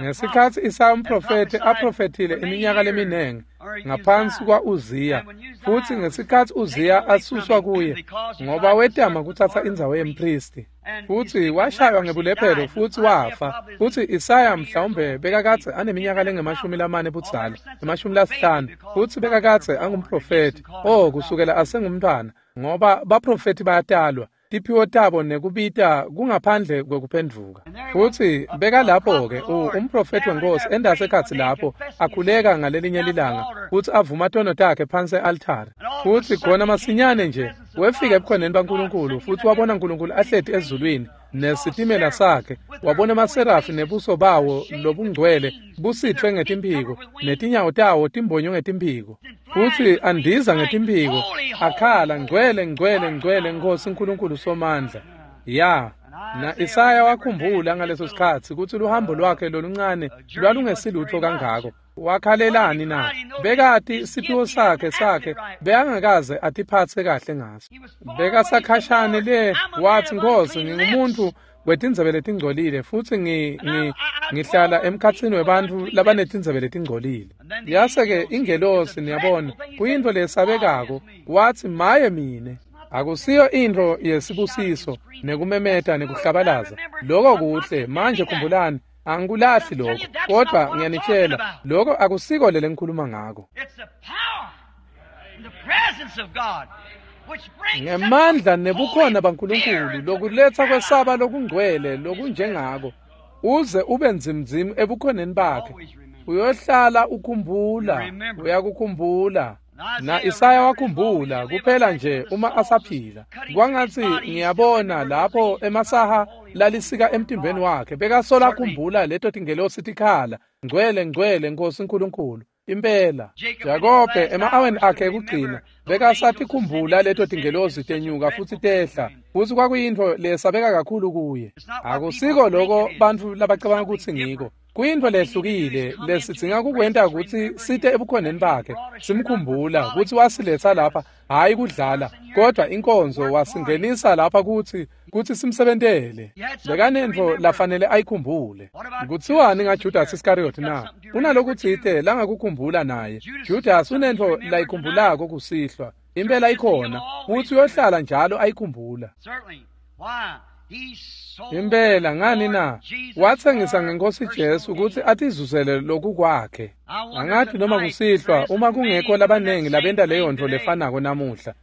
Speaker 2: Ngesikhatsi Isaya umprofethi aprofethile iminyaka leminengi ngaphansi kwa-Uziya, futhi ngesikhatsi Uziya asuswa kuye ngoba wetama kutsatsa indzawo yempristi, futhi washaywa ngebulephelo futhi wafa. Futhi Isaya mhlawumbe bekakadze aneminyaka lengemashumi lamane budzala, emashumi lasihlanu, futhi bekakadze angumprofethi, oh kusukela asengumntwana, ngoba baprofethi bayatalwa, tiphiwo tabo nekubita kungaphandle kwekuphendvuka. Futhi bekalapho-ke umprofethi wenkosi endasekhatsi lapho akhuleka ngalelinye lilanga futhi avuma tono takhe phansi e-altare. Futhi khona masinyane nje wefika ebukhoneni baNkulunkulu futhi wabona uNkulunkulu ahleti ezulwini nesitimela sakhe, wabona emaserafi nebuso bawo lobungcwele busithwe ngetimphiko netinyawo tawo timbonywe ngetimphiko, futhi andiza ngetimphiko akhala, ngcwele ngcwele ngcwele Nkosi uNkulunkulu Somandla. Ya, na Isaya wakhumbula ngaleso sikhatsi kutsi luhambo lwakhe loluncane lwalungesilutho kangako. Wakhalelani na? Bekati siphiwo sakhe sakhe bekangakaze atiphatse kahle ngaso. Bekasakhashane le, wathi, Nkosi, ngingumuntu wetindzebe letingcolile futhi ngi ngihlala emkhatsini webantfu labanetindzebe letingcolile. Yase-ke ingelosi, niyabona, kuyintfo lesabekako, wathi, maye mine. Akusiyo intfo yesibusiso nekumemeta nekuhlabalaza. Lokho kuhle. Manje khumbulani, angikulahli lokho, kodwa ngiyanitshela, lokho akusiko lele ngikhuluma ngako. Ngemandla nebukhona baNkulunkulu lokuletsa kwesaba lokungcwele lokunjengako, uze ube nzimnzimu ebukhoneni bakhe, uyohlala ukhumbula, uyakukhumbula. Na Isaya wakhumbula kuphela nje uma asaphila. Kwangatsi ngiyabona lapho emasaha lalisika emtimbeni wakhe, bekasola khumbula leto tingelosi tikhala, ngcwele ngcwele Nkosi uNkulunkulu. Impela Jakobe ema-aweni akhe ekugcina bekasatikhumbula leto tingelosi tenyuka futhi tehla, futhi kwakuyintfo lesabeka kakhulu kuye. Akusiko loko bantfu labacabanga kutsi ngiko. Kuyintfo lehlukile lesidzinga kukwenta kutsi site ebukhoneni bakhe, simkhumbula kutsi wasiletsa lapha, hhayi kudlala, kodwa inkonzo wasingenisa lapha kutsi kutsi simsebentele. Bekanentfo lafanele ayikhumbule. Kutsiwani ngaJudas Iscariot na? Unalokutsite langakukhumbula naye. Judas unentfo layikhumbulako kusihlwa. Impela ikhona, futsi uyohlala njalo ayikhumbula. Impela ngani na? Watsengisa ngenkosi Jesu kutsi atizuzele loku kwakhe. Angathi noma kusihlwa uma kungekho labanengi labenta leyo ntfo lefanako namuhla.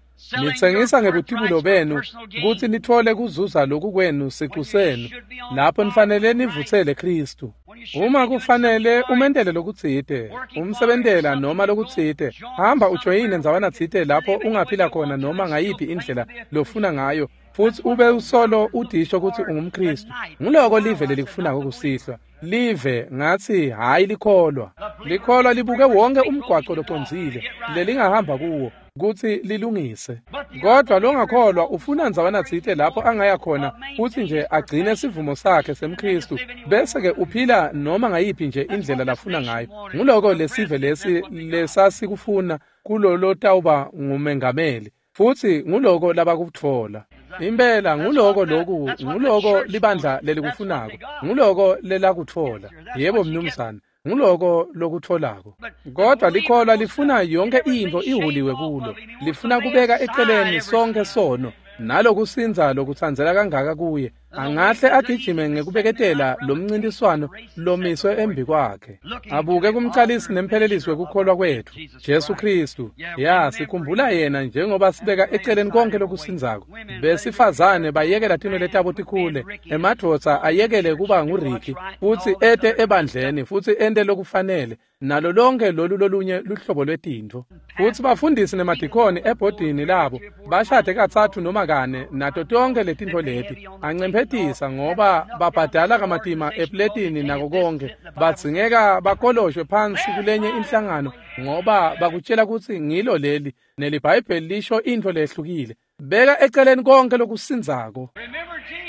Speaker 2: Nitsengisa ngebutibulo benu kutsi nitfole kuzuza loku kwenu sicu senu, lapho nifanele nivutsele Khristu. Uma kufanele umentele lokutsite, umsebentela noma lokutsite, hamba ujoyine ndzawana tsite lapho ungaphila khona noma ngayiphi indlela lofuna ngayo, futsi ube usolo udisho kutsi ungumKhristu. Nguloko live lelikufunako kusihlwa. Live ngatsi hayi likholwa. Likholwa libuke wonke umgwaco locondzile lelingahamba kuwo kutsi lilungise. Kodwa longakholwa ufuna ndzawana tsite lapho angaya khona futsi nje agcine sivumo sakhe semKhristu, bese ke uphila noma ngayiphi nje indlela lafuna ngayo. Nguloko lesive lesi lesasikufuna kulolo tawuba ngumengameli, futsi nguloko labakutfola. Impela nguloko loku, nguloko libandla lelikufunako, nguloko lelakutfola. Yebo mnumzane, nguloko lokutfolako. Kodwa likholwa lifuna yonke intfo ihuliwe kulo, lifuna kubeka eceleni sonke sono nalokusindza lokutsandzela kangaka kuye. Angahle agijime ngekubeketela lomncintiswano lomiswe embi kwakhe, abuke kumcalisi nemphelelisi wekukholwa kwetfu, Jesu Khristu. Ya, sikhumbula yena njengoba sibeka eceleni konke lokusindzako. Besifazane bayekela tinwele tabo tikhule, emadvodza ayekele kuba nguRicky futsi ete ebandleni futsi ente lokufanele, nalo lonke lolu lolunye luhlobo lwetintfo. Futsi bafundisi nemadikoni ebhodini labo bashade katsatfu noma kane nato tonke letintfo leti. Ancemphetisa ngoba babhadala kamatima epletini nako konke, badzingeka bakoloshwe phansi kulenye inhlangano ngoba bakutshela kutsi ngilo leli neliBhayibheli lisho intfo lehlukile. Beka eceleni konke lokusindzako.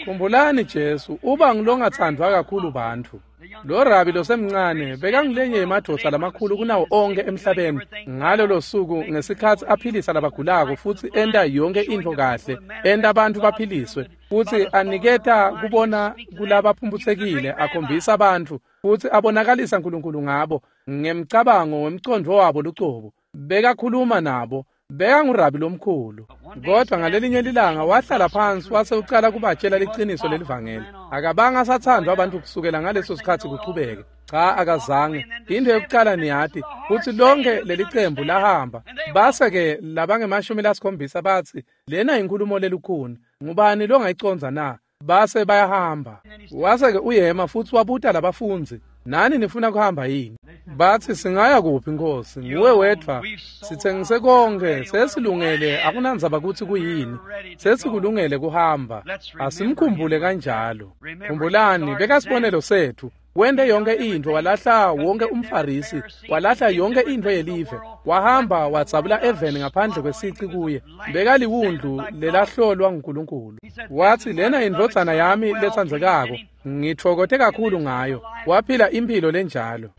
Speaker 2: Khumbulani Jesu uba ngulongathandwa kakhulu bantfu. Lo rabi losemncane bekangulenye yemadvodza lamakhulu kunawo onke emhlabeni ngalolo suku, ngesikhatsi aphilisa labagulako futsi enta yonke intfo kahle, enta bantfu baphiliswe, futsi aniketa kubona kulabaphumputsekile, akhombisa bantfu futsi abonakalisa Nkulunkulu ngabo ngemcabango wemcondvo wabo lucobo. Bekakhuluma nabo, bekangurabi lomkhulu. Kodwa ngalelinye lilanga wahlala phansi wase ucala kubatshela liciniso lelivangeli. Akabanga asathandwa abantu kusukela ngaleso sikhatsi kuchubeke. Cha, akazange. Into yokucala niyati kutsi lonke lelicembu lahamba. Base ke labangemashumi lasikhombisa batsi, lena inkhulumo lelukhuni, ngubani longayiconza na? Base bayahamba. Wase ke uyema futsi wabuta labafundzi, nani nifuna kuhamba yini? Batsi, singaya kuphi Nkosi? Nguwe wedvwa, sitsengise konke, sesilungele, akunandzaba kutsi kuyini, sesikulungele kuhamba. Asimkhumbule kanjalo. Khumbulani, bekasibonelo setfu. Wente yonke intfo, walahla wonke umFarisi, walahla yonke intfo yelive, wahamba wadzabula eveni ngaphandle kwesici kuye. Bekaliwundlu lelahlolwa nguNkulunkulu. Watsi, lena indvodzana yami letsandzekako, ngitfokote kakhulu ngayo. Waphila imphilo lenjalo.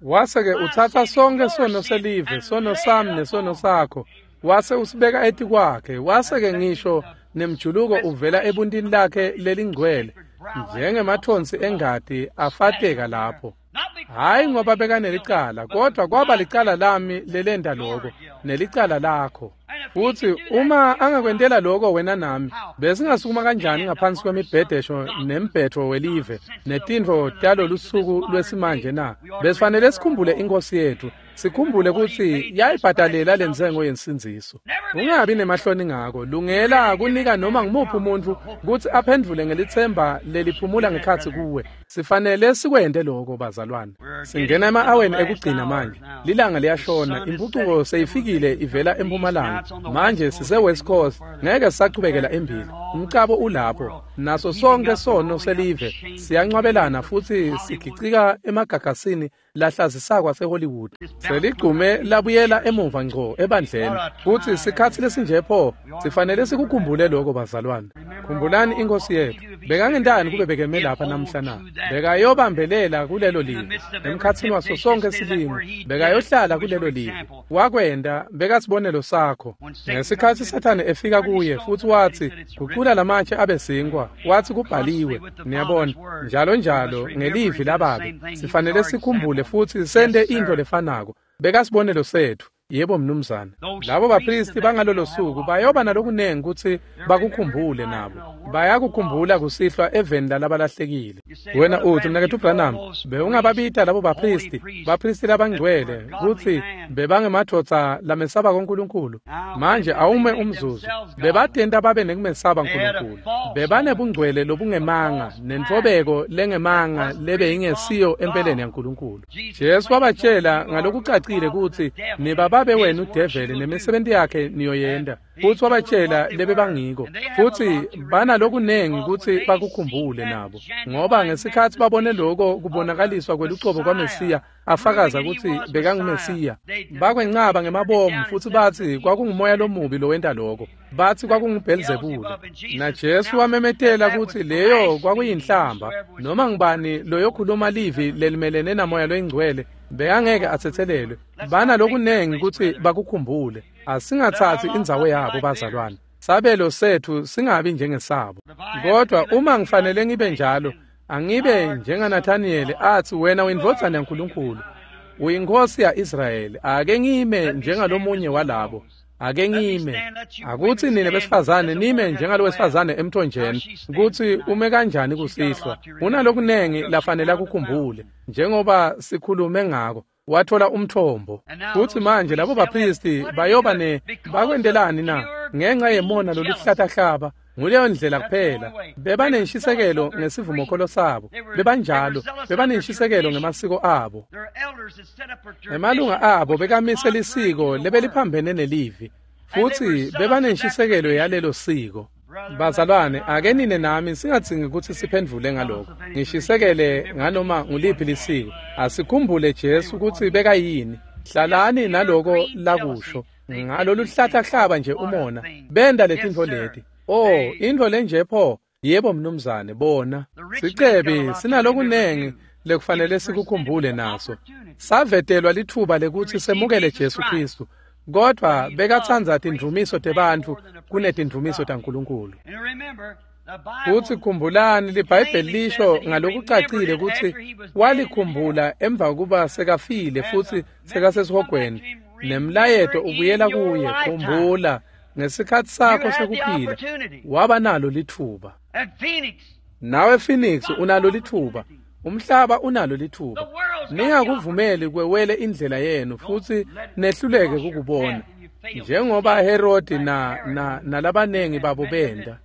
Speaker 2: Wase-ke utsatsa sonke sono selive, sono sami nesono sakho, wase usibeka etikwakhe. Wase-ke ngisho nemjuluko uvela ebuntini lakhe lelingcwele, njengemathonsi engati afateka lapho. Hayi ngoba bekanelicala, kodwa kwaba licala lami lelenta loko, nelicala lakho. Futsi uma angakwentela loko wena nami, besingasukuma kanjani ngaphansi kwemibhedesho nembhetho welive netintfo talolusuku lwesimanje na? Besifanele sikhumbule iNkosi yetfu, sikhumbule kutsi yayibhadalela lentsengo yensindziso. Ungabi nemahloni ngako, lungela kunika noma ngumuphi umuntfu kutsi aphendvule ngelitsemba leliphumula ngekhatsi kuwe. Sifanele sikwente loko bazalwane. Singena ema-aweni ekugcina manje. Lilanga liyashona, impucuko seyifikile ivela empumalanga. Manje sise West Coast, ngeke sisachubekela embili. Umcabo ulapho, naso sonke sono selive siyancwabelana futsi sigicika emagagasini lahlazisako aseHollywood. Seligcume labuyela emuva ngco ebandleni. Futsi sikhatsi lesinje pho, sifanele sikukhumbule lokho bazalwane. Khumbulani iNkosi yetfu. Bekangentani kube bekeme lapha namhla na? Bekayobambelela kulelo live emkhatsini waso sonke silingo, bekayohlala kulelo live. Wakwenta, bekasibonelo sakho. Ngesikhatsi Sathane efika kuye futsi watsi, gucula lamatshe abe sinkwa, watsi kubhaliwe. Niyabona, njalo njalo ngelivi lababe. Sifanele sikhumbule futsi sente intfo lefanako. Bekasibonelo setfu. Yebo mnumzane. Labo bapristi bangalolo suku bayoba nalokunengi kutsi bakukhumbule nabo. Bayakukhumbula kusihlwa eveni lalabalahlekile. Wena uthi, Mnaketfu Branham, bewungababita labo baphristi, baphristi labangcwele, kutsi bebangemadvodza lamesaba kuNkulunkulu. Manje awume umzuzu, bebatenta babe nekumesaba Nkulunkulu. Bebanebungcwele lobungemanga, nentfobeko lengemanga lebeyingesiyo empeleni yaNkulunkulu. Jesu wabatjela ngalokucacile kutsi nibababe wenu develi nemisebenti yakhe niyoyenta. Futsi wabatjela lebebangiko, futsi banalokunengi kutsi bakukhumbule nabo, ngoba ngesikhatsi babone loko kubonakaliswa kwelucobo kwaMesiya afakaza kutsi bekanguMesiya, bakwencaba ngemabomu futsi batsi kwakungumoya lomubi lowenta loko, batsi kwakunguBhelzebule. Na Jesu wamemetela kutsi leyo kwakuyinhlamba, noma ngubani loyokhuluma livi lelimelene namoya loyingcwele bekangeke atsetselelwe. Banalokunengi kutsi bakukhumbule. Asingatsatsi indzawo yabo bazalwane. Sabelo setfu singabi njengesabo. Kodwa uma ngifanele ngibe njalo, angibe njengaNathaniyeli atsi, wena uyindvodzana yaNkulunkulu, uyinkhosi ya-Israyeli. Ake ngime njengalomunye walabo. Ake ngime. Akutsi nine besifazane nime njengalo wesifazane emthonjeni, kutsi ume kanjani kusihlwa. Unalokunengi lafanele akukhumbule, njengoba sikhulume ngako. Wathola umthombo. Futsi manje labo baphristi bayoba ne bakwentelani na? Ngenxa yemona loluhlatahlaba. Nguleyo ndlela kuphela. Bebanenshisekelo ngesivumokholo sabo. Bebanjalo. Bebanenshisekelo ngemasiko abo. Emalunga abo bekamise lisiko lebeliphambene nelivi. Futsi bebanenshisekelo yalelo siko. Bazalwane, ake nine nami singadzingi kutsi siphendvule ngaloko. Ngishisekele nganoma nguliphi lisiko. Asikhumbule Jesu kutsi bekayini. Hlalani naloko lakusho. Ngalolu hlahlahlaba nje umona. Benda letintfo leti. Oh, intfo lenje pho. Yebo mnumzane, bona. Sicebi sinalokunengi lekufanele sikukhumbule naso. Savetelwa litfuba lekutsi semukele Jesu Khristu. Kodwa bekatsandza tindvumiso tebantfu kunetindvumiso taNkulunkulu. Futsi khumbulani, liBhayibheli lisho ngalokucacile kutsi walikhumbula emva kuba sekafile futsi sekasesihogweni. Nemlayeto ubuyela kuye, khumbula ngesikhatsi sakho sekuphila waba nalo litfuba. Nawe Phoenix unalo litfuba. Umhlaba unalo litfuba. Ningakuvumeli kwewele indlela yenu futsi nehluleke kukubona, njengoba Herodi na na nalabanengi babo benda.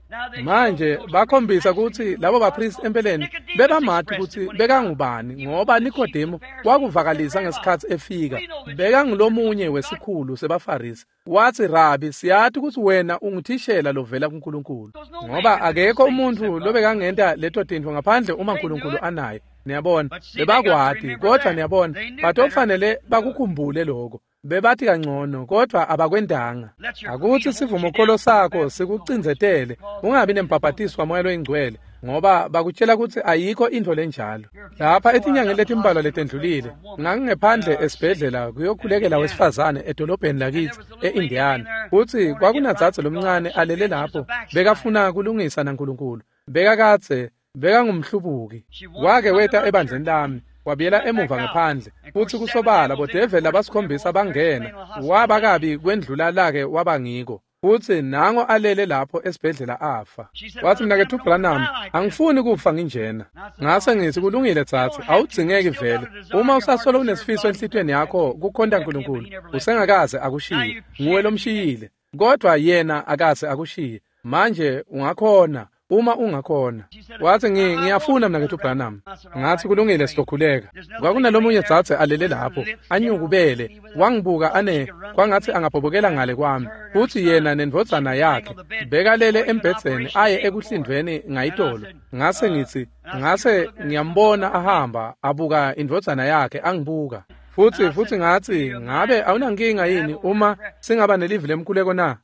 Speaker 2: Manje bakhombisa kutsi labo baphristi empeleni bebamati kutsi bekangubani, ngoba Nikodemu wakuvakalisa ngesikhatsi efika. Bekangulomunye wesikhulu sebaFarisi. Watsi, Rabi, siyati kutsi wena unguthishela lovela kuNkulunkulu, ngoba akekho umuntfu lobekangenta leto tintfo ngaphandle uma Nkulunkulu anaye. Niyabona, bebakwati, kodvwa niyabona, batofanele bakukhumbule lokho. Bebathi kangcono, kodvwa abakwentanga. Akutsi sivumokholo sakho sikucindzetele, ungabi nembhabhatiso wamoya loyingcwele, ngoba bakutjela kutsi ayikho intfo lenjalo. Lapha etinyangeni letimbalwa letendlulile, ngangingephandle esibhedlela kuyokhulekela wesifazane edolobheni lakitsi e-Indiana. Futsi kwakunadzadze lomncane alele lapho, bekafuna kulungisa naNkulunkulu. Bekakadze, bekangumhlubuki. Wake weta ebandleni lami, wabuyela emuva ngephandle. Futsi kusobala bodeveli labasikhombisa bangena, waba kabi kwendlula lake waba ngiko. Futsi nango alele lapho esibhedlela afa. Watsi, Mnaketfu Branham, angifuni kufa nginjena. Ngase ngithi, kulungile tsatsi, awudzingeki vele. Uma usasolo unesifiso enhlitiyweni yakho kukhonta Nkulunkulu, usengakaze akushiye. Nguwe lomshiyile, kodwa yena akaze akushiye. Manje ungakhona. Uma ungakhona. Watsi, ngiyafuna Mnaketfu Branham. Ngathi, kulungile, sizokhuleka. Kwakunalomunye dzadze alele lapho, anyukubele, wangibuka ane kwangathi angabhobokela ngale kwami. Futsi yena nendvodzana yakhe bekalele embhedzeni aye ekuhlindvweni ngayitolo. Ngase ngithi, ngase ngiyambona ahamba abuka indvodzana yakhe angibuka. Futsi futsi ngathi, ngabe awunankinga yini uma singaba nelivi lemkhuleko na?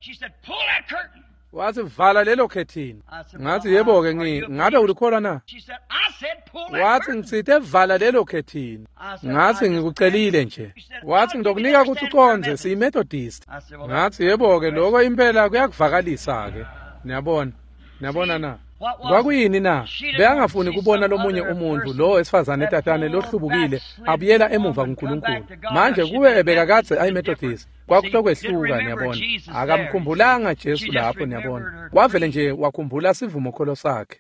Speaker 2: Wathi, vala lelo khethini. Ngathi, yebo-ke, ngi ngabe ulikholwa na? Wathi, ngitsite vala lelo khethini. Ngathi, ngikucelile nje. Wathi, ngitokunika kutsi ucondze, siyiMethodist. Ngathi, yebo-ke, lokho impela kuyakuvakalisa-ke. Niyabona, niyabona na? Kwakuyini na? Bekangafuni kubona lomunye umuntfu, lo wesifazane tatane lohlubukile, abuyela emuva kuNkulunkulu. Manje kube bekakadze ayiMethodist, Kwakutokwehluka, niyabona. Akamkhumbulanga Jesu lapho, niyabona. Wavele nje wakhumbula sivumokholo sakhe.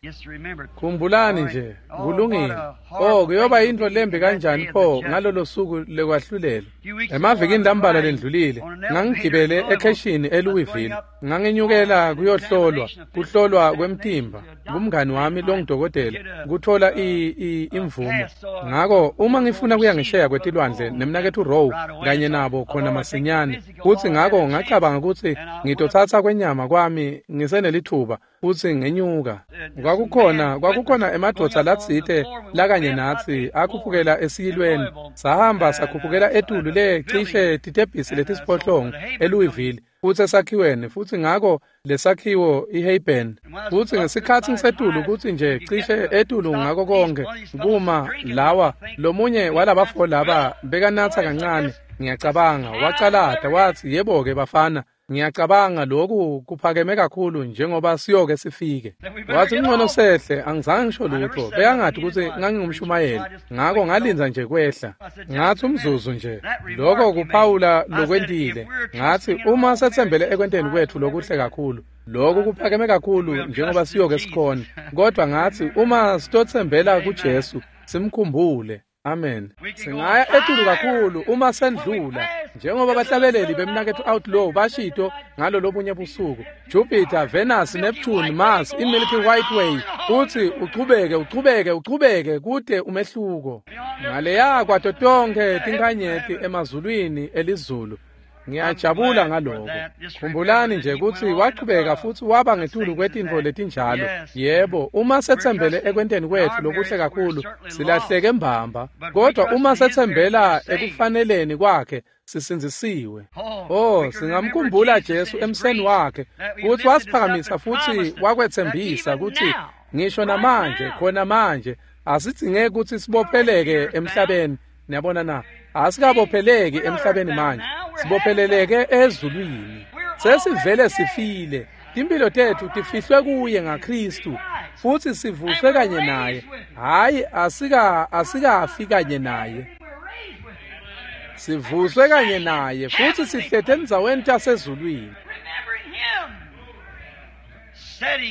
Speaker 2: Khumbulani nje, kulungile. Oh, kuyoba yintfo lembi kanjani pho ngalolo suku lekwahlulela. Emavikini lambalwa lendlulile, ngangigibele ekheshini eLouisville. Nganginyukela kuyohlolwa, kuhlolwa kwemtimba kumngani wami longudokotela, kuthola imvumo. Ngako uma ngifuna kuya ngesheya kwetilwandle nemnaketfu Rowe kanye nabo khona masinyane, futsi ngako ngacabanga kutsi ngitotsatsa kwenyama kwami ngisenelithuba futsi ngenyuka. Kwakukhona kwakukhona emadvodza latsite lakanye natsi akhuphukela esiyilweni. Sahamba sakhuphukela etulu le cishe titebhisi letisiphohlongo eLouisville, futsi esakhiweni, futsi ngako lesakhiwo iHeyben. Futsi ngesikhatsi ngisetulu kutsi nje cishe etulu ngako konke kuma lawa lomunye walabafo laba bekanatsa kancane, ngiyacabanga wacalata watsi, yebo-ke bafana, ngiyacabanga lokhu kuphakeme kakhulu njengoba siyoke sifike. Wathi ngcono sehle, angizange ngisho lutho. Bekangathi ukuthi ngangingumshumayeli, ngako ngalinza nje kwehla. Ngathi umzuzu nje, lokho kuphawula lokwentile. Ngathi uma setsembele ekwenteni kwethu lokuhle kakhulu, lokhu kuphakeme kakhulu njengoba siyoke sikhona. Kodwa ngathi uma sitotsembela kuJesu, simkhumbule. Amen. Singaya etulu kakhulu uma sendlula, njengoba bahlabeleli bemnaketfu Outlaw bashito ngalo lobunye busuku. Jupiter, Venus, Neptune, Mars, iMilky White Way, uthi uchubeke uchubeke uchubeke kude umehluko. Ngaleya kwato tonkhe tinkhanyeti emazulwini elizulu. Ngiyajabula ngaloko. Khumbulani nje kutsi wachubeka futsi waba ngetulu kwetintfo letinjalo. Yebo, uma setsembele ekwenteni kwetfu lokuhle kakhulu, silahleke mbamba. Kodwa uma setsembela ekufaneleni kwakhe, sisindzisiwe. Oh, singamkhumbula Jesu emseni wakhe, kutsi wasiphakamisa futsi wakwetsembisa kutsi ngisho namanje, khona manje, asidzingeki kutsi sibopheleke emhlabeni. Niyabona na? Asikabopheleki emhlabeni manje, sibopheleleke ezulwini. Sesivele sifile. Timphilo tetfu tifihlwe kuye ngaKristu, futsi sivuswe kanye naye. Hhayi, asika asikafi kanye naye. Sivuswe kanye naye futsi sihlete endzaweni tasezulwini.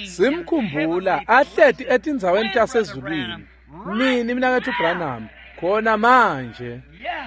Speaker 2: Simkhumbula ahleti etindzaweni tasezulwini. Nini mnaketfu Branham? Khona manje.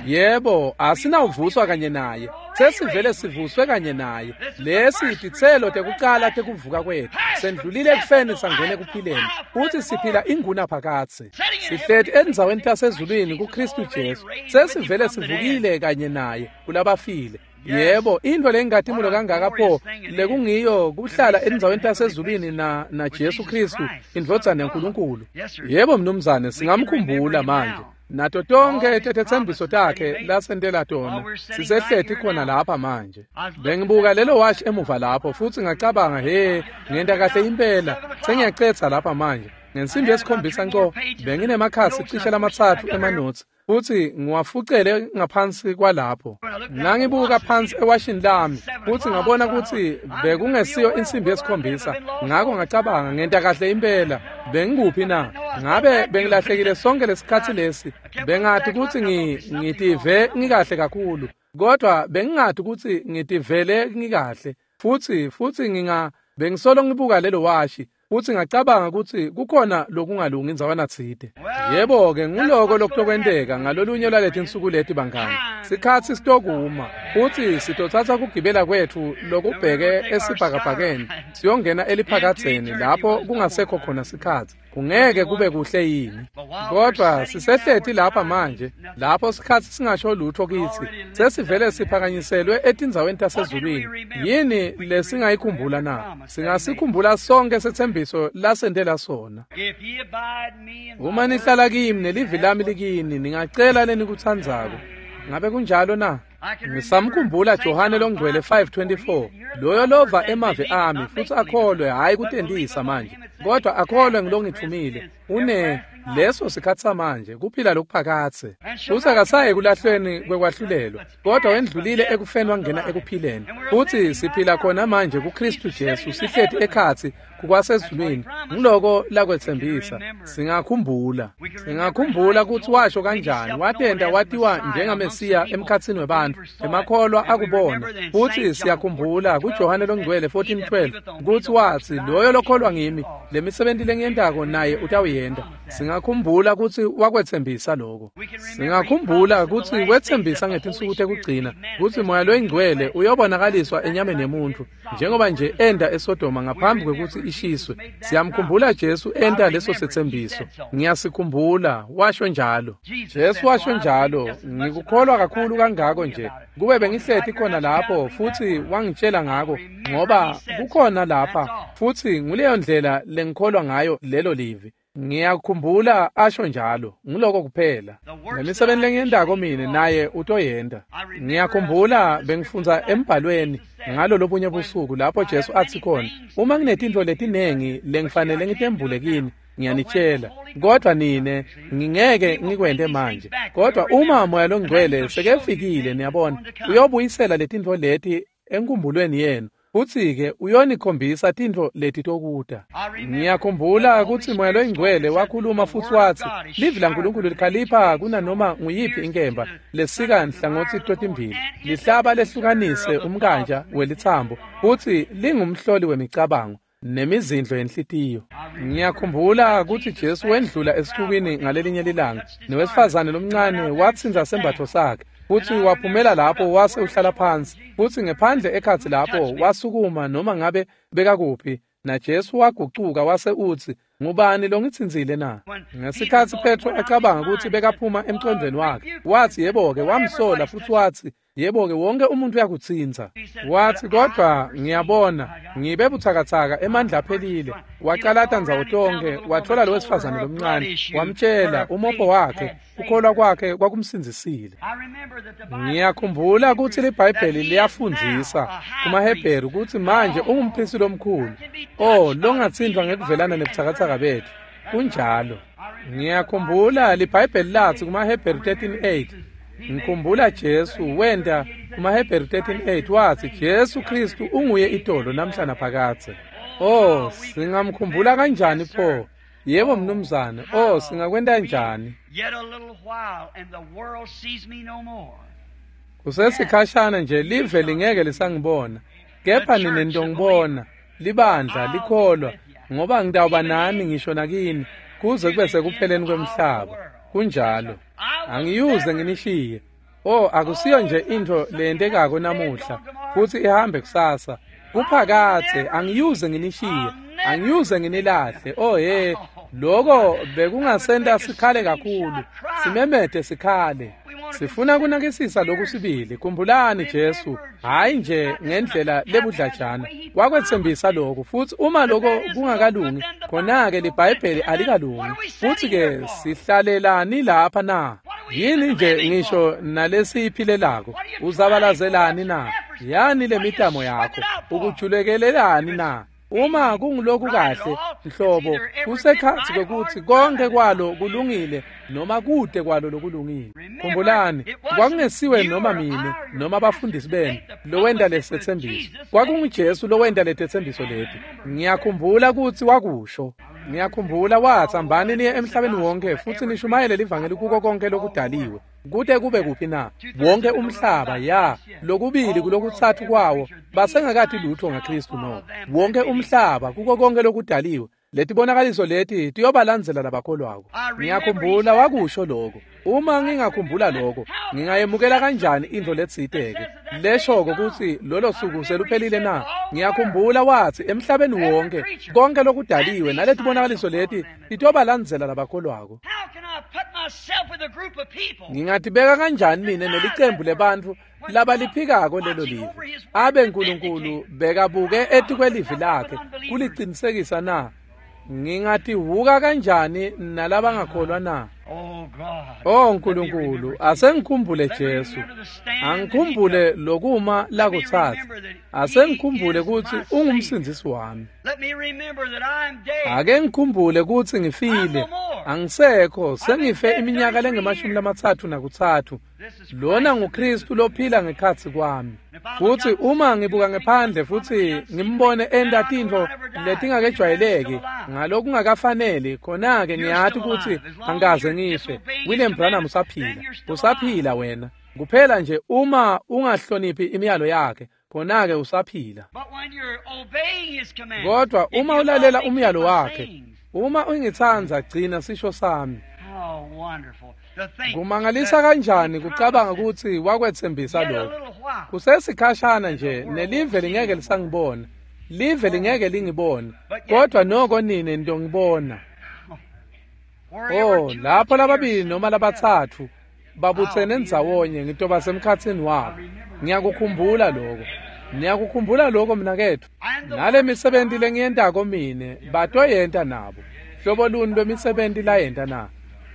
Speaker 2: Yebo, asinawuvuswa kanye naye. Sesivele sivuswe kanye naye. Lesi titselo tekucala tekuvuka kwethu. Sendlulile ekufeni sangena ekuphileni. Futhi siphila inguna phakatsi. Sihleti endzaweni tasezulwini kuKristu Jesu. Sesivele sivukile kanye naye kulabafile. Yebo, intfo lengatimulo kangaka pho lekungiyo kuhlala endzaweni tasezulwini na na Jesu Kristu, indvodzana yaNkulunkulu. Yebo mnumzane, singamkhumbula manje. Nato tonkhe tetsembiso takhe lasentela tona sisehleti khona lapha manje. Bengibuka lelo washi emuva lapho futsi ngacabanga, he, ngenta kahle impela, sengiyacetha lapha manje. Ngensimbi yesikhombisa nco benginemakhasi cishe lamatsatfu emanotsi, futsi ngiwafucele ngaphansi kwalapho. Ngangibuka phansi ewashini lami futsi ngabona kutsi bekungesiyo insimbi yesikhombisa, ngako ngacabanga ngenta kahle impela. Bengikuphi na? Ngabe bengilahlekile sonke lesikhatsi lesi? Bengathi kutsi ngitive ngikahle kakhulu, kodwa bengingathi kutsi ngitivele ngikahle. Futsi futsi nginga bengisolo ngibuka lelo washi futsi ngacabanga kutsi kukhona lokungalungi indzawana tsite. Yebo-ke, nguloko lokutokwenteka ngalolunye lwaletinsuku leti bangani. Sikhatsi sitokuma futsi sitotsatsa kugibela kwetfu lokubheke esibhakabhakeni siyongena eliphakadzeni lapho kungasekho khona sikhatsi. Kungeke kube kuhle yini? Kodwa sisehleti lapha manje, lapho sikhatsi singasho lutho kitsi. Sesivele siphakanyiselwe etindzaweni tasezulwini. Yini lesingayikhumbula na? Singasikhumbula sonke setsembiso lasentela sona. Uma nihlala kimi nelivi lami likini, ningacela lenikutsandzako. Ngabe kunjalo na? Ngisamkhumbula Johane longcwele five twenty-four, loyo lova emavi ami futsi akholwe, hhayi kutentisa manje, kodwa akholwe ngilongitfumile, une Leso sikhatsi samanje kuphila lokuphakatse. Futsi akasayi kulahlweni kwekwahlulelwa, kodwa wendlulile ekufeni wangena ekuphileni. Futsi siphila khona manje kuKristu Jesu, sihleti ekhatsi kukwasezulwini. Ngiloko lakwetsembisa. Singakhumbula. Singakhumbula kutsi washo kanjani, watenta watiwa njengaMesiya emkhatsini webantfu. Emakholwa akubona. Futsi siyakhumbula kuJohane longcwele fourteen twelve kutsi watsi loyo lokholwa ngimi, lemisebenti lengiyentako naye utawuyenta. Singakhumbula kutsi wakwetsembisa lokho. Singakhumbula kutsi wetsembisa ngetinsuku tekugcina kutsi Moya loyingcwele uyobonakaliswa enyameni yemuntfu njengoba nje enda eSodoma ngaphambi kwekutsi ishiswe. Siyamkhumbula Jesu enta leso setsembiso. Ngiyasikhumbula, washo njalo. Jesu washo njalo. Ngikukholwa kakhulu kangako nje. Kube bengihleti khona lapho futsi wangitshela ngako, ngoba kukhona lapha futsi nguleyo ndlela lengikholwa ngayo lelo livi. Ngiyakhumbula asho njalo. Ngiloko kuphela. Ngemisebenti lengiyentako mine naye utoyenta. Ngiyakhumbula bengifundza embhalweni ngalo lobunye busuku lapho Jesu athi khona, uma nginetintfo letinengi lengifanele ngitembule kini, ngiyanitshela, kodwa nine ngingeke ngikwente manje. Kodwa uma Moya loNgcwele sekefikile, niyabona, uyobuyisela letintfo leti enkumbulweni yenu. Futsi-ke uyonikhombisa tintfo letitokuta. Ngiyakhumbula kutsi Moya loyingcwele wakhuluma futsi watsi livi laNkulunkulu likhalipha kunanoma nguyiphi inkemba lesika nhlangothi totimbili, lihlaba lehlukanise umkanja welitsambo, futsi lingumhloli wemicabango nemizindlo yenhlitiyo. Ngiyakhumbula kutsi Jesu wendlula esixukwini ngalelinye lilanga, nowesifazane lomncane watsintsa sembatfo sakhe, futsi waphumela lapho wase uhlala phansi, futsi ngephandle ekhatsi lapho wasukuma noma ngabe bekakuphi, naJesu wagucuka wase utsi, ngubani longitsintsile na? Ngesikhatsi Petro acabanga kutsi bekaphuma emcondvweni wakhe, watsi yebo-ke, wamsola futsi watsi, yebo-ke, wonke umuntu uyakutsintsa. Watsi, kodwa ngiyabona ngibe butsakatsaka, emandla aphelile. Wacalata ndzawo tonkhe, watfola lo wesifazane lomncane, wamtshela umopho wakhe, kukholwa kwakhe kwakumsindzisile. Ngiyakhumbula kutsi liBhayibheli liyafundzisa kumaHebheru kutsi manje ungumphristi lomkhulu, oh, longatsintfwa ngekuvelana nebutsakatsaka betfu. Kunjalo. Ngiyakhumbula liBhayibheli latsi kumaHebheru thirteen eight, ngikhumbula Jesu wenta kumaHebheru thirteen eight watsi Jesu Kristu unguye itolo namhla naphakadze. Oh, singamkhumbula kanjani pho? Yebo mnumzane. Oh, singakwenta njani? Kusesikhashana nje live lingeke lisangibona, kepha nine nitongibona. Libandla likholwa, ngoba ngitawuba nani ngisho nakini kuze kube sekupheleni kwemhlaba. Kunjalo. Angiyuze nginishiye. Oh, akusiyo nje intfo leyentekako namuhla futsi ihambe kusasa. Kuphakathe, angiyuze nginishiye, angiyuze nginilahle. Oh he, lokho bekungasenta sikhale kakhulu, simemete sikhale. Sifuna kunakisisa lokhu sibili. Khumbulani Jesu, hayi nje ngendlela lebudlajana, wakwetsembisa lokhu, futsi uma lokho kungakalungi, khona-ke liBhayibheli alikalungi. Futsi-ke sihlalelani lapha na? Yini nje ngisho nalesiyiphilelako? Uzabalazelani na? Yani lemitamo yakho? Ukujulekelelani na? Uma kunguloku kahle nhlobo, kusekhatsi kwekutsi konke kwalo kulungile noma kude kwalo lokulungile. Khumbulani, kwakungesiwe noma mine noma abafundisi benu lowenta lesetsembiso. KwakunguJesu lowenta letetsembiso leti. Ngiyakhumbula kutsi wakusho. Ngiyakhumbula watsi, hambani niye emhlabeni wonke futsi nishumayele livangeli kuko konke lokudaliwe. Kute kube kuphi na? Wonke umhlaba, ya, lokubili kulokutsatfu kwawo basengakati lutho ngaKristu no. Wonke umhlaba kuko konke lokudaliwe. Letibonakaliso leti tiyobalandzela labakholwako. Ngiyakhumbula wakusho lokho. Uma ngingakhumbula lokho, ngingayemukela kanjani intfo letsite-ke leshoko kutsi lolo suku seluphelile na? Ngiyakhumbula watsi emhlabeni wonke konke lokudaliwe naletibonakaliso leti titobalandzela labakholwako. Ngingatibeka kanjani mine nelicembu lebantfu labaliphikako lelo livi? Abe Nkulunkulu bekabuke etikwelivi lakhe kulicinisekisa na? Ngingatihuka kanjani nalabangakholwa na? O Nkulunkulu, asengikhumbule Jesu. Angikhumbule lokuma lakutsatsa. Asengikhumbule kutsi ungumsindzisi wami. Ake ngikhumbule kutsi ngifile. Angisekho, sengife iminyaka lengemashumi lamatsatfu nakutsatfu. Lona nguKristu lophila ngekhatsi kwami. Futsi uma ngibuka ngephandle futsi ngimbone enta tintfo letingakejwayeleki ngalokungakafaneli, khona-ke ngiyati kutsi angikaze ngife. William Branham usaphila. Usaphila wena. Kuphela nje uma ungahloniphi imiyalo yakhe, khona-ke usaphila. Kodwa uma ulalela umyalo wakhe, uma ungitsandza, gcina sisho sami. Kumangalisa kanjani kucabanga kutsi wakwetsembisa lokho. Kusesikhashana nje nelive lingeke lisangibona. Live lingeke lingibone, kodwa noko nine nitongibona. Oh, lapho lababili noma labatsatfu babutsene ndzawonye, ngitoba semkhatsini wabo. Ngiyakukhumbula lokho. Ngiyakukhumbula lokho mnaketfu. Nale misebenti lengiyentako mine batoyenta nabo. Hlobo luni lwemisebenti layenta na?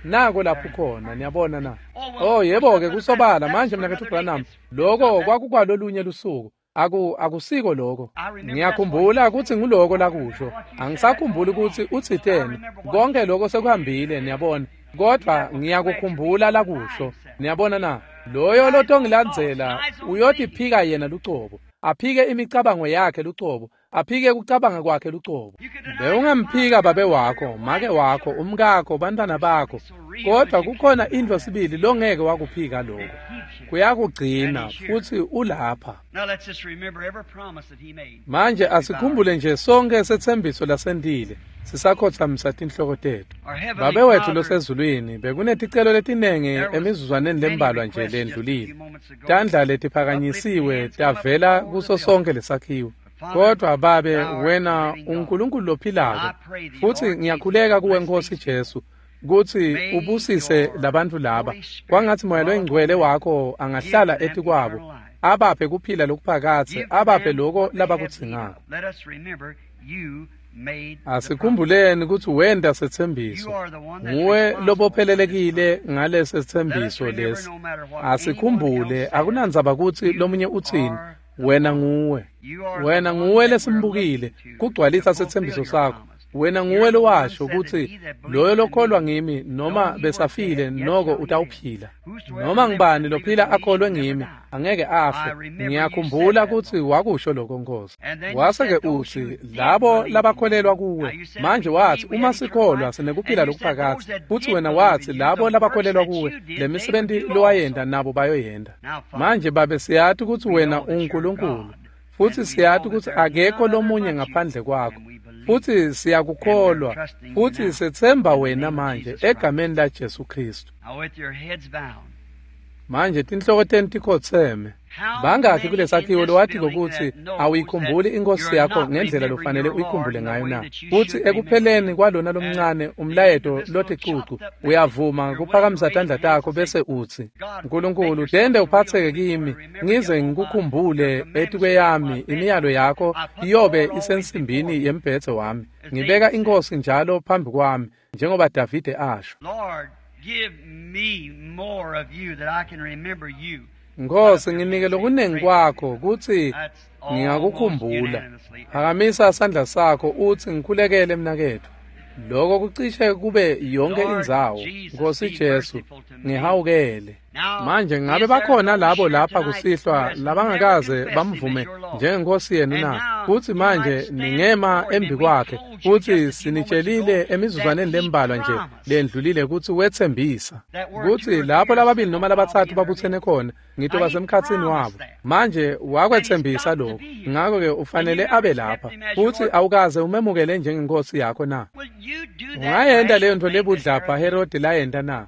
Speaker 2: Nako lapho khona, niyabona na? Oh, yebo-ke kusobala manje mnaketfu Branham, lokho kwakukwalolunye lusuku. Aku akusiko lokho. Ngiyakhumbula kutsi nguloko lakusho. Angisakhumbuli kutsi utsiteni. Konke lokho sekuhambile, niyabona. Kodwa ngiyakukhumbula lakusho. Niyabona na? Loyo lotongilandzela uyotiphika yena lucobo, aphike imicabango yakhe lucobo, aphike kucabanga kwakhe lucobo. Bewungamphika babe wakho, make wakho, umkakho, bantwana bakho, kodwa kukhona intfo sibili longeke wakuphika lokho. Kuyakugcina futsi ulapha. Manje asikhumbule nje sonke setsembiso lasentile sisakhotsamisa tinhloko tetfu. Babe wetfu losezulwini, bekuneticelo letinengi emizuzwaneni lembalwa nje lendlulile. Tandla letiphakanyisiwe tavela kuso sonke lesakhiwo. Kodwa Babe, wena uNkulunkulu lophilako, futsi ngiyakhuleka kuwe Nkosi Jesu kutsi ubusise labantfu laba. Kwangatsi Moya loyiNgcwele wakho angahlala etikwabo, abaphe kuphila lokuphakadze, abaphe loko labakudzingako. Asikhumbuleni kutsi wenta setsembiso. Nguwe lobophelelekile ngalesethembiso lesi. Asikhumbule, akunandzaba kutsi lomunye utsini, wena nguwe. Wena nguwe lesimbukile kugcwalisa setsembiso sakho. Wena nguwe lowasho kutsi loyo lokholwa ngimi noma besafile noko utawuphila. Noma ngibani lophila akholwe ngimi angeke afe. Ngiyakhumbula kutsi wakusho lokho Nkosi. Wase-ke utsi labo labakholelwa kuwe. Manje watsi uma sikholwa sinekuphila lokuphakadze. Futsi wena watsi labo labakholelwa kuwe lemisebenti lowayenta nabo bayoyenta. Manje Babe, siyati kutsi wena unguNkulunkulu, futsi siyati kutsi akekho lomunye ngaphandle kwakho. Futsi siyakukholwa, futsi sethemba wena manje egameni la Jesu Kristu. Manje tinhloko tenu tikhotseme. Bangakhi kulesakhiwo lowatiko kutsi awuyikhumbuli inkosi yakho ngendlela lofanele uyikhumbule ngayo na? Futsi ekupheleni kwalona lomncane umlayeto loticucu uyavuma kuphakamisa tandla takho bese utsi, Nkulunkulu, tende uphatseke kimi ngize ngikukhumbule etikweyami imiyalo yakho iyobe isensimbini yembhedze wami. Ngibeka inkosi njalo phambi kwami njengoba Davide asho.
Speaker 1: Give me more of you that I can remember you.
Speaker 2: Nkosi, nginike lokunengi kwakho kutsi ngingakukhumbula. Phakamisa sandla sakho utsi ngikhulekele mnaketfu. Lokho kucishe kube yonke indzawo. Nkosi Jesu, ngihawukele. Manje ngabe bakhona labo lapha kusihlwa labangakaze bamvume njengenkosi yenu na? Futsi manje ningema embi kwakhe, futsi sinitshelile emizuzwaneni lembalwa nje lendlulile kutsi wetsembisa kutsi lapho lababili noma labatsatfu babutsene khona ngitoba semkhatsini wabo. Manje wakwetsembisa lokho, ngako-ke ufanele abe lapha. Futsi awukaze umemukele njengenkosi yakho na? Ungayenta leyo ntfo lebudlapha Herodi layenta na?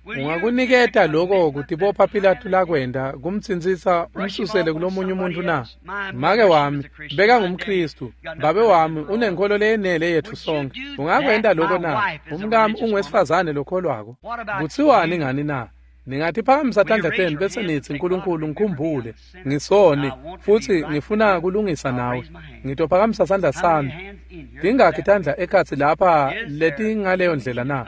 Speaker 2: Ungakuniketa lokho kutibopha Pilatu lakwenta kumtsintsisa umsusele kulomunye umuntu na? Make wami beka ngumKristu, babe wami unenkholo leyenele yetfu sonke. Ungakwenta lokho na? Umkami unguwesifazane lokholwako. Kutsiwani ngani na? Ningatiphakamisa tandla tenu bese nitsi, Nkulunkulu ngikhumbule, ngisoni futsi ngifuna kulungisa nawe. Ngitophakamisa sandla sami. Tingakhi tandla ekhatsi lapha letingaleyo ndlela na?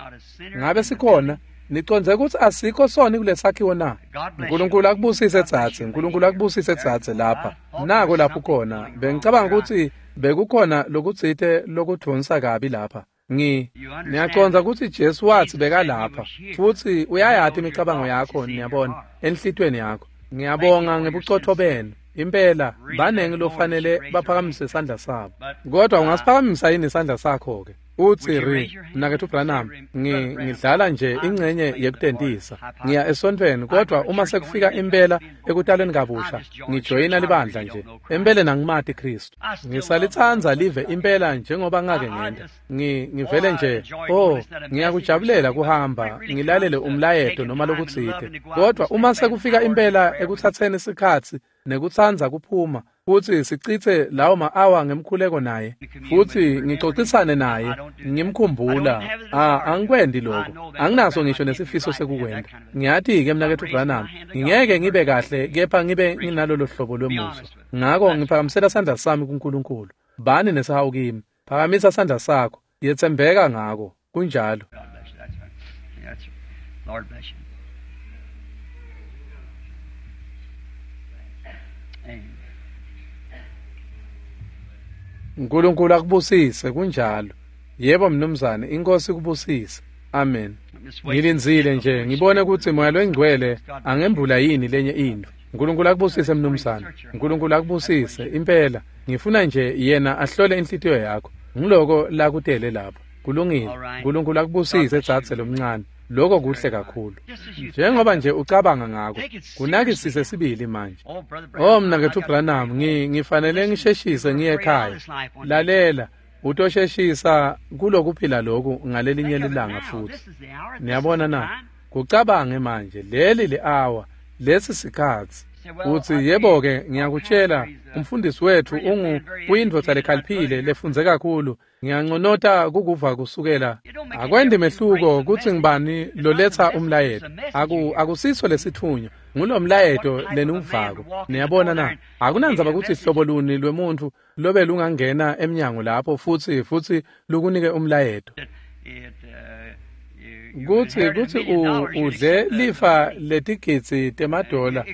Speaker 2: Ngabe sikhona? Niconze kutsi asikho soni kulesakhiwo na? Nkulunkulu akubusise tsatse, Nkulunkulu akubusise tsatse lapha. Nako lapho khona. Bengicabanga kutsi bekukhona lokutsite lokudvonsa kabi lapha. Ngi niyacondza kutsi Jesu watsi bekalapha futsi uyayati imicabango yakho, niyabona, enhlitiyweni yakho. Ngiyabonga ngebucotfo benu. Impela banengi lofanele baphakamise isandla sabo. Kodwa ungasiphakamisa yini isandla sakho ke? Utsi ri, mnaketfu Branham, ngidlala nje ingcenye yekutentisa. Ngiya esontfweni kodwa uma sekufika impela ekutalweni kabusha, ngijoyina libandla nje. Empeleni angimati Kristu. Ngisalitsandza live impela njengoba ngake ngenta. Ngi ngivele nje, oh, ngiyakujabulela kuhamba, ngilalele umlayeto noma lokutsite. Kodwa uma sekufika impela ekuthatheni isikhatsi nekutsandza kuphuma futsi sicitse lawo ma-awa ngemkhuleko naye futsi ngicocisane naye ngimkhumbula, ah, angikwendi lokho, anginaso ngisho nesifiso sekukwenta. Ngiyati-ke mnaketfu Branham, ngingeke ngibe kahle kepha ngibe nginalolo hlobo lwemusa. Ngako ngiphakamisela sandla sami kuNkulunkulu. Bani nesihawu kimi. Phakamisa sandla sakho, yetsembeka ngako. Kunjalo.
Speaker 1: Lord bless you. Amen.
Speaker 2: Nkulunkulu akubusise, kunjalo. Yebo mnumzane, inkosi ikubusise. Amen. Ngilindzile nje ngibone kutsi Moya loNgcwele angembula yini lenye intfo. Nkulunkulu akubusise mnumzane. Nkulunkulu akubusise impela. Ngifuna nje yena ahlole inhlitiyo yakho. Ngiloko lakutele lapho. Kulungile. Nkulunkulu akubusise dzadze lomncane. Lokho kuhle kakhulu. Njengoba nje ucabanga ngako, kunakisise sibili manje. Oh mnaketfu Branham, ngi ngifanele ngisheshise ngiye ekhaya. Lalela, utosheshisa kulokuphila lokhu ngalelinye lilanga futhi. Niyabona na? Kucabange manje, leli li-hour, lesi sikhatsi. Utsi yebo ke, ngiyakutshela, umfundisi wethu ungu uyindvodza lekhaliphile lefundze kakhulu. Ngiyanconota kukuva kusukela. Akwendi mehluko kutsi ngibani loletsa umlayeto. Aku akusiso lesithunywa, ngulomlayeto leniwuvako. Niyabona na? Akunandzaba kutsi hlobo luni lwemuntfu lobe lungangena emnyango lapho futsi futsi lukunike umlayeto. Kutsi kutsi udle lifa letigidzi temadola,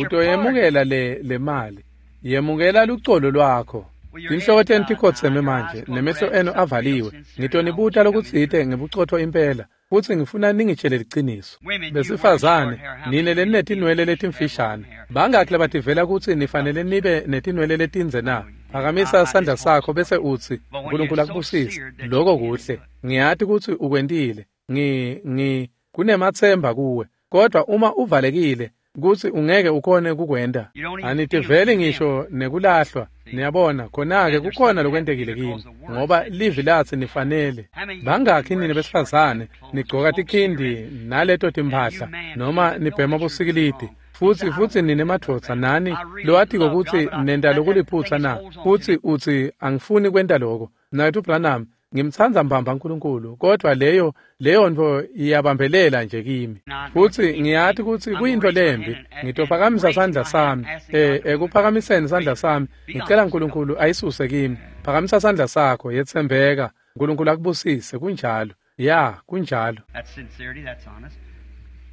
Speaker 2: utoyemukela le lemali. Yemukela lucolo lwakho. Tinhloko tenu tikhotseme manje, nemehlo enu avaliwe. Ngitonibuta lokutsite ngebucotfo impela, futsi ngifuna ningitshele liciniso. Besifazane, nine leninetinwele letimfishane, bangakhi labativela kutsi nifanele nibe netinwele letindze na? Phakamisa sandla sakho bese utsi, Nkulunkulu akubusise. Lokho kuhle. Ngiyati kutsi ukwentile. Ngi ngi kunematsemba kuwe. Kodwa uma uvalekile kutsi ungeke ukhone kukwenta, anitiveli ngisho nekulahlwa. Niyabona, khona-ke kukhona lokwentekile kini, ngoba livi latsi nifanele. Bangakhi nine besifazane nigcoka tikhindi naleto timphahla noma nibhema bosikilidi, futsi futsi nine madvodza nani lowatiko kutsi nenta lokuliphutsa na? Futsi utsi angifuni kwenta loko. Mnaketfu Branham, ngimtsandza mbamba Nkulunkulu, kodwa leyo leyo ntfo iyabambelela nje kimi. Futsi ngiyati kutsi kuyintfo lembi. Ngitophakamisa sandla sami. Eh ekuphakamiseni sandla sami, ngicela Nkulunkulu ayisuse kimi. Phakamisa sandla sakho, yetsembeka. Nkulunkulu akubusise, kunjalo. Ya, kunjalo.
Speaker 1: That's sincerity, that's honest.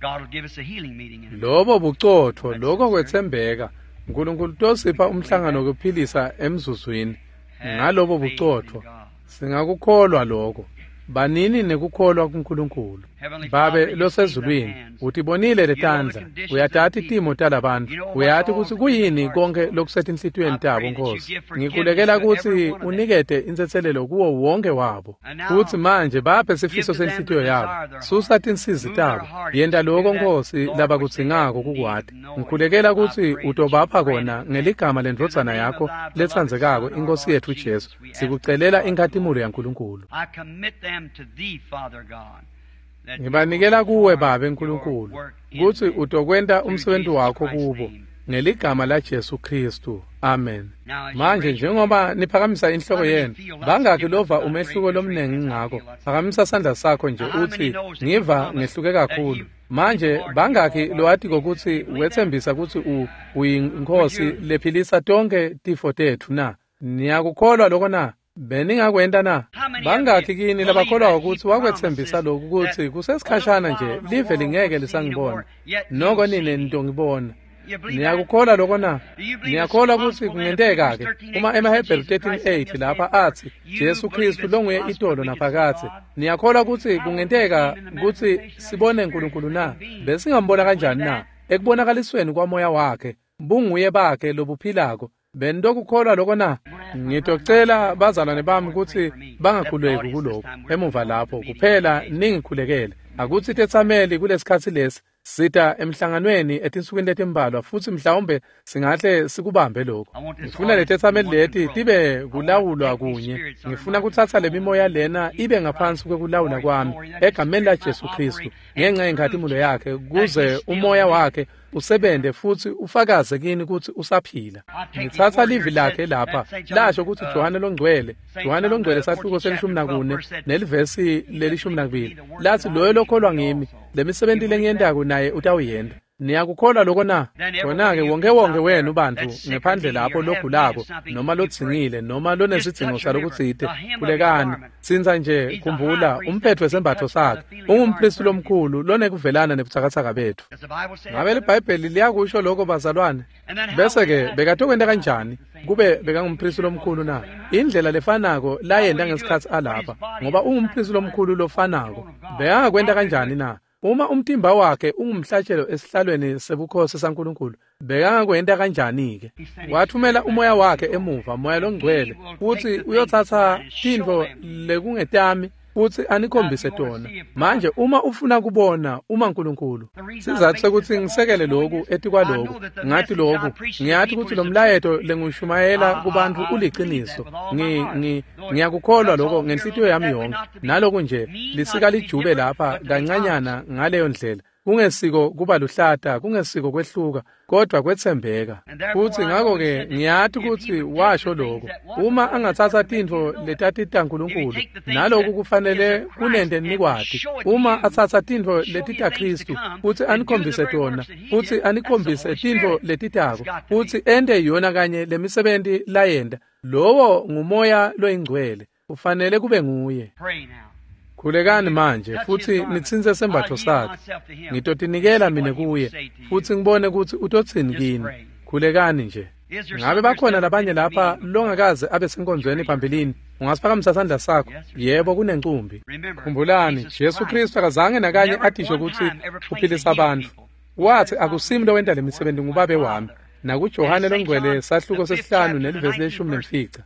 Speaker 1: God will give us a healing meeting in a
Speaker 2: Lobo bucotfo, lokho kwetsembeka. Nkulunkulu tosipha umhlangano wokuphilisa emzuzwini. Ngalobo bucotfo singakukholwa lokho. Banini nekukholwa kuNkulunkulu. Babe losezulwini, utibonile letandla, uyatati timo talabantu, uyati kutsi kuyini konke lokusetinhlitiyweni tabo, Nkosi. Ngikhulekela kutsi unikete intsetselelo kuwo wonke wabo. Futsi manje baphe sifiso senhlitiyo yabo, susa tinsizi tabo, yenta lokho Nkosi labakudzingako kukwati. Ngikhulekela kutsi utobapha kona ngeligama lendvodzana yakho letsandzekako, iNkosi yetfu Jesu. Sikucelela inkhatimulo yaNkulunkulu.
Speaker 1: I commit them to thee, Father God.
Speaker 2: Ngibanikela kuwe Babe Nkulunkulu kutsi utokwenta umsebenzi wakho kubo ngeligama la Jesu Kristu. Amen. Manje njengoba niphakamisa inhloko yenu, bangakhi lova umehluko lomnengi ngako? Phakamisa sandla sakho nje utsi ngiva ngehluke kakhulu. Manje bangakhi lowatiko kutsi wetsembisa kutsi uyinkosi lephilisa tonke tifo tetfu na? Niyakukholwa lokho na? Beningakwenta na? Bangakhi kini labakholwa ukuthi wakwetsembisa lokhu kutsi kusesikhashana nje live lingeke lisangibona, noko nine nitongibona. Niyakukholwa lokho na? Niyakholwa ukuthi kungenteka-ke uma emaHebheru thirteen eight lapha athi Jesu Kristu longuye itolo naphakadze. Niyakholwa ukuthi kungenteka kutsi sibone uNkulunkulu na? Besingambona kanjani na? Ekubonakalisweni kwamoya wakhe, bunguye bakhe lobuphilako. Benitokukholwa lokho na? Ngitocela bazalwane bami kutsi bangakhuleki kuloko emuva lapho, kuphela ningikhulekele. Akutsi tetsameli kulesikhatsi lesi sita emhlanganweni etinsukwini letimbalwa, futsi mhlawumbe singahle sikubambe lokho. Ngifuna letetsameli leti tibe kulawulwa kunye. Ngifuna kutsatsa lemimoya lena ibe ngaphansi kwekulawula kwami egameni la Jesu Kristu, ngenxa yenkhatimulo yakhe, kuze umoya wakhe usebente futsi ufakaze kini kutsi usaphila. Ngitsatsa livi lakhe lapha lasho kutsi Johane longcwele, Johane longcwele sahluko selishumi nakune nelivesi lelishumi nakubili, lathi loyo lokholwa ngimi, lemisebenti lengiyentako naye utawuyenta. Niyakukholwa lokho na? Khona-ke wonke wonke wenu bantfu ngephandle lapho logulako noma lodzingile noma lonesidzingo salokutsite, khulekani. Tsintsa nje, khumbula umphetfo wesembatfo sakhe. Ungumpristi lomkhulu lonekuvelana nebutsakatsaka betfu. Ngabe liBhayibheli liyakusho lokho bazalwane? Bese-ke bekatokwenta kanjani kube bekangumpristi lomkhulu na? Indlela lefanako layenta ngesikhatsi alapha, ngoba ungumpristi lomkhulu lofanako. Bekangakwenta kanjani na? Uma umtimba wakhe ungumhlatshelo esihlalweni sebukhosi saNkulunkulu, bekangakwenta kanjani-ke? Wathumela umoya wakhe emuva, moya longcwele, futsi uyotsatsa tintfo lekungetami futsi anikhombise tona. Manje uma ufuna kubona uma uNkulunkulu, sizatfu sekuthi ngisekele loku etikwaloku, ngathi loku, ngiyati kutsi lo mlayeto lengushumayela kubantfu uliciniso. Ngi ngi ngiyakukholwa lokho ngenhlitiyo yami yonke. Naloku nje lisika lijube lapha kancanyana ngaleyo ndlela. Kungesiko kuba luhlata, kungesiko kwehluka, kodwa kwetsembeka. Futsi ngakho-ke ngiyati kutsi washo lokho. Uma angatsatsa tintfo letatita uNkulunkulu, naloku kufanele kunente nikwati. Uma atsatsa tintfo letita Kristu, futsi anikhombise tona, futsi anikhombise tintfo letitako, futsi ente yona kanye lemisebenti layenta, lowo ngumoya loyingcwele. Ufanele kube nguye. Khulekani manje futsi nitsintse sembatfo sakhe. Ngitotinikela mine kuye futsi ngibone kutsi utotsini kini. Khulekani nje. Ngabe bakhona labanye lapha longakaze abe senkonzweni phambilini? Ungasiphakamisa sandla sakho. Yebo, kunencumbi. Khumbulani, Jesu Kristu akazange nakanye atisho kutsi uphilisa abantu. Wathi akusimi lowenta lemisebenzi, ngubabe wami. NakuJohane longcwele sahluko sesihlanu nelivesi leshumi nemfica.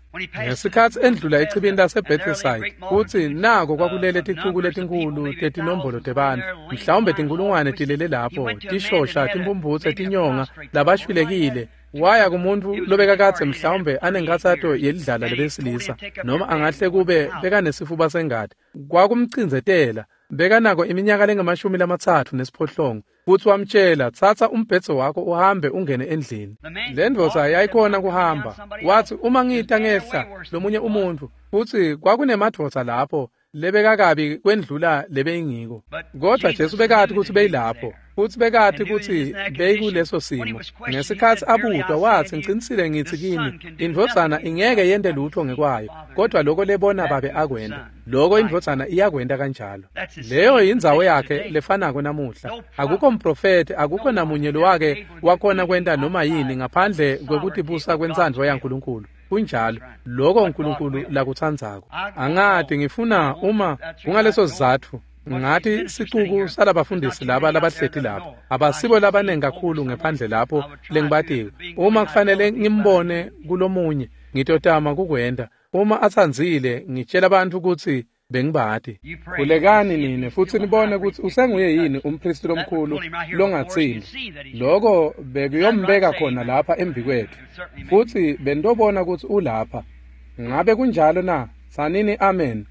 Speaker 2: Ngesikhatsi endlula echibini laseBethesda, futsi nako kwakulele ticuku letinkhulu tetinombolo tebantfu, mhlawumbe tinkulungwane tilele lapho, tishosha, timphumphutse, tinyonga, labashwilekile. Waya kumuntu lobekakadze mhlawumbe anenkatsato yelidlala lebesilisa, noma angahle kube bekanesifuba sengati. Kwakumcindzetela, bekanako iminyaka lengamashumi lamatsatfu nesiphohlongo. Futsi wamtshela, tsatsa umbhedze wakho uhambe ungene endlini. Le ndvodza yayikhona kuhamba. Wathi uma ngita ngehla lomunye umuntfu, futsi kwakunemadvodza lapho lebekakabi kwendlula lebeyingiko. Kodwa Jesu bekati kutsi beyilapho, futsi bekati kutsi beyikuleso simo. Ngesikhatsi abutwa wathi, ngicinisile ngithi kini, indvodzana ingeke yente lutho ngekwayo, kodwa lokho lebona babe akwenta, lokho indvodzana iyakwenta kanjalo. Leyo yindzawo yakhe lefanako namuhla. Akukho mprofethi, akukho namunye lowake wakhona kwenta noma yini ngaphandle kwekutibusa kwentsandvo yaNkulunkulu. Kunjalo, lokho uNkulunkulu lakutsandzako. Angati ngifuna uma kungaleso sizatfu ngathi sicuku salabafundisi laba labahleti lapha abasibo labanengi kakhulu ngephandle lapho lengibatiwe. Uma kufanele ngimbone kulomunye, ngitotama kukwenta. Uma atsandzile, ngitshela abantu kutsi bengibati. Khulekani nine futsi nibone kutsi usenguye yini umpristi lomkhulu longatsini. Lokho bekuyombeka khona lapha embikwetfu, futsi bentobona kutsi ulapha. Ngabe kunjalo na? Sanini amen.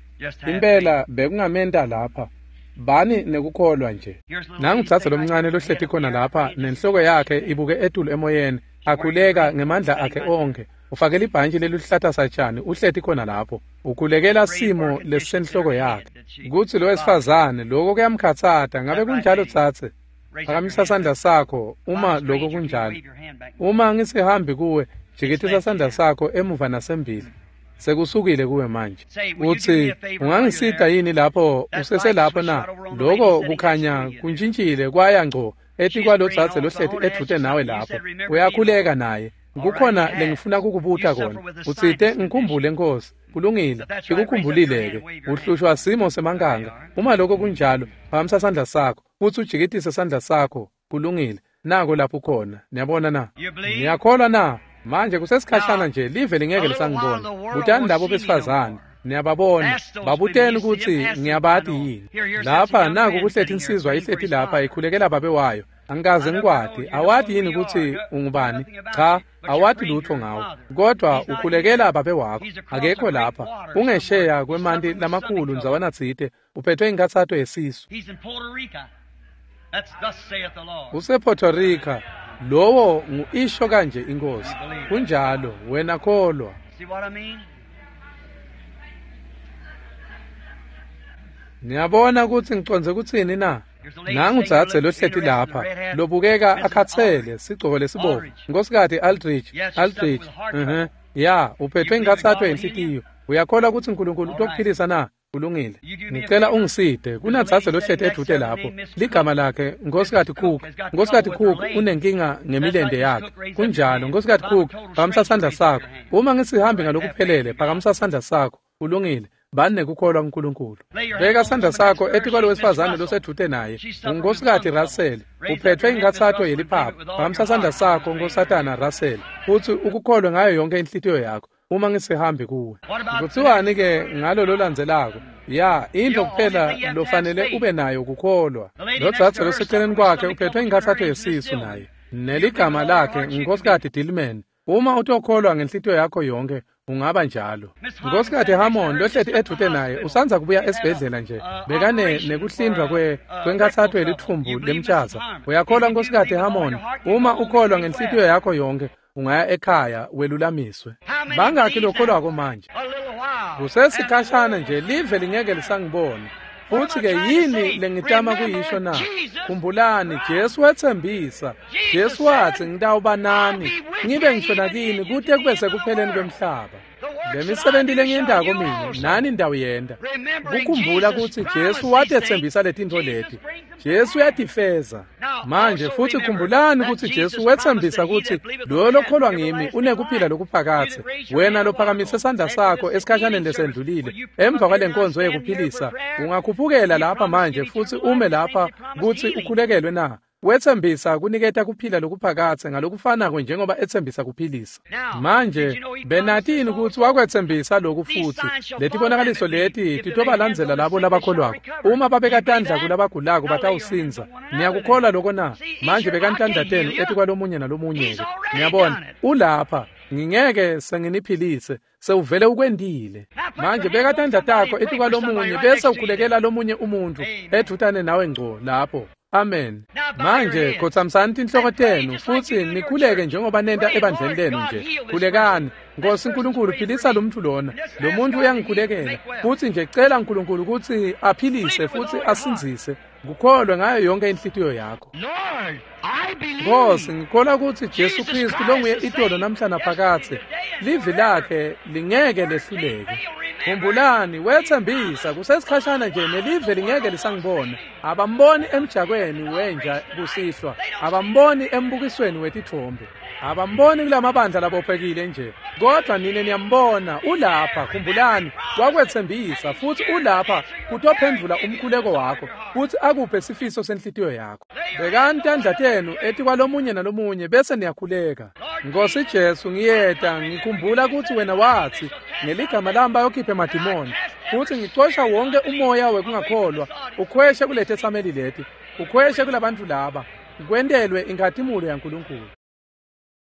Speaker 2: Impela bekungamenta lapha. Bani nekukholwa nje. Nangutsatsa lomncane lohleti khona lapha nenhloko yakhe ibuke etulu emoyeni, akhuleka ngemandla akhe onke. Ufake libhantshi leluhlata satshani, uhleti khona lapho. Ukhulekela simo lesisenhloko yakhe. Kutsi lo wesifazane lokho kuyamkhatsata. Ngabe kunjalo tsatse? Phakamisa sandla sakho uma lokho kunjalo. Uma ngisihambi kuwe, jikitisa sandla sakho emuva nasembili. Sekusukile kuwe manje. Uthi ungangisita yini lapho useselapho na? Lokho kukhanya kuntshintshile kwaya ngco etikwalodzadze lohleti edvute nawe lapho. Uyakhuleka naye. Kukhona lengifuna kukubuta kona. Utsite ngikhumbule Nkosi. Kulungile, ikukhumbulile-ke. Uhlushwa simo semankanga. Uma lokho kunjalo, phakamisa sandla sakho futhi ujikitise sandla sakho. Kulungile. Nako lapho ukhona. Niyabona na? Niyakholwa na? Manje kusesikhashana nje live lingeke lisangibona. Butani labo besifazane. Niyababona. Babuteni ukuthi ngiyabati yini. Lapha naku kuhlethi insizwa ihleti lapha ikhulekela babe wayo. Angikaze ngikwati. Awati yini ukuthi ungubani? Cha, awati lutho ngawo. Kodwa ukhulekela babe wakho. Akekho lapha. Ungesheya kwemanti lamakhulu ndzawana tsite. Uphethwe inkatsato yesisu. Use-Puerto Rica. Lowo ngu-isho kanje inkosi. Kunjalo, wena kholwa. Niyabona ukuthi ngicondze kutsini na? Nangu dzadze lohleti lapha lobukeka akhatsele sigcoko lesibovu. Nkosikazi Aldrich, Aldrich. Mhm. Ya, uphethwe inkatsato yenhlitiyo. Uyakholwa ukuthi uNkulunkulu utokuphilisa na? Kulungile. Ngicela ungiside. Kunadzadze lohleti edvute lapho. Ligama lakhe Nkosikazi Cook. Nkosikazi Cook unenkinga ngemilente yakhe. Kunjalo, Nkosikazi Cook, phakamisa sandla sakho. Uma ngisihambi ngalokuphelele, phakamisa sandla sakho. Kulungile. Bani nekukholwa kuNkulunkulu. Beka sandla sakho etikwalo wesifazane losedvute naye. Unkosikazi Russell, uphethwe inkatsato yeliphaphu. Phakamisa sandla sakho Nkosatana Russell, futhi ukukholwe ngayo yonke inhlitiyo yakho. Uma ngisihambi kuwe. Kutsiwani ke ngalo lolandzelako? Ya, into kuphela lofanele ube nayo kukholwa. Lodzadze loseceleni kwakhe uphethwe inkatsato yesisu naye. Neligama lakhe Nkosikazi Dillman. Uma utokholwa ngenhlitiyo yakho yonke, ungaba njalo. Nkosikazi Hammond lohleti edvute naye usandza kubuya esibhedlela nje. Bekane nekuhlindwa kwe kwenkatsato yelitfumbu lemtshaza. Uyakholwa Nkosikazi Hammond? Uma ukholwa ngenhlitiyo yakho yonke, ungaya ekhaya welulamiswe. Bangakhi lokholwako manje? Kusesikhashana nje live lingeke lisangibona. Futhi ke yini lengitama kuyisho na? Khumbulani Jesu wetsembisa. Jesu wathi ngitawuba nani ngibe ngisho nakini kute kube sekupheleni kwemhlaba. Lemisebenti lengiyentako mina nani ndawuyenta. Kukhumbula ukuthi Jesu watetsembisa letintfo leti. Jesu uyatifeza. Manje futhi khumbulani ukuthi Jesu wetsembisa ukuthi loyo lokholwa ngimi unekuphila lokuphakathe. Wena lophakamise sandla sakho esikhashaneni lesendlulile emva kwalenkonzo yekuphilisa, ungakhuphukela lapha manje futhi ume lapha kuthi ukhulekelwe na? Wetsembisa kuniketa kuphila lokuphakathe ngalokufanako njengoba etsembisa kuphilisa. Manje benatini ukuthi wakwetsembisa lokhu futhi letibonakaliso leti titobalandzela labo labakholwako. Uma babeka tandla kulabagulako batawusindza. Niyakukholwa lokho na? Manje bekani tandla tenu etikwalomunye nalomunye-ke. Niyabona, ulapha. Ngingeke senginiphilise, sewuvele ukwendile. Manje beka tandla takho etikwalomunye bese ukhulekela lomunye umuntu edvutane nawe ngco lapho. Amen. Manje khotsamisani tinhloko tenu futhi nikhuleke njengoba nenta ebandleni lenu nje. Khulekani. Nkosi uNkulunkulu philisa lo muntu lona. Lo muntu uyangikhulekela. Futhi nje cela uNkulunkulu ukuthi aphilise futhi asindzise. Kukholwe ngayo yonke inhlitiyo yakho. Nkosi, ngikholwa ukuthi Jesu Kristu longuye itolo namhla naphakathe. Livi lakhe lingeke lehluleke. Khumbulani wetsembisa kusesikhashana nje nelive lingeke lisangibona. Abamboni emjakweni wenja kusihlwa, abamboni embukisweni wetithombe, abamboni kulamabandla labophekile nje. Kodwa nine niyambona ulapha. Khumbulani wakwetsembisa futhi ulapha kutophendvula umkhuleko wakho futhi akuphe sifiso senhlitiyo yakho. Bekani tandla tenu etikwalomunye nalomunye bese niyakhuleka. Nkosi Jesu, ngiyeta ngikhumbula ukuthi wena wathi ngeligama lami bayokhipha emadimoni futhi ngicosha wonke umoya wekungakholwa ukhweshe kulethe sameli leti, ukhweshe kulabantu laba, kwentelwe inkhatimulo yaNkulunkulu.